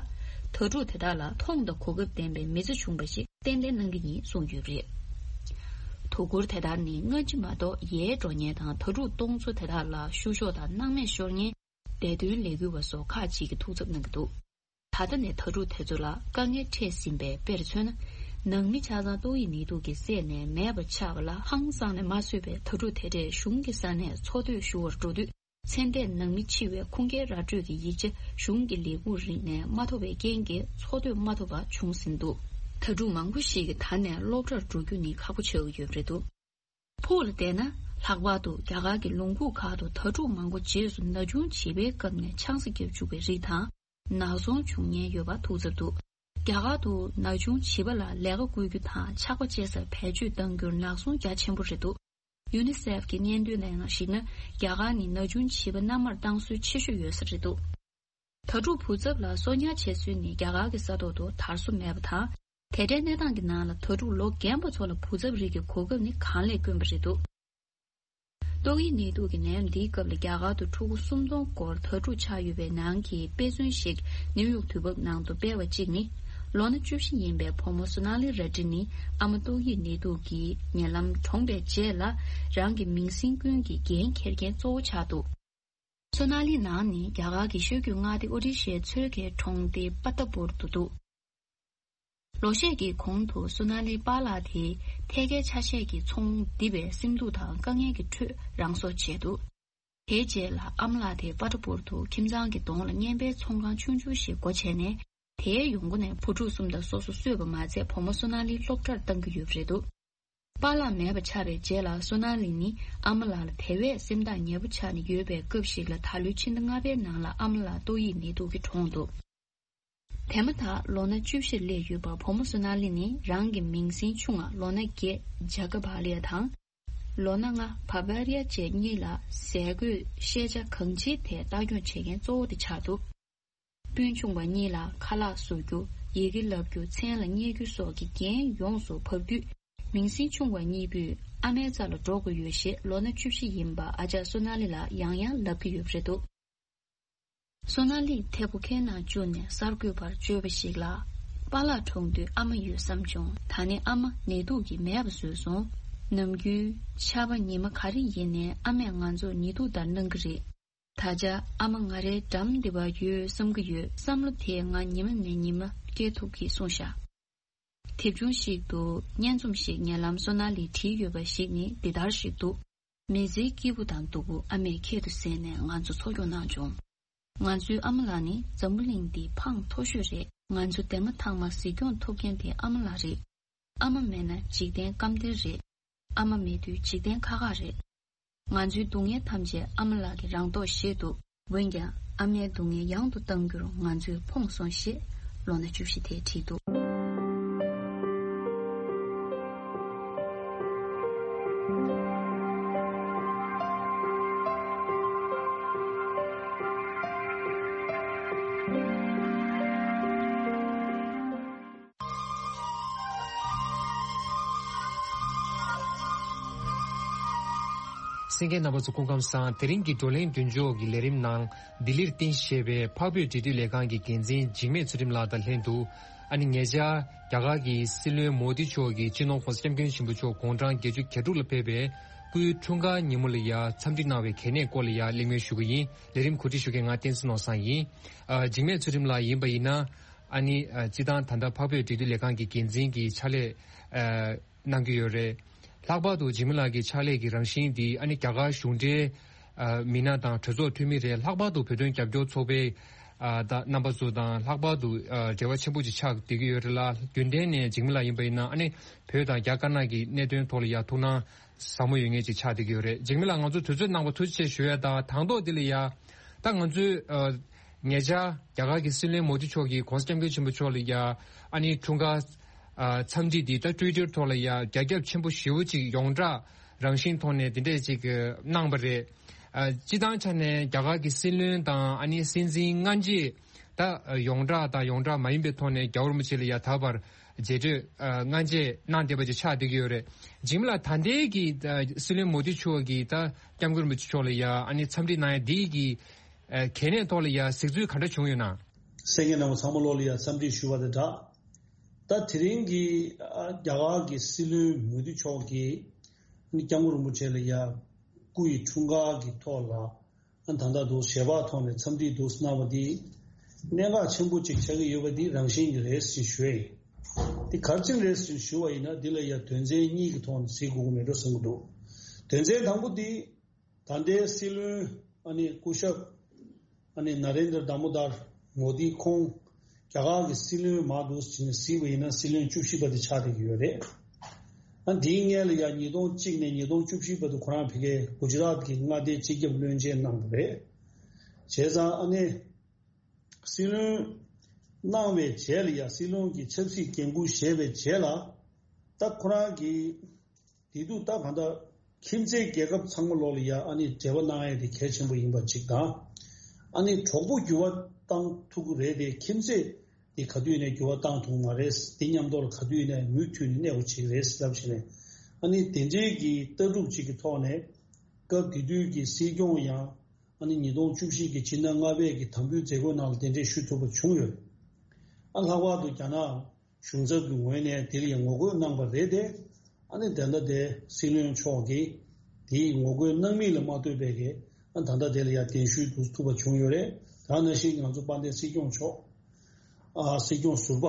དྭ་ཕྲུག་དེ་དག་ལ་མཐོང་དང་གོ་སྐབས་ལྡན་པའི་མི་ཚེ་བྱུང་བ་ཞིག་ཏན་ཏན་གནང་གི་ཡིན་གསུངས་ཡོད་པ་རེད། དོ་ཁུར་དེ་དག་ནི་སྔ་ཕྱི་མ་གཏོགས་ཡལ་འགྲོ་མཁན་དང་། དྭ་ཕྲུག་སྟོང་ཚོ་དེ་དག་ལ་བཤུ་གཞོག་དང་སྣང་མེད་ཤོར་མཁན་བདེ་དོན་ལས་འགུལ་བ་སོགས་ཁག་ཅིག་གིས་ཐུགས་འཚབ་གནང་གི་འདུག་ད་ལྟ་ནས་དྭ་ཕྲུག་དེ་ཚོ་ལ་དཀའ་ངལ་འཕྲད་ཟིན་པས། དཔེར་མཚོན་ན། ནང་མི་ཆ་ཚང་ཏོག་དབྱིབས་ནད་དུག་གིས་བསད་ནས་མེད་པ་ཆགས་པ་ལ་ཧང་སངས་ནས་མ་བཟོད་པའི་དྭ་ཕྲུག་དེ་འདྲས་གཞུང་གི་ས་ནས་འཚོ་སྡོད་ཞུ་བར་འགྲོ་དུས། ཚེ་འདས་ནང་མི་འཆི་བའི་ཁུངས་སྐྱེལ་ར་སྤྲོད་ཀྱི་ཡིག་ཆ་གཞུང་གི་ལས་ཁུངས་རིགས་ནས་མ་ཐོབ་པའི་རྐྱེན་གྱིས་འཚོ་སྡོད་མ་ཐུབ་པ་བྱུང་ཟིན་འདུག་དྭ་ཕྲུག་མང་པོ་ཞིག་གིས་ད་ནས་སློབ་གྲྭར་འགྲོ་རྒྱུ་ནི་ཁག་པོ་ཆགས་ཀྱི་ཡོད་པ་རེད་འདུག་ཕུགས་ལ་བལྟས་ན། ལྷག་པར་དུ་རྒྱ་གར་གྱི་ལུང་ཁུག་ཁག་ཏུ་དྭ་ཕྲུག་མང་པོ་རྗེས་སུ་ན་ཆུང་བྱིས་པའི་སྐབས་ནས་ཆང་ས་བརྒྱབ་བཅུག་པའི་རིགས་དང་། ནག་ཚོང་བྱུང་ཉེན་ཡོད་པ་ཐུགས་འཚབ་འདུག་རྒྱ་གར་དུ་ན་ཆུང་བྱིས་པ་ལ་ལས་ཀ་བསྐུལ་རྒྱུ་དང་། ཆག་སྒོ་བཅད་སར་བེད་སྤྱོད་གཏང་རྒྱུར་ནག་ཚོང་རྒྱ་ཆེན་པོ་རེད་འདུག་ཡུ་ནི་སེབ་ཀྱི་སྙན་ཐོའི་ནང་གཞིགས་ན། རྒྱ་གར་ནི་ན་ཆུང་བྱིས་པ་མནའ་མར་བཏང་སྲོལ་ཆེ་ཤོས་ཡོད་ས་རེད་འདུག་དྭ་ཕྲུག་བུ་ཚབ་ལ་གསོ་ཉར་བྱེད་སྲོལ་ནི་རྒྱ་གར་གྱི་ས་ཐོག་ཏུ་དར་སྲོལ་མེད་པ་དང་། དེ་འདྲའི་གནས་སྟངས་ཀྱི་ནང་ལ་དྭ་ཕྲུག་ལོ་རྒན་པ་ཚོ་ལ་བུ་ཚབ་རིགས་ཀྱི་གོ་སྐབས་ནི་གང་ལས་དཀོན་པ་རེད་འདུག་ཏོག་དབྱིབས་ནད་དུག་གི་ནད་ཡམས་འདིའི་སྐབས་ལ་རྒྱ་གར་དུ་ཕྲུ་གུ་སུམ་སྟོང་སྐོར་དྭ་ཕྲུག་ཆགས་ཡོད་པའི་ནང་གི་དཔེ་མཚོན་ཞིག་ནིའུ་ཡོག་དུས་བབ་ནང་དུ་སྤེལ་བ་གཅིག་ནི། ལོ་ན་བཅུ་བཞི་ཡིན་པའི་བུ་མོ་སོ་ན་ལི་ར་ཏི་ནི་ཨ་མ་ཏོག་དབྱིབས་ནད་དུག་གིས་ཉེ་ལམ་གྲོངས་པའི་རྗེས་ལ། རང་གི་མིང་སྲིང་ཀུན་གྱི་འགན་འཁྱེར་མཁན་གཙོ་བོ་ཆགས་འདུག་སོ་ན་ལི་ནང་ནི་རྒྱ་གར་གྱི་ཤོད་རྒྱུད་མངའ་སྡེ་ཨོ་རི་ཤའི་མཚོ་ཁའི་གྲོང་སྡེ་པ་ཏ་པུར་དུ་འདུག་ལོ་ཤས་ཀྱི་གོང་དུ་སོ་ན་ལིའི་པཱ་ལགས་དེས་ཐད་ཀའི་ཆ་ཤས་ཀྱི་ཚོང་རྡིབ་པའི་སེམས་སྡུག་དང་དཀའ་ངལ་གྱི་ཁྲོད་རང་སྲོག་བཅད་འདུག་དེའི་རྗེས་ལ་ཨ་མ་ལགས་དེས་པ་ཏ་པུར་དུ་ཁྱིམ་ཚང་གི་གདོང་ལ་བརྙན་པའི་ཚོང་ཁང་ཆུང་ཆུང་ཞིག་སྒོ་ཕྱེ་ནས། དེའི་ཡོང་སྒོ་ནས་བུ་ཕྲུག་གསུམ་དང་སོ་སོ་གསོས་པ་མ་ཚད། བུ་མོ་སོ་ན་ལི་སློབ་གྲྭར་བཏང་གི་ཡོད་པ་རེད་འདུག་པཱ་ལགས་མེད་པ་ཆགས་པའི་རྗེས་ལ་སོ་ན་ལི་ནི་ཨ་མ་ལགས་ལ་དེ་བས་སེམས་ཐག་ཉེ་པོ་ཆགས་ནས་ཡོད་པའི་སྐབས་ཤིག་ལ། ད་ལོའི་ཕྱི་ཟླ་ལྔ་པའི་ནང་ལ་ཨ་མ་ལགས་ཏོག་དབྱིབས་ནད་དུག་གིས་གྲོངས་འདུག་དེ་མ་ཐག་ལོ་ན་བཅུ་བཞིར་སླེབས་ཡོད་པ་བུ་མོ་སོ་ན་ལི་ནི་རང་གི་མིང་སྲིང་ཆུང་བ་ལོ་ན་བརྒྱད་ཇ་ཀ་བྷ་ལི་ཡ་དང་། ལོ་ན་ལྔ་བྷ་བྷ་རི་ཡ་བཅས་གཉིས་ལ་ཟས་གོས་ཤེས་བྱ་གང་ཅིའི་ཐད་ལྟ་སྐྱོང་བྱེད་མཁན་གཙོ་བོ་དེ་ཆགས་འདུག་སྤུན་ཆུང་བ་གཉིས་ལ་ཁ་ལག་བཟོ་རྒྱུ། ཡི་གེ་བསླབ་རྒྱུ། མཚན་ལ་བསྙད་རྒྱུ་སོགས་ཀྱི་འགན་ཡོངས་སུ་བབས་དུས། མིང་སྲིང་ཆུང་བ་གཉིས་པོས་ཨ་མའི་རྩ་ལ་འགྲོ་དགོས་ཡོད་ཞེས་ལོ་ན་བཅུ་བཞི་ཡིན་པ་ཨ་ཅག་སོ་ན་ལི་ལ་ཡང་ཡང་ལབ་ཀྱི་ཡོད་པ་རེད་འདུག་སོ་ན་ལིས་ཐད་པོ་ཁའི་ནང་བཅུག་ནས་གསར་འགོད་པར་བརྗོད་པ་ཞིག་ལ། པཱ་ལགས་གྲོངས་དུས་ཨ་མ་ཡོད་བསམ་བྱུང་། ད་ནི་ཨ་མ་ནད་དུག་གིས་མེད་པ་བཟོས་སོང་། ནམ་རྒྱུན་ཆར་པ་ཉི་མ་ག་རེ་ཡིན་ནའི་ཨ་མས་ང་ཚོར་ཉི་གདུགས་ལྟར་གནང་གི་རེད། ད་ཆ་ཨ་མ་ང་རའི་འགྲམ་འདི་པར་ཡོད་བསམ་གྱི་ཡོད། བསམ་བློ་དེ་ང་ཉི་མ་ནས་ཉི་མ་སྐྱེ་ཐུབ་ཀྱིས་གསུངས་བཞག་དེབ་ཆུང་ཞིག་ཏུ་སྙན་རྩོམ་ཞིག་ཉེ་ལམ་སོ་ན་ལིས་བྲིས་ཡོད་པ་ཞིག་ནི་འདི་ལྟར་ཞིག་འདུག་མི་ཚེའི་སྐྱིད་པོ་དང་སྡུག་པོ་ཨ་མས་ཁྱད་དུ་བསད་ནས་ང་ཚོ་འཚོ་སྐྱོང་གནང་བྱུང་། ང་ཚོའི་ཨ་མ་ལགས་ནི་འཛམ་བུ་གླིང་འདིའི་འཕང་མཐོ་ཤོས་རེད། ང་ཚོ་འདས་མ་ཐག་མ་གཟིགས་སྐྱོང་ཐུབ་མཁན་དེ་ཨ་མ་ལགས་རེད། ཨ་མ་མེད་ན་འཇིག་རྟེན་སྐམ་དར་རེད། ཨ་མ་མེད་དུས་འཇིག་རྟེན་ཁ་ཁ་རེད། ང་ཚོའི་སྡུག་བསྔལ་ཐམས་ཅད་ཨ་མ་ལགས་ཀྱིས་རང་མདོག་བཞེས་འདུག་འོན་ཀྱང་ཨ་མའི་སྡུག་བསྔལ་ཡང་དུ་གཏང་རྒྱུར་ང་ཚོས་ཕོངས་སོང་ཞེས་ལོ་ན་བཅུ་བཞི་དེས་བྲིས་འདུག་གསན་མཁན་རྣམ་པ་ཚོ་སྐུ་ཁམས་བཟང་། དེ་རིང་གི་བགྲོ་གླེང་མདུན་ཅོག་གི་ལས་རིམ་ནང་ལྡི་ལིར་རྟེན་གཞི་བྱས་པའི་འཕགས་བོད་འབྲེལ་མཐུད་ལས་ཁང་གི་འགན་འཛིན་འཇིགས་མེད་ཚུལ་ཁྲིམས་ལགས་དང་ལྷན་དུ། ཨ་ནི་ཉེ་ཆར་རྒྱ་གར་གྱི་སྲིད་བློན་མོ་དི་མཆོག་གིས་སྤྱི་ནོར་༸གོང་ས་༸སྐྱབས་མགོན་ཆེན་པོ་མཆོག་དགུང་གྲངས་བརྒྱད་ཅུ་གྱ་དྲུག་ལ་ཕེབས་པའི་སྐུའི་འཁྲུངས་སྐར་ཉིན་མོ་ལ་ཡ་འཚམས་འདྲི་གནང་བའི་གལ་གནད་སྐོར་ལ་ཡ་གླེང་མོལ་ཞུ་གི་ཡིན། ལས་རིམ་གོ་སྒྲིག་ཞུ་མཁན་ང་བསྟན་འཛིན་ནོར་བཟང་ཡིན། ཨ། འཇིགས་མེད་ཚུལ་ཁྲིམས་ལགས་ཡིན་པ་ཡིན་ན། ཨ་ནི་ཨ། སྤྱི་བཏང་ད་ལྟ་འཕགས་བོད་འབྲེལ་མཐུད་ལས་ཁང་གི་འགན་འཛིན་གྱི་ཕྱག་ལས་ཨ། གནང་གི་ཡོད་རེད། ལྷག་པར་དུ་འཇིགས་མེད་ལགས་ཀྱི་ཕྱག་ལས་ཀྱི་རང་བཞིན་འདི་ཨ་ནི་རྒྱ་གར་གཞུང་འབྲེལ་ཨ། མི་སྣ་དང་གྲོས་ཚོགས་འཐུས་མི་རེད། ལྷག་པར་དུ་བོད་དོན་རྒྱབ་སྐྱོར་ཚོགས་པའི་ཨ། ད་རྣམ་པ་ཚོ་དང་ལྷག་པར་དུ་ཨ། འབྲེལ་བ་ཆེན་པོ་ཅིག་ཆགས་བསྡད་ཀྱི་ཡོད་རེད་ལ། རྒྱུན་ལྡན་ནས་འཇིགས་མེད་ལགས་ཡིན་པ་ཡིན་ན་ཨ་ནི་བོད་དང་རྒྱ་དཀར་ནག་གི་གནད་དོན་ཐོག་ལ་ཡ་ཐུགས་སྣང་ཟབ་མོ་ཡོད་མཁན་ཅིག་ཆགས་བསྡད་ཀྱི་ཡོད་རེད། འཇིགས་མེད་ལགས་ང་ཚོ་དུས་ཚོད་གནང་བ་ཐུགས་རྗེ་ཆེ་ཞུ་ཡ་དང་། དང་ཐོག་འདི་ལ་ཡ་ད་ང་ཚོས་ཨ། ཉེ་ཆར་རྒྱ་གར་གྱི་སྲིད་བློན་མོ་དི་མཆོག་གིས་༸གོང་ས་༸སྐྱབས་མགོན་ཆེན་པོ་མཆོག་ལ་ཡ་ཨ་ནི་འཁྲུངས་སྐར་ཨ། འཚམས་འདྲི་འདི་ད་ཊུའི་ཊར་ཐོག་ལ་ཡ་རྒྱ་ཁྱབ་ཆེན་པོ་ཞེ་པོ་ཅིག་ཡོངས་གྲགས་རང་བཞིན་ཐོག་ནས་འདི་འདྲས་ཅིག་གནང་བ་རེད། ཨ། སྤྱི་བཏང་ཆ་ནས་རྒྱ་གར་གྱི་སྲིད་བློན་དང་ཨ་ནི་སྲིད་འཛིན་སྔ་རྗེས་ད་ཡོངས་གྲགས་དང་ཡོངས་གྲགས་མ་ཡིན་པའི་ཐོག་ནས་རྒྱལ་བ་རིན་པོ་ཆེ་ལ་ཡ་ད་བར་མཇལ་འཕྲད་ཨ། སྔ་རྗེས་གནང་བསྡད་པ་ཅིག་ཆགས་བསྡད་ཀྱི་ཡོད་རེད། འཇིགས་མེད་ལགས་ད་ལྟའི་གི་ཨ། སྲིད་བློན་མོ་དི་མཆོག་གིས་ད་༸སྐྱབས་མགོན་རིན་པོ་ཆེ་མཆོག་ལ་ཡ་ཨ་ནི་འཚམས་འདྲི་གནང་ཡ་འདི་གི་ཨ། གལ་གནད་ཐོག་ལ་ཡ་གཟིགས་ཚུལ་ག་འདྲ་བྱུང་ཡོད་ན། གསན་མཁན་རྣམ་པ་ཚང་མ་ལོ་ལ་ཡ་འཚམས་འདྲི་ཞུ་བ་དང་སྦྲགས། ད་དེ་རིང་གི་ཨ། རྒྱ་གར་གྱི་སྲིད་བློན་མོ་དི་མཆོག་གིས་ཨ་ནི་༸སྐྱབས་མགོན་རིན་པོ་ཆེ་ལ་ཡ་སྐུ་ཡི་འཁྲུངས་སྐར་གྱི་ཐོག་ལ་ཨ། ད་ལྟ་འདུག་ཞལ་པར་ཐོག་ནས་འཚམས་འདྲི་འདུག་གནང་བ་འདི་གནད་འགག་ཆེན་པོ་ཅིག་ཆགས་ཀྱི་ཡོད་པ་འདི་རང་བཞིན་གྱི་རེད་ཟེར་ཞུ་ཡ་ཡིན། འདི་ག་རེ་བྱས་རེད་ཟེར་ཞུ་བ་ཡིན་ན། འདི་ལ་ཡ་དོན་ཚན་གཉིས་ཀྱི་ཐོག་ནས་གཟིགས་དགོས་ཀྱི་མེད་འགྲོ་བསམ་གྱི་འདུག་དོན་ཚན་དང་པོ་འདི། ད་ལྟའི་སྲིད་བློན་ཨ་ནི་སྐུ་ཞབས་ཨ་ནི་ན་རེན་དྲ་དཱ་མོ་དར་མོ་དི་ཁོང་རྒྱ་གར་གྱི་སྲིད་བློན་མར་འདུག་ཟེར་ནས་གཟིགས་པ་ཡིན་ན་སྲིད་བློན་བཅུ་བཞི་པ་དེ་ཆགས་བསྡད་ཀྱི་ཡོད་རེད། ཨ། འདིའི་སྔོན་ལ་ཡང་ཉིས་སྟོང་གཅིག་ནས་ཉིས་སྟོང་བཅུ་བཞི་བར་དུ་ཁོ་རང་ཕ་གིའི་གུ་ཇི་རཱཏ་གི་མངའ་སྡེའི་སྤྱི་ཁྱབ་བློན་ཆེན་གནང་བ་རེད། བྱས་ཙང་ཨ་ནི་སྲིད་བློན་གནང་བའི་རྗེས་ལ་ཡང་སྲིད་བློན་གྱི་ཆབ་སྲིད་འགན་འཁུར་བཞེས་པའི་རྗེས་ལ་ད་ཁོ་རང་གི་བདེ་སྡུག་ད་གང་ལྟར་ཁྱིམ་མཚེས་རྒྱལ་ཁབ་ཚང་མ་ལོག་ལ་ཡ་ཨ་ནི་འབྲེལ་བ་གནང་ཡས་དེ་གལ་ཆེན་པོ་ཡིན་པ་གཅིག་དང་། ཨ་ནི་གྲོགས་པོ་འགྱུར་བ་བཏང་ཐུབ་ཀྱི་རེད་དེ། ཁྱིམ་མཚེས་དེ་ག་དུས་ནས་འགྱུར་བ་བཏང་ཐུབ་མ་རེད། དེ་མཉམ་དུ་ལ་ག་དུས་ནས་མུ་མཐུད་ནས་གནས་དགོས་ཀྱི་རེད་ཟེར་ལབ་བྱས་ནས། ཨ་ནི་དེ་འདྲའི་གི་ལྟ་གྲུབ་ཅིག་གི་ཐོག་ནས་སྐབས་དེ་དུས་ཀྱི་སྲིད་སྐྱོང་ཡང་ཨ་ནི་ཉིས་སྟོང་བཅུ་བཞི་གི་ཕྱི་ཟླ་ལྔ་པའི་གི་དམ་འབུལ་མཛད་སྒོའི་ནང་ལ་གདན་འདྲེན་ཞུ་ཐུབ་པ་བྱུང་ཡོད། ཨ། ལྷག་པར་དུ་རྒྱ་ནག་གཞུང་ཚབ་ཀྱི་ངོས་ནས་དེ་ལ་ཡང་ངོ་རྒོལ་གནང་བ་རེད་དེ། ཨ་ནི་ད་ལྟ་དེ་སྲིད་བློན་མཆོག་གིས་དེའི་ངོ་རྒོལ་གནང་མིན་ལ་མ་ལྟོས་པའི་གི་ཨ་ད་ལྟ་དེ་ལ་ཡང་གདན་ཞུ་ཐུབ་པ་བྱུང་ཡོད་རེད། ད་ནང་བཞིན་ང་ཚོ་དཔལ་ལྡན་སྲིད་སྐྱོང་མཆོག་ཨ། སྲིད་སྐྱོང་ཟུར་པ་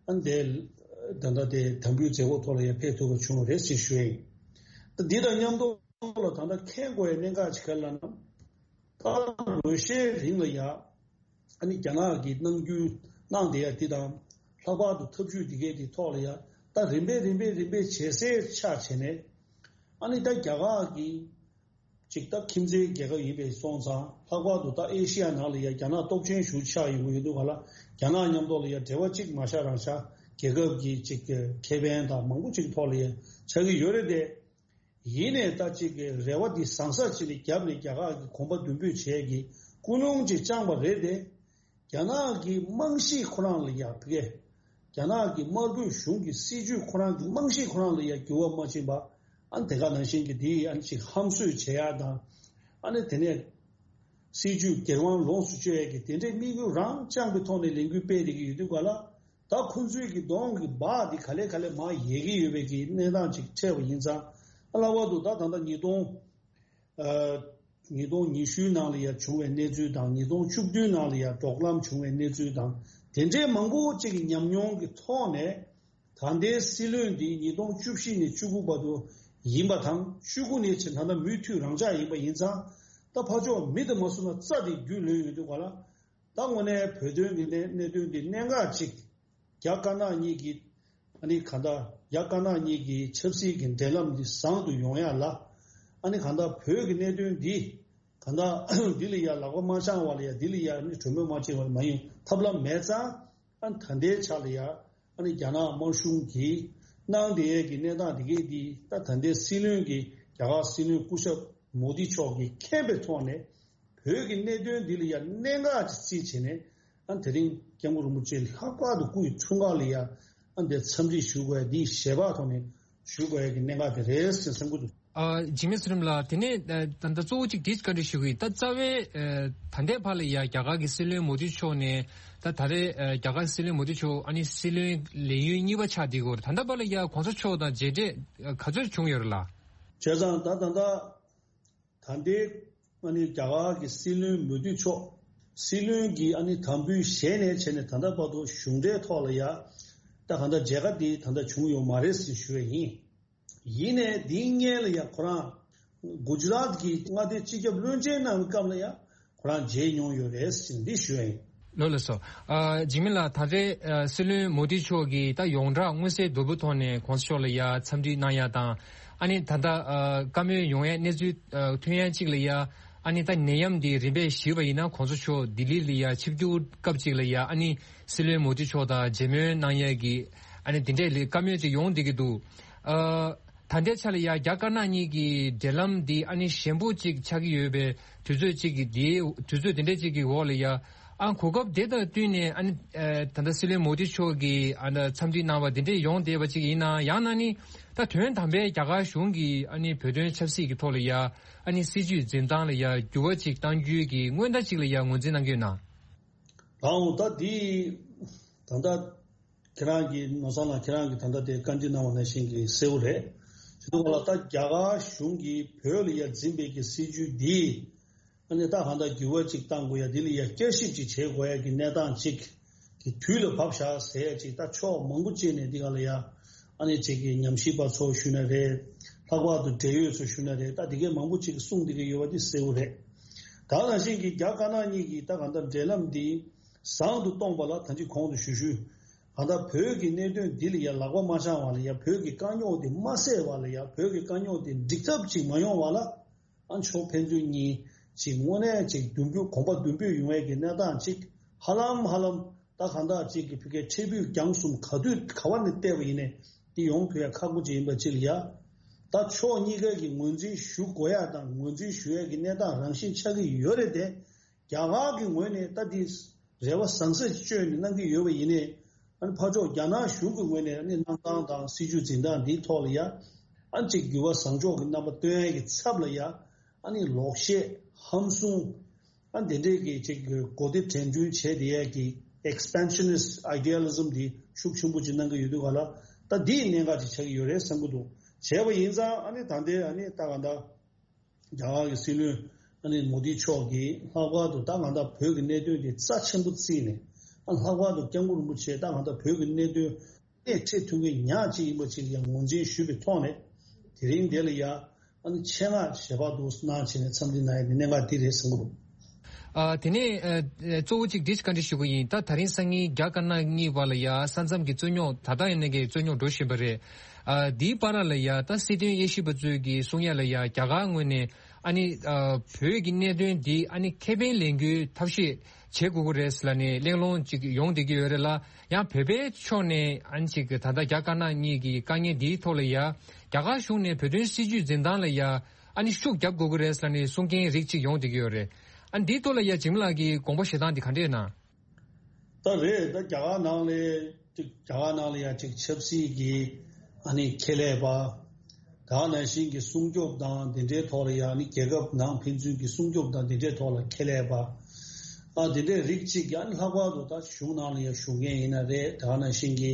ཨ་ནི་དེ་ད་ལྟ་དེ་དམ་འབུལ་མཛད་སྒོ་ཐོག་ལ་ཡང་ཕེབས་ཐུབ་པ་བྱུང་བ་རེད་ཅེས་ཞུ་ཡ་ཡིན། ད་འདི་དང་མཉམ་དུ་ལ་ད་ལྟ་མཁྱེན་དགོས་ཡ་གནད་འགག་ཅིག་ག་རེ་ལབ་ན། ད་ལོ་ཤས་རིང་ལ་ཡ་ཨ་ནི་རྒྱ་ནག་གིས་གནང་རྒྱུ་གནང་བསྡད་ཡ་འདི་དང་། ལྷག་པར་དུ་ཐབས་ཇུས་འདི་གའི་འདི་ཐོག་ལ་ཡ་ད་རིམ་པས་རིམ་པས་རིམ་པས་ཇེ་གསལ་ཆགས་བྱས་ནས། ཨ་ནི་ད་རྒྱ་གར་གྱི་ཅིག་ད་ཁྱིམ་མཚེས་རྒྱལ་ཁབ་ཡིན་པའི་སོང་ཙང་། ལྷག་པར་དུ་ད་ཨེ་ཤི་ཡ་ནང་ལ་ཡ་རྒྱ་ནག་སྟོབས་ཆེན་ཞེ་པོ་ཆགས་ཡོང་གི་ཡོད་དུས་ག་ལ། རྒྱ་ནག་མཉམ་དུ་ལ་ཡ་འབྲེལ་བ་ཅིག་མ་བཞག་རང་བཞག་རྒྱལ་ཁབ་ཀྱི་ཅིག་ཁེ་ཕན་དང་མང་པོ་ཅིག་ཐོག་ལ་ཡ་ཆགས་ཀྱི་ཡོད་རེད་དེ། ཡིན་ནའི་ད་ཅིག་གི་རེ་བ་འདི་ཟང་ཟིང་བྱས་ནས་རྒྱབ་ནས་རྒྱ་གར་གྱི་གོམ་པ་མདུན་སྤོས་བྱེད་ཀྱི་ཀུན་སློང་ཅིག་བཅངས་པ་རེད་དེ། རྒྱ་ནག་གི་རྨང་གཞི་ཁོ་རང་ལ་ཡ་ཕ་གི་རྒྱ་ནག་གི་དམར་པོའི་གཞུང་གི་སྲིད་བྱུས་ཁོ་རང་གི་རྨང་གཞི་ཁོ་རང་ལ་ཡ་འགྱུར་བ་མ་ཕྱིན་པ། ཨ་ནི་དེ་ག་ནང་བཞིན་གྱི་འདི་ཨ་ནི་ཅིག་ཧམ་བཟོས་བྱེད་ཡ་དང་། ཨ་ནི་དེ་ནས་སྲིད་བྱུས་སྒེར་དབང་ལོངས་སུ་སྤྱོད་ཡ་གི་དེ་འདྲའི་དམིགས་ཡུལ་རང་བཅངས་པའི་ཐོག་ནས་ལས་འགུལ་སྤེལ་བསྡད་ཀྱི་ཡོད་དུས་ག་ལ། ད་ཁོང་ཚོའི་གི་གདོང་གི་འབག་འདི་ག་ལེ་ག་ལེ་མར་ཡལ་གྱི་ཡོད་པའི་གི་གནས་སྟངས་ཅིག་འཕྲད་པ་ཡིན་ཙང་། ཨ། ལྷག་པར་དུ་ད་ད་ལྟ་ཉིས་སྟོང་ཨ། ཉིས་སྟོང་ཉི་ཤུའི་ནང་ལ་ཡ་བྱུང་བའི་གནས་ཚུལ་དང་། ཉིས་སྟོང་བཅུ་བདུན་ནང་ལ་ཡ་འབྲོག་ལམ་བྱུང་བའི་གནས་ཚུལ་དང་། དེ་འདྲའི་མང་པོ་ཅིག་གི་ཉམས་མྱོང་གི་ཐོག་ནས། ད་ལྟའི་སྲིད་བློན་འདི་ཉིས་སྟོང་བཅུ་བཞི་ནས་བཅུ་དགུ་བར་དུ་ཡིན་པ་དང་། བཅུ་དགུ་ནས་ཕྱིན་ད་ལྟ་མུ་མཐུད་རང་འཇགས་ཡིན་པ་ཡིན་ཙང་། ད་ཕར་ཕྱོགས་མི་དང་མ་བཟོ་ན་རྩྭ་དེ་རྒྱུས་ལོན་ཡོང་དུས་ག་ལ། ད་དངོས་གནས་བོད་དོན་གྱི་གནད་གནད་དོན་འདི་གནད་འགག་ཅིག་རྒྱ་དཀར་ནག་གཉིས་ཀྱི་ཨ་ནི་ག་ད་རྒྱ་དཀར་ནག་གཉིས་ཀྱི་ཆབ་སྲིད་ཀྱི་འབྲེལ་ལམ་འདི་བཟང་དུ་ཡོང་ཡ་ལ། ཨ་ནི་ག་ད་བོད་ཀྱི་གནད་དོན་འདི་ག་ད་འདི་ལ་ཡ་ལག་པ་མ་འཆང་བ་ལ་ཡ། འདི་ལ་ཡ་ཨ་ནི་གྲོས་མོལ་མ་བྱེད་པ་ལ་མ་ཡོང་ཐབས་ལམ་མེད་ཙང་། ཨ་ནི་ད་ལྟའི་ཆ་ལ་ཡ་ཨ་ནི་རྒྱ་ནག་དམར་གཞུང་གིས་གནང་བསྡད་ཡས་ཀྱི་གནས་སྟངས་འདི་གས་འདི། ད་ད་ལྟའི་སྲིད་བློན་གྱི་རྒྱ་གར་སྲིད་བློན་སྐུ་ཞབས་མོ་དི་མཆོག་གིས་མཁྱེན་པའི་ཐོག་ནས། བོད་ཀྱི་གནད་དོན་འདི་ལ་ཡ་གནད་འགག་ཅིག་རྩིས་བྱས་ནས། ཨ། དེ་རིང་སྐྱབས་མགོན་རིན་པོ་ཆེ་ལྷག་པར་དུ་སྐུ་ཡི་འཁྲུངས་སྐར་ལ་ཡ་ཨ་འདི་འཚམས་འདྲི་ཞུ་དགོས་ཡ་འདི་ཞལ་པར་ཐོག་ནས་ཞུ་དགོས་ཡ་གི་གནད་འགག་དེ་རེད་ཟེར་བསམ་གྱི་འདུག་ཨ། འཇིགས་མེད་ཚེ་རིང་ལགས། དེ་ནས་ཨ་ད་ལྟ་གཙོ་བོ་གཅིག་དེ་བཀའ་འདྲི་ཞུ་གི་ཡིན། ད་རྩ་བའི་ཨ་ད་ལྟའི་བར་ལ་ཡ་རྒྱ་གར་གྱི་སྲིད་བློན་མོ་དི་མཆོག་ནས་ད་ད་རེས་ཨ་རྒྱ་གར་སྲིད་བློན་མོ་དི་མཆོག་ཨ་ནི་སྲིད་བློན་ལས་ཡུན་གཉིས་པ་ཆགས་བསྡད་ཡོད་རེད། ད་ལྟ་བར་ལ་ཡ་གོང་ས་མཆོག་དང་མཇལ་འཕྲད་ཨ་ག་ཚོད་བྱུང་ཡོད་རེད་ལགས། བྱས་ཙང་ད་ད་ལྟ་ད་ལྟའི་ཨ་ནི་རྒྱ་གར་གྱི་སྲིད་བློན་མོ་དི་མཆོག་སྲིད་བློན་གྱི་ཨ་ནི་དམ་འབུལ་བཞེས་ནས་བྱས་ནས་ད་ལྟ་བར་དུ་གཞུང་འབྲེལ་ཐོག་ལ་ཡ་ད་གང་ལྟར་མཇལ་ཁ་འདི་ད་ལྟ་བྱུང་ཡོད་མ་རེད་ཟེར་ཞུ་བ་ཡིན། ཡིན་ནའི་འདིའི་སྔོན་ལ་ཡང་ཁོ་རང་གུ་ཇི་རཱཏ་གི་མངའ་སྡེ་སྤྱི་ཁྱབ་བློན་ཆེན་གནང་བའི་སྐབས་ལ་ཡང་ཁོ་རང་མཇལ་མྱོང་ཡོད་རེད་ཟེར་འདི་ཞུ་ཡ་ཡིན། ལགས་ལགས་སོ། ཨ། འཇིགས་མེད་ལགས། ད་རེས་ཨ་སྲིད་བློན་མོ་དི་མཆོག་གིས་ད་ཡོངས་གྲགས་མངོན་གསལ་དོད་པོའི་ཐོག་ནས་གོང་ས་མཆོག་ལ་ཡ་འཚམས་འདྲི་གནང་ཡ་དང་། ཨ་ནི་ད་ལྟ་ཨ་བཀའ་མོལ་ཡོང་ཡའི་གནས་ཚུལ་ཨ་ཐོན་ཡ་གཅིག་ལ་ཡ། ཨ་ནི་ད་ནད་ཡམས་འདི་རིམ་པས་ཞི་བ་ཡིན་ན་གོང་ས་མཆོག་ལྡི་ལི་ལ་ཡ་ཆིབས་བསྒྱུར་སྐབས་གཅིག་ལ་ཡ་ཨ་ནི་སྲིད་བློན་མོ་དི་མཆོག་དང་མཇལ་མོལ་གནང་ཡས་ཀྱི་ཨ་ནི་དེ་འདྲས་ལ་བཀའ་མོལ་ཅིག་ཡོང་བསྡད་ཀྱི་འདུག་ཨ། ད་ལྟའི་ཆ་ལ་ཡ་རྒྱ་དཀར་ནག་གཉིས་ཀྱི་འབྲེལ་ལམ་འདི་ཨ་ནི་ཞན་པོ་ཅིག་ཆགས་ཀྱི་ཡོད་པའི་དུས་ཚོད་ཅིག་གི་འདི་དུས་ཚོད་དེ་འདྲས་ཅིག་གི་འོག་ལ་ཡ། ཨ། གོ་སྐབས་དེ་དང་བསྟུན་ནས་ཨ་ནི་ཨ་ད་ལྟ་སྲིད་བློན་མོ་དི་མཆོག་གིས་ཨ་ནི་འཚམས་འདྲི་གནང་བ་དེ་འདྲས་ཡོང་བསྡད་པ་ཅིག་ཡིན་ན། ཡང་ན་ནི་ད་དོན་དམ་པའི་རྒྱ་གར་གཞུང་གིས་ཨ་ནི་བོད་དོན་ཆབ་སྲིད་ཀྱི་ཐོག་ལ་ཡ་ཨ་ནི་སྲིད་བྱུས་འཛིན་སྟངས་ལ་ཡ་འགྱུར་བ་ཅིག་གཏང་རྒྱུའི་གི་སྔོན་བརྡ་ཅིག་ལ་ཡ་ངོས་འཛིན་གནང་གི་ཡོད་ན། ལགས་འོང་། ད་འདི་ད་ལྟ་ཁྱེད་རང་གིས་ནོར་བཟང་ལགས་ཁྱེད་རང་གིས་ད་ལྟ་དེ་བཀའ་འདྲི་གནང་བ་ནང་བཞིན་གྱི་གསལ་བོ་རེད། དེ་ཚོ་ལ་ད་རྒྱ་གར་གཞུང་གིས་བོད་ལ་ཡ་འཛིན་པའི་གི་སྲིད་བྱུས་འདི་ཨ་ནི་ད་གང་ལྟར་འགྱུར་བ་ཅིག་གཏང་དགོས་ཡ། འདི་ལ་ཡ་བསྐྱར་ཞིབ་ཅིག་བྱེད་དགོས་ཡ་གི་གནས་སྟངས་ཅིག་གི་དུས་ལ་བབས་བཞག་ཟེར་ཡ་ཅིག་ད་ཕྱོགས་མང་པོ་ཅིག་ནས་འདི་ག་ལ་ཡ་ཨ་ནི་ཅིག་གི་ཉམས་ཞིབ་པ་ཚོ་ཞུས་ན་རེད། ལྷག་པར་དུ་འབྲེལ་ཡོད་ཚོ་ཞུས་ན་རེད། ད་འདི་གའི་མང་པོ་ཅིག་གིས་གསུངས་འདི་གའི་ཡོད་པ་འདི་གསལ་བོ་རེད། ད་ནང་བཞིན་གྱི་རྒྱ་དཀར་ནག་གཉིས་ཀྱི་ད་གང་ལྟར་འབྲེལ་ལམ་འདི་བཟང་དུ་གཏོང་བ་ལ་ད་ཅི་གོང་དུ་ཞུ་ཞུས། གང་ལྟར་བོད་ཀྱི་གནད་དོན་འདི་ལ་ཡ་ལག་པ་མ་འཆང་བ་ལ་ཡ། བོད་ཀྱི་དཀའ་རྙོག་འདི་མ་སེལ་བ་ལ་ཡ། བོད་ཀྱི་དཀའ་རྙོག་འདི་འགྲིག་ཐབས་ཅིག་མ་ཡོང་བ་ལ། ཨ་ཕྱོགས་ཕན་ཚུན་གཉིས་ཅིག་དངོས་གནས་ཅིག་མདུན་སྤོས་གོམ་པ་མདུན་སྤོས་ཡོང་བའི་གི་གནས་སྟངས་ཅིག་ཧ་ལམ་ཧ་ལམ་ད་གང་ལྟར་ཅིག་གི་ཕི་གའི་ཕྲུ་གུ་རྒྱང་གསུམ་ག་དུས་ག་བ་ནས་བལྟས་པ་ཡིན་ནའི་འདི་ཡོང་ཐུབ་ཡ་ཁག་པོ་ཅིག་ཡིན་པ་ཅིག་ལ་ཡ། ད་ཕྱོགས་གཉིས་ཀ་གི་ངོས་འཛིན་ཞུ་དགོས་ཡ་དང་ངོས་འཛིན་ཞུ་ཡ་གི་གནས་སྟངས་རང་བཞིན་ཆགས་ཀྱི་ཡོད་རེད་དེ། རྒྱ་གར་གྱི་ངོས་ནས་ད་འདི་རེ་བ་བཟང་ས་ཅིག་བཅོས་ནས་གནང་གི་ཡོད་པ་ཡིན་ནའི། ཨ་ནི་ཕར་ཕྱོགས་རྒྱ་ནག་གཞུང་གི་ངོས་ནས་ཨ་ནི་གནང་སྟངས་དང་སྲིད་བྱུས་འཛིན་སྟངས་འདིའི་ཐོག་ལ་ཡ། ཨ་ནི་ཅིག་འགྱུར་བ་བཟང་ཕྱོགས་ཀྱི་རྣམ་པ་སྟོན་ཡ་གི་ཚབ་ལ་ཡ། ཨ་ནི་ལོག་བཤད་ཧམ་བཟུང་། ཨ་ནི་དེ་འདྲའི་གི་ཅིག་གོ་བདེ་དྲན་རྒྱུན་བྱས་བསྡད་ཡ་གི་expansionist idealism འདི་ཤུགས་ཆེན་པོ་ཅིག་གནང་གི་ཡོད་དུས་ག་ལ། ད་འདིའི་གནད་འགག་ཅིག་ཆགས་ཀྱི་ཡོད་རེད་བསམ་གྱི་འདུག་བྱས་པ་ཡིན་ཙང་ཨ་ནི་ད་ལྟའི་ཨ་ནི་ད་ག་འདྲ། རྒྱ་གར་གྱི་སྲིད་བློན་ཨ་ནི་མོ་དི་མཆོག་གིས་ལྷག་པར་དུ་ད་གང་ལྟར་བོད་ཀྱི་གནད་དོན་དེ་རྩ་ཆེན་པོ་བརྩིས་ནས། ཨ་ལྷག་པར་དུ་སྐྱབས་མགོན་རིན་པོ་ཆེ་ད་གང་ལྟར་བོད་ཀྱི་གནད་དོན་སྣེ་ཁྲིད་ཐུབ་མཁན་ཉག་གཅིག་ཡིན་པ་ཅིག་ཡང་ངོས་འཛིན་ཞུས་པའི་ཐོག་ནས། དེ་རིང་འདི་ལ་ཡ་ཨ་ནི་ཆེད་མངགས་ཞལ་པར་དུ་གནང་བྱས་ནས་འཚམས་འདྲི་གནང་ཡ་དེ་གནད་འགག་འདི་རེད་བསམ་གྱི་འདུག་ཨ། དེ་ནས་ཨ་གཙོ་བོ་གཅིག་འདི་བཀའ་འདྲི་ཞུ་གི་ཡིན། ད་ད་རིང་སང་ཉིན་རྒྱ་དཀར་ནག་གཉིས་བར་ལ་ཡ་ས་མཚམས་ཀྱི་རྩོད་རྙོག་ད་ལྟ་ཡིན་ནའི་གི་རྩོད་རྙོག་འགྲོ་བཞིན་པ་རེད། ཨ། འདིའི་བར་ལ་ཡ་ད་སྲིད་དོན་དབྱེ་ཞིབ་པ་ཚོས་ཀྱི་གསུང་ཡ་ལ་ཡ་རྒྱ་གར་ངོས་ནས་ཨ་ནི་ཨ་བོད་ཀྱི་གནད་དོན་འདི་ཨ་ནི་ཁེ་ཕན་ལེན་རྒྱུའི་ཐབས་ཤེས་བྱེད་དགོས་ཀྱི་རེད་ལབ་ནས་གླེང་སློང་ཅིག་ཡོང་བསྡད་ཀྱི་ཡོད་རེད་ལ། ཡང་བོད་པའི་ཕྱོགས་ནས་ཨ་ནི་ཅིག་ད་ལྟ་རྒྱ་དཀར་ནག་གཉིས་ཀྱི་དཀའ་ངལ་འདིའི་ཐོག་ལ་ཡ་རྒྱ་གར་གཞུང་ནས་བོད་དོན་སྲིད་བྱུས་འཛིན་སྟངས་ལ་ཡ་ཨ་ནི་ཤུགས་རྒྱབ་དགོས་ཀྱི་རེད་ལབ་ནས་གསུང་མཁན་རིགས་ཅིག་ཡོང་བསྡད་ཀྱི་ཡོད་རེད། ཨ་ནི་འདིའི་ཐོག་ལ་ཡ་འཇིགས་མེད་ལགས་ཀྱི་དགོངས་པ་བཞེས་སྟངས་འདི་ག་འདྲས་ན། ད་རེད། ད་རྒྱ་གར་ནང་ལ་ཅིག་རྒྱ་གར་ནང་ལ་ཡ་ཅིག་ཆབ་སྲིད་ཀྱི་ཨ་ནི་ཁེ་ལས་པ། ད་ག་ནང་བཞིན་གྱི་སྲུང་སྐྱོབ་དང་དེ་འདྲའི་ཐོག་ལ་ཡ་ཨ་ནི་རྒྱལ་ཁབ་ནང་ཕན་ཚུན་གྱི་སྲུང་སྐྱོབ་དང་དེ་འདྲའི་ཐོག་ལ་ཁེ་ལས་པ། ཨ་དེ་འདྲའི་རིགས་གཅིག་གི་ཨ་ནི་ལྷག་པར་དུ་ད་གཞུང་ནང་ལ་ཡ་ཞུགས་མཁན་ཡིན་ན་རེད། ད་ག་ནང་བཞིན་གྱི་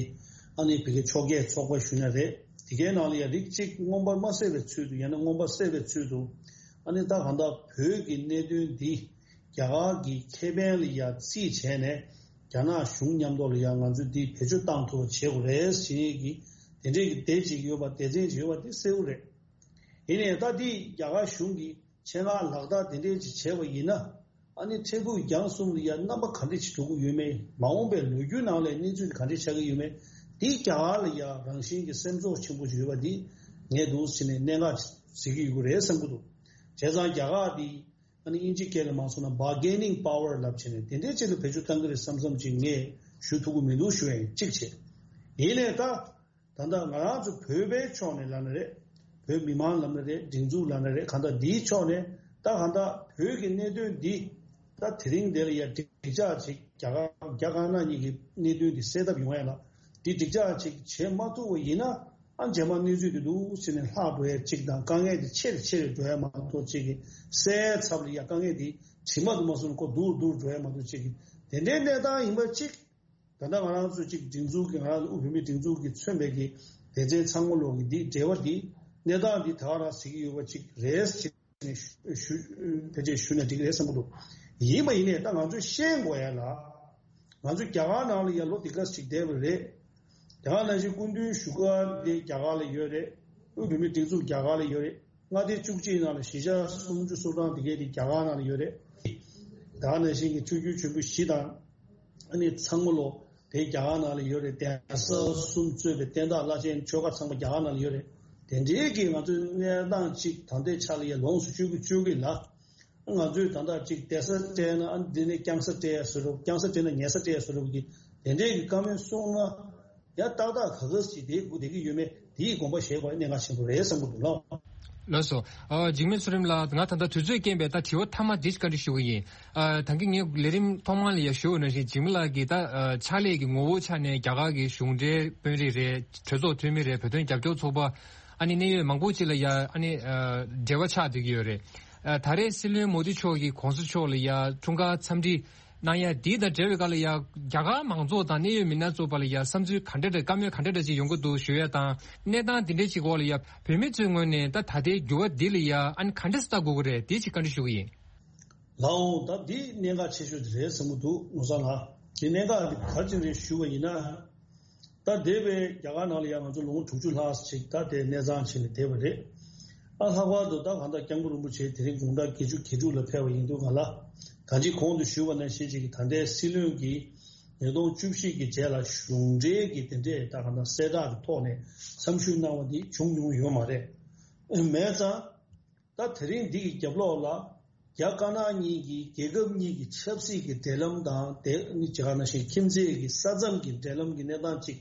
ཨ་ནི་བི་གའི་ཕྱོགས་འགལ་ཚོགས་པ་ཞུས་ན་རེད། དེ་གའི་ནང་ལ་ཡ་རིགས་གཅིག་མངོན་པར་མ་གསལ་བའི་ཚུལ་དུ། ཡང་ན་མངོན་པར་གསལ་བའི་ཚུལ་དུ། ཨ་ནི་ད་གང་ལྟར་བོད་ཀྱི་གནད་དོན་འདི་རྒྱ་གར་གྱི་ཁེ་ཕན་ལ་ཡ་རྩིས་བྱས་ནས། རྒྱ་ནག་གཞུང་མཉམ་དུ་ལ་ཡ་ང་ཚོས་འདི་བེད་སྤྱོད་བཏང་ཐུབ་པ་བྱེད་དགོས་རེད་ཟེར་ཡས་ཀྱི་དེ་འདྲའི་གི་བསྡད་ཅིག་ཡོད་པ། སྡེ་ཚན་ཅིག་ཡོད་པ་དེ་གསལ་བོ་རེད། ཡིན་ནའི་ད་འདི་རྒྱ་གར་གཞུང་གིས་ཆེད་མངགས་ལག་བསྟར་དེ་འདྲའི་ཅིག་བྱས་པ་ཡིན་ན། ཨ་ནི་ཕྲུ་གུ་རྒྱང་གསུམ་ལ་ཡ་རྣམ་པ་ག་འདྲ་ཅིག་འགྲོ་གི་ཡོད་མེད། མ་འོངས་པའི་ལོ་རྒྱུས་ནང་ལ་གནས་ཚུལ་ག་འདྲ་ཆགས་ཀྱི་ཡོད་མེད། འདི་རྒྱ་གར་ལ་ཡ་རང་བཞིན་གྱི་སེམས་ཚོར་ཆེན་པོ་ཅིག་ཡོད་པ་འདི་ངས་འདུག་ཟེར་ནས་གནད་འགག་ཅིག་གཟིགས་ཀྱི་ཡོད་ཀྱི་རེད་བསམ་གྱི་འདུག་བྱས་ཙང་རྒྱ་གར་འདི་ཨ་ནི་དབྱིན་ཇི་སྐད་ལ་མ་སོང་ན་bargaining power ལབ་བྱས་ནས་དེ་འདྲའི་ཅིག་ལ་བེད་སྤྱོད་གཏང་གི་རེད་བསམ་བསམ་ཅིག་ངས་ཞུ་ཐུབ་ཀྱི་མི་འདུག་ཞུ་ཡ་ཡིན། གཅིག་བྱས། ཡིན་ནའི་ད། ད་ལྟ་ང་རང་ཚོ་བོད་པའི་ཕྱོགས་ནས་ལབ་ན་རེད། བོད་མི་མང་ལབ་ན་རེད། སྒྲིག་འཛུགས་ལབ་ན་རེད། གང་ལྟར་འདིའི་ཕྱོགས་ནས་ད་གང་ལྟར་བོད་ཀྱི་གནད་དོན་འདི་ད་དེ་རིང་འདི་ལ་ཡ་འགྲིག་འགྲིག་ཆགས་ཅིག་རྒྱ་གར་རྒྱ་དཀར་ནག་གཉིས་ཀྱི་གནད་དོན་འདི་སེལ་ཐབས་ཡོང་ཡ་ལ་འདི་འགྲིག་ཆགས་ཅིག་བྱེད་མ་ཐུབ་པ་ཡིན་ན། ཨ་རྗེས་མ་གནས་ཚུལ་དེ་འདུག་ཟེར་ནས་ལྷག་འགྲོ་ཡ་གཅིག་དང་། དཀའ་ངལ་དེ་ཆེ་རུ་ཆེ་རུ་འགྲོ་ཡ་མ་གཏོགས་གཅིག་གི་སེལ་ཚབ་ལ་ཡ་དཀའ་ངལ་དེ་དྲི་མ་དུ་མ་སོང་ཁོ་སྡུག་རུ་སྡུག་རུ་འགྲོ་ཡ་མ་གཏོགས་གཅིག་གི་དེ་འདྲའི་གནས་སྟངས་ཡིན་པ་གཅིག་ད་ལྟ་ང་རང་ཚོ་གཅིག་སྒྲིག་འཛུགས་ཀྱི་ང་རང་ཚོ་དབུས་བོད་མིའི་སྒྲིག་འཛུགས་ཀྱི་མཚོན་པའི་གི་སྡེ་ཚན་ཚང་མ་ལོག་གི་འདི་འབྲེལ་བ་འདི་གནས་སྟངས་འདི་ད་ག་རང་ཟེར་གྱི་ཡོད་པ་གཅིག་རེད་ཟེར་ནས་ཞུ་ཞུ་ཕལ་ཆེར་ཞུ་ན་འགྲིག་གི་རེད་བསམ་གྱི་འདུག་ཡིན་པ་ཡིན་ནས་ད་ང་ཚོས་ཤེས་དགོས་ཡ་ལ། ང་ཚོ་རྒྱ་གར་ནང་ལ་ཡ་ལོ་འདི་ག་ཅིག་བསྡད་པ་རེད། དེ་ག་ནང་བཞིན་སྐུ་མདུན་བཞུགས་སྒར་འདི་རྒྱ་གར་ལ་ཡོད་རེད། དབུས་བོད་མིའི་སྒྲིག་འཛུགས་རྒྱ་གར་ལ་ཡོད་རེད། མངའ་སྡེ་བཅུ་གཅིག་ནང་ལ་གཞིས་ཆགས་སུམ་ཅུ་སོ་གྲངས་དེ་གའི་དེ་རྒྱ་གར་ནང་ལ་ཡོད་རེད། དེ་ག་ནང་བཞིན་གྱི་ཆོས་བརྒྱུད་ཆེན་པོ་བཞི་དང་། ཨ་ནི་ཚང་མ་ལོ་དེ་རྒྱ་གར་ནང་ལ་ཡོད་རེད། གདན་ས་གསུམ་གཙོས་པའི་བསྟན་བདག་བླ་ཆེན་ཆོལ་ཁ་ཚང་མ་རྒྱ་གར་ནང་ལ་ཡོད་རེད། དེ་འདྲའི་གི་ང་ཚོའི་གནས་སྟངས་གཅིག་ད་ལྟའི་ཆ་ལ་ཡ་ལོངས་སུ་སྤྱོད་ཀྱི་སྤྱོད་ཀྱི་ལ། ང་ཚོས་ད་ལྟ་གཅིག་བསྡད་ས་སྤྲད་ན་ཨ་འདི་ནས་རྐྱང་ས་སྤྲད་ཡ་བཟོ་འདྲ། རྐྱང་ས་སྤྲད་ན་ཉལ་ས་སྤྲད་ཡ་བཟོ་འདྲ་གི་དེ་འདྲའི་གི་བཀའ་མོལ་གསུངས་ན་ཡ་ཏག་ཏག་ག་ག་ཞིག་དེ་སྒུག་བསྡད་ཀྱི་ཡོད་མེད་དེའི་དགོངས་པ་བཞེས་དགོས་གནད་འགག་ཆེན་པོ་རེད་བསམ་གྱི་འདུག་ལགས། ལགས་སོ། ཨ་འཇིགས་མེད་མཚོ་རིང་ལགས། ང་ད་ལྟ་དུས་ཚོད་རྐྱེན་པས་ད་དྲི་བ་མཐའ་མ་འདི་བཀའ་འདྲི་ཞུ་གི་ཡིན། ཨ་ད་གིན་ངས་ལས་རིམ་ཐོག་མ་ལ་ཡ་ཞུ་བ་ནང་བཞིན་འཇིགས་མེད་ལགས་ཀྱིས་ད་ཨ་ཕྱག་ལས་ཀྱི་ངོ་བོ་ཆ་ནས་རྒྱ་གར་གྱི་གཞུང་འབྲེལ་དཔོན་རིགས་རེད། གྲོས་ཚོགས་འཐུས་མི་རེད། བོད་དོན་རྒྱབ་སྐྱོར་ཚོགས་པ་ཨ་ནི་གནད་ཡོད་མང་པོ་ཅིག་ལ་ཡ་ཨ་ནི་ཨ་འབྲེལ་བ་ཆགས་བསྡད་ཀྱི་ཡོད་རེད། ཨ་ད་རེས་སྲིད་བློན་མོ་དི་མཆོག་གིས་གོང་ས་མཆོག་ལ་ཡ་འཁྲུངས་སྐར་འཚམས་འདྲི་གནང་ཡ་འདི་དང་འབྲེལ་བའི་སྒང་ལ་ཡ་རྒྱ་གར་མང་ཚོགས་དང་གནད་ཡོད་མི་སྣ་ཚོ་བར་ལ་ཡ་བསམ་ཚུལ་ག་འདྲ་འདྲ་བཀའ་མོལ་ག་འདྲ་འདྲ་ཅིག་ཡོང་གི་འདུག་ཞུ་ཡ་དང་། གནས་སྟངས་འདི་འདྲ་ཅིག་འོག་ལ་ཡ་བོད་མི་ཚོའི་ངོས་ནས་ད་ད་ལྟའི་འགྱུར་བ་འདི་ལ་ཡ་ཨ་ནི་ག་འདྲ་ལྟ་དགོས་ཀྱི་རེད། འདི་ཅིག་བཀའ་འདྲི་ཞུ་གི་ཡིན། ལགས་འོང་། ད་འདི་གནད་འགག་ཆེ་ཤོས་དེ་རེད་བསམ་གྱི་འདུག་ནོར་བཟང་ལགས། འདི་གནད་འགག་འདི་ག་རེ་བྱས་ནས་ཞུ་བ་ཡིན་ན། ད་འདས་པའི་རྒྱ་གར་ནང་ལ་ཡང་ང་ཚོ་ལོ་ངོ་དྲུག་ཅུ་ལྷག་ཅིག་ད་དེ་གནས་ཚང་བྱས་ནས་བསྡད་པ་རེད། ཨ་ལྷག་པར་དུ་ད་གང་ལྟར་སྐྱབས་མགོན་རིན་པོ་ཆེ་དེ་རིང་དགུང་གྲངས་བརྒྱད་ཅུ་གྱ་དྲུག་ལ་ཕེབས་པ་ཡིན་དུས་ག་ལ། ད་ཅི་གོང་དུ་ཞུས་པ་ནང་བཞིན་ཅིག་གི་ད་ལྟའི་སྲིད་བློན་གྱིས་ཉིས་སྟོང་བཅུ་བཞི་གི་རྗེས་ལ་གཞུང་འབྲེལ་གྱི་དེ་འདྲས་ད་གང་ལྟར་གསལ་བསྒྲགས་ཀྱི་ཐོག་ནས་འཚམས་ཞུས་གནང་བ་འདི་བྱུང་མྱོང་ཡོད་མ་རེད། མེད་ཙང་། ད་དེ་རིང་འདི་གི་རྒྱབ་ལོགས་ལ་རྒྱ་དཀར་ནག་གཉིས་ཀྱི་རྒྱལ་ཁབ་གཉིས་ཀྱི་ཆབ་སྲིད་ཀྱི་འབྲེལ་ལམ་དང་། དེ་ནི་ཇི་ག་ནང་བཞིན་ཁྱིམ་མཚེས་ཀྱི་ས་མཚམས་ཀྱི་འབྲེལ་ལམ་གྱི་གནས་སྟངས་གཅིག་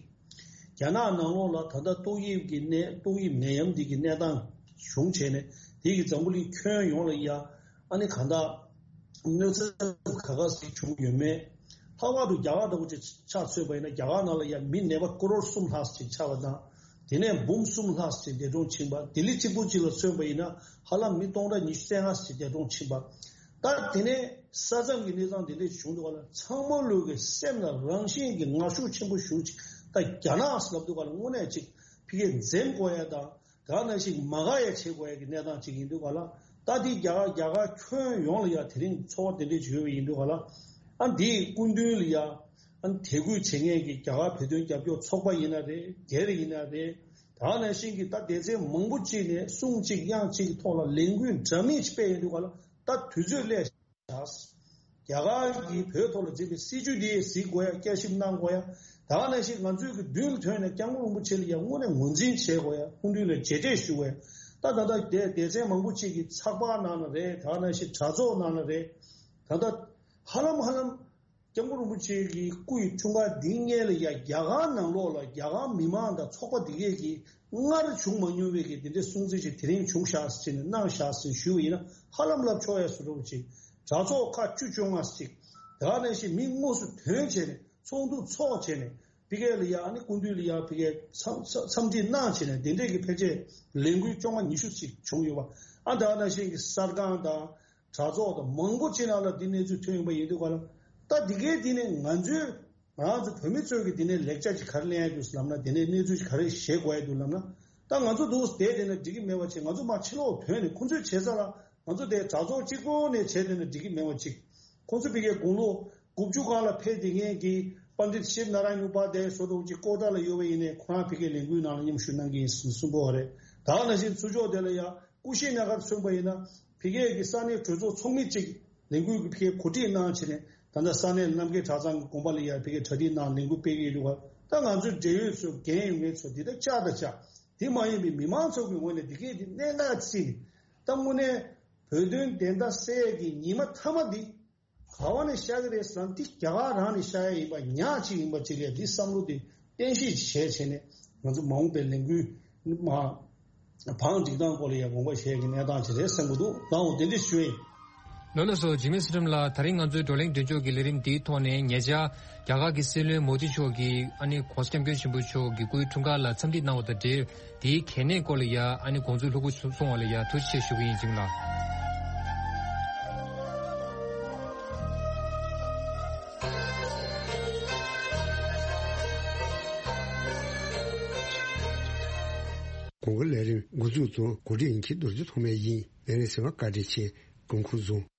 རྒྱ་ནག་ནང་ལོགས་ལ་ད་ལྟ་ཏོག་དབྱིབས་ཀྱི་ནད། ཏོག་དབྱིབས་ནད་ཡམས་འདི་གི་གནས་སྟངས་བྱུང་བྱས་ནས་དེ་གི་འཛམ་བུ་གླིང་ཁྱོན་ཡོངས་ལ་ཡ་ཨ་ནི་གང་ལྟར་གནོད་འཚེ་ག་ག་ཞིག་བྱུང་ཡོད་མེད། ལྷག་པར་དུ་རྒྱ་གར་འདྲ་པོ་ཅིག་ཆ་མཚོན་པ་ཡིན་ན། རྒྱ་གར་ནང་ལ་ཡ་མི་ནད་པ་ཀོ་རོར་གསུམ་ལྷག་ཅིག་ཆགས་པ་དང་། དེ་ནས་འབུམ་གསུམ་ལྷག་ཅིག་འདས་གྲོངས་ཕྱིན་པ། ལྡི་ལི་གཅིག་པུ་གཅིག་ལ་མཚོན་པ་ཡིན་ན་ཧ་ལམ་མི་སྟོང་ཕྲག་ཉི་ཤུ་རྩ་ལྔ་ཅིག་འདས་གྲོངས་ཕྱིན་པ། ད་དེ་ནས་ས་མཚམས་ཀྱི་གནས་སྟངས་དེ་འདྲས་བྱུང་འདུག་ག་ལ། ཚང་མ་ལོས་ཀྱི་སེམས་ལ་རང་བཞིན་གྱི་ངར་ཤུགས་ཆེན་པོ་ཞུགས་ཅིག་ད་རྒྱ་ནག་ཟེར་ལབ་འདུག་ག་ལ། དངོས་གནས་ཅིག་ཕ་གིར་འཛེམ་དགོས་ཡ་དང་། དེ་ག་ནང་བཞིན་མ་དགའ་ཡ་བྱེད་དགོས་ཡ་གི་གནས་སྟངས་ཅིག་ཡིན་འདུག་ག་ལ། ད་འདི་རྒྱ་གར་རྒྱ་གར་ཁྱོན་ཡོངས་ལ་ཡ་དེ་རིང་ཚོར་བ་དེ་འདྲས་ཅིག་ཡོད་པ་ཡིན་འདུག་ག་ལ། ཨ་འདིའི་སྐུ་མདུན་ལ་ཡ་ཨ་དད་གུས་བྱེད་མཁན་གྱི་རྒྱ་གར་བོད་དོན་རྒྱབ་སྐྱོར་ཚོགས་པ་ཡིན་ན་རེད། སྒེར་ཡིན་ན་རེད། དེ་ག་ནང་བཞིན་གྱི་ད་སྡེ་ཚན་མང་པོ་གཅིག་ནས་གསུང་གཅིག་དབྱངས་གཅིག་གི་ཐོག་ལ་ལས་འགུལ་འདྲ་མིན་ཅིག་སྤེལ་ཡོད་འདུག་ག་ལ། ད་དུས་ཚོད་སླེབས། རྒྱ་གར་གྱིས་བོད་ཐོག་ལ་འཛིན་པའི་སྲིད་བྱུས་འདི་གཟིགས་དགོས་ཡ། བསྐྱར་ཞིབ་གནང་དགོས་ཡ། དེ་ག་ནང་བཞིན་ང་ཚོའི་གི་མདུན་ལ་ཐོན་ནས་སྐྱབས་མགོན་རིན་པོ་ཆེ་ལ་ཡ་དངོས་གནས་ངོས་འཛིན་བྱེད་དགོས་ཡ། སྐུ་མདུན་ལ་རྗེས་དྲན་ཞུ་དགོས་ཡ། ད་ད་ལྟ་སྡེ་སྡེ་ཚན་མང་པོ་གཅིག་གིས་ཚགས་པར་ནང་ལ་རེད། དེ་ག་ནང་བཞིན་དྲ་ཚོགས་ནང་ལ་རེད། ད་ལྟ་ཧ་ལམ་ཧ་ལམ་སྐྱབས་མགོན་རིན་པོ་ཆེ་གི་སྐུ་ཡི་འཁྲུངས་སྐར་འདིའི་སྔོན་ལ་ཡ་རྒྱ་གར་ནང་ལོགས་ལ་རྒྱ་གར་མི་མང་དང་ཚོགས་པ་འདི་གས་ཀྱིས་སྔར་བྱུང་མ་མྱོང་བའི་གི་དེ་འདྲའི་སྲུང་བརྩི་ཞིག་དེ་རིང་བྱུང་ཤག་ཟེར་ནས་གནང་ཤག་ཟེར་ཞུས་པ་ཡིན་ན་ཧ་ལམ་ལབ་ཆོག་ཡ་བཟོ་འདྲ་བོ་ཅིག་དྲ་ཚོགས་ཁག་བཅུ་བཅོ་ལྔ་ཅིག་དེ་ག་ནང་བཞིན་མི་དངོས་སུ་ཐོན་བྱས་ནས་ཚོགས་འདུ་ཚོགས་བྱས་ནས་ཕ་གི་ལ་ཡ་ཨ་ནི་སྐུ་མདུན་ལ་ཡ་ཕ་གི་འཚམས་འཚམས་འཚམས་འདྲི་གནང་བྱས་ནས་དེ་འདྲས་ཀྱི་ཕལ་ཆེར་ལས་འགུལ་བཅོ་ལྔ་ཉི་ཤུ་ཅིག་བྱུང་ཡོད་པ། ཨ་དེ་ག་ནང་བཞིན་གྱི་གསར་ཁང་དང་། དྲ་ཚོགས་དང་མང་པོ་ཅིག་ནང་ལ་འདི་གནས་ཚུལ་ཐོན་ཡོང་པ་ཡིན་དུས་ག་ལ། ད་འདི་གའི་འདི་ནས་ང་ཚོས་ང་རང་ཚོ་བོད་མི་ཚོས་ཀྱི་འདི་ནས་ལེགས་ཆ་ཅིག་ག་རེ་ལེན་ཡ་འདུག་ལབ་ན། འདི་ནས་གནས་ཚུལ་ཅིག་ག་རེ་བཞེས་དགོས་ཡ་འདུག་ལབ་ན། ད་ང་ཚོ་འདུག་བསྡད་བསྡད་ན་འགྲིག་གི་མེད་པ་ཅིག་ང་ཚོ་མར་ཕྱི་ལོགས་ཐོན་ནས་ཁོང་ཚོས་བྱེད་ས་ལ་ང་ཚོ་དེ་དྲ་ཚོགས་གཅིག་པོ་ནས་བྱས་བསྡད་ན་འགྲིག་གི་མེད་པ་ཅིག་ཁོང་ཚོ་ཕ་གིའི་དགུང་ལོ་དགུ་བཅུ་སྒང་ལ་ཕེབས་བསྡད་མཁན་གྱི་པཎྜི་ཏ་ཤིབ་ནཱ་ར་ཡན་ཨུ་པ་དྷྱ་ཡ་བཟོ་འདྲ་བོ་ཅིག་ཀོ་ཊ་ལ་ཡོད་པ་ཡིན་ནའི་ཁོ་རང་ཕ་གིའི་ལས་འགུལ་ནང་ལ་མཉམ་ཞུགས་གནང་གི་ཡིན་གསུངས་པ་རེད། ད་ག་ནང་བཞིན་ཚུར་ཕྱོགས་དེ་ལ་ཡ། ཀུ་ཤི་ན་གར་མཚོན་པ་ཡིན་ན། ཕ་གིའི་གི་ས་གནས་གྲོས་ཚོགས་ཚོགས་མི་གཅིག་ལས་འགུལ་གྱི་ཕ་གིའི་གོ་སྒྲིག་གནང་བྱས་ནས་ད་ལྟ་ས་གནས་རྣམ་རྒྱལ་གྲྭ་ཚང་གི་དགོན་པ་ལ་ཡ་ཕ་གིའི་གྲ་སྒྲིག་གནང་ལས་འགུལ་སྤེལ་གྱི་ཡོད་འདུག་ག་ད་ང་ཚོའི་འབྲེལ་ཡོད་ཚོ་འགན་ཡོད་མཁན་ཚོ་འདི་ལྟར་བཅར་དང་བཅར། དེ་མ་ཡིན་པའི་མི་མང་ཚོ་གི་ངོས་ནས་འདི་གས་དེ་གནད་འགག་བརྩིས་ནས། ད་དངོས་གནས་བོད་དོན་བདེན་མཐའ་གསལ་ཡས་ཀྱི་ཉི་མ་མཐའ་མ་འདི་ག་བ་ནས་ཤར་གི་རེད་ཟེར་ན། འདི་རྒྱ་གར་རང་ནས་ཤར་ཡ་ཡིན་པ་ཉག་གཅིག་ཡིན་པ་གཅིག་ལས། འདི་བསམ་བློ་དེ་གཏན་ཤེད་བྱས་བྱས་ནས་ང་ཚོ་མ་འོངས་པའི་ལས་འགུལ་མ་བང་སྒྲིག་སྟངས་སྐོར་ལ་ཡང་དགོངས་པ་བཞེས་ཀྱི་གནས་སྟངས་ཅིག་རེད་བསམ་གྱི་འདུག་ལགས་འོ། དེ་འདྲ་ཞུ་ཡིན། ལགས་ལགས་སོ། འཇིགས་མེད་བསོད་ནམས་ལགས། ད་རིང་ང་ཚོའི་བགྲོ་གླེང་མགྲིན་ཚབ་ཀྱི་ལས་རིམ་འདིའི་ཐོག་ནས་ཉེ་ཆར་རྒྱ་གར་གྱི་སྲིད་བློན་མོ་དི་མཆོག་གིས་ཨ་ནི་༸གོང་ས་༸སྐྱབས་མགོན་ཆེན་པོ་མཆོག་གི་སྐུའི་འཁྲུངས་སྐར་ལ་འཚམས་འདྲི་གནང་བ་དང་འབྲེལ། དེའི་གལ་གནད་སྐོར་ལ་ཡ་ཨ་ནི་དགོངས་ཚུལ་ལྷུག་པོ་གསུངས་པ་ལ་ཡ་ཐུགས་རྗེ་ཆེ་ཞུ་གི་ཡིན། འཇིགས་མེད་ལགས། གོང་གི་ལས་རིམ་འགོ་འཛུགས་དང་གོ་སྒྲིག་ཡིན་གྱི་རྡོ་རྗེ་ཐོགས་མེད་ཡིན། ལས་རིམ་གསན་པར་བཀའ་དྲིན་ཆེ། དགོངས་ཁུར་བཟུང་།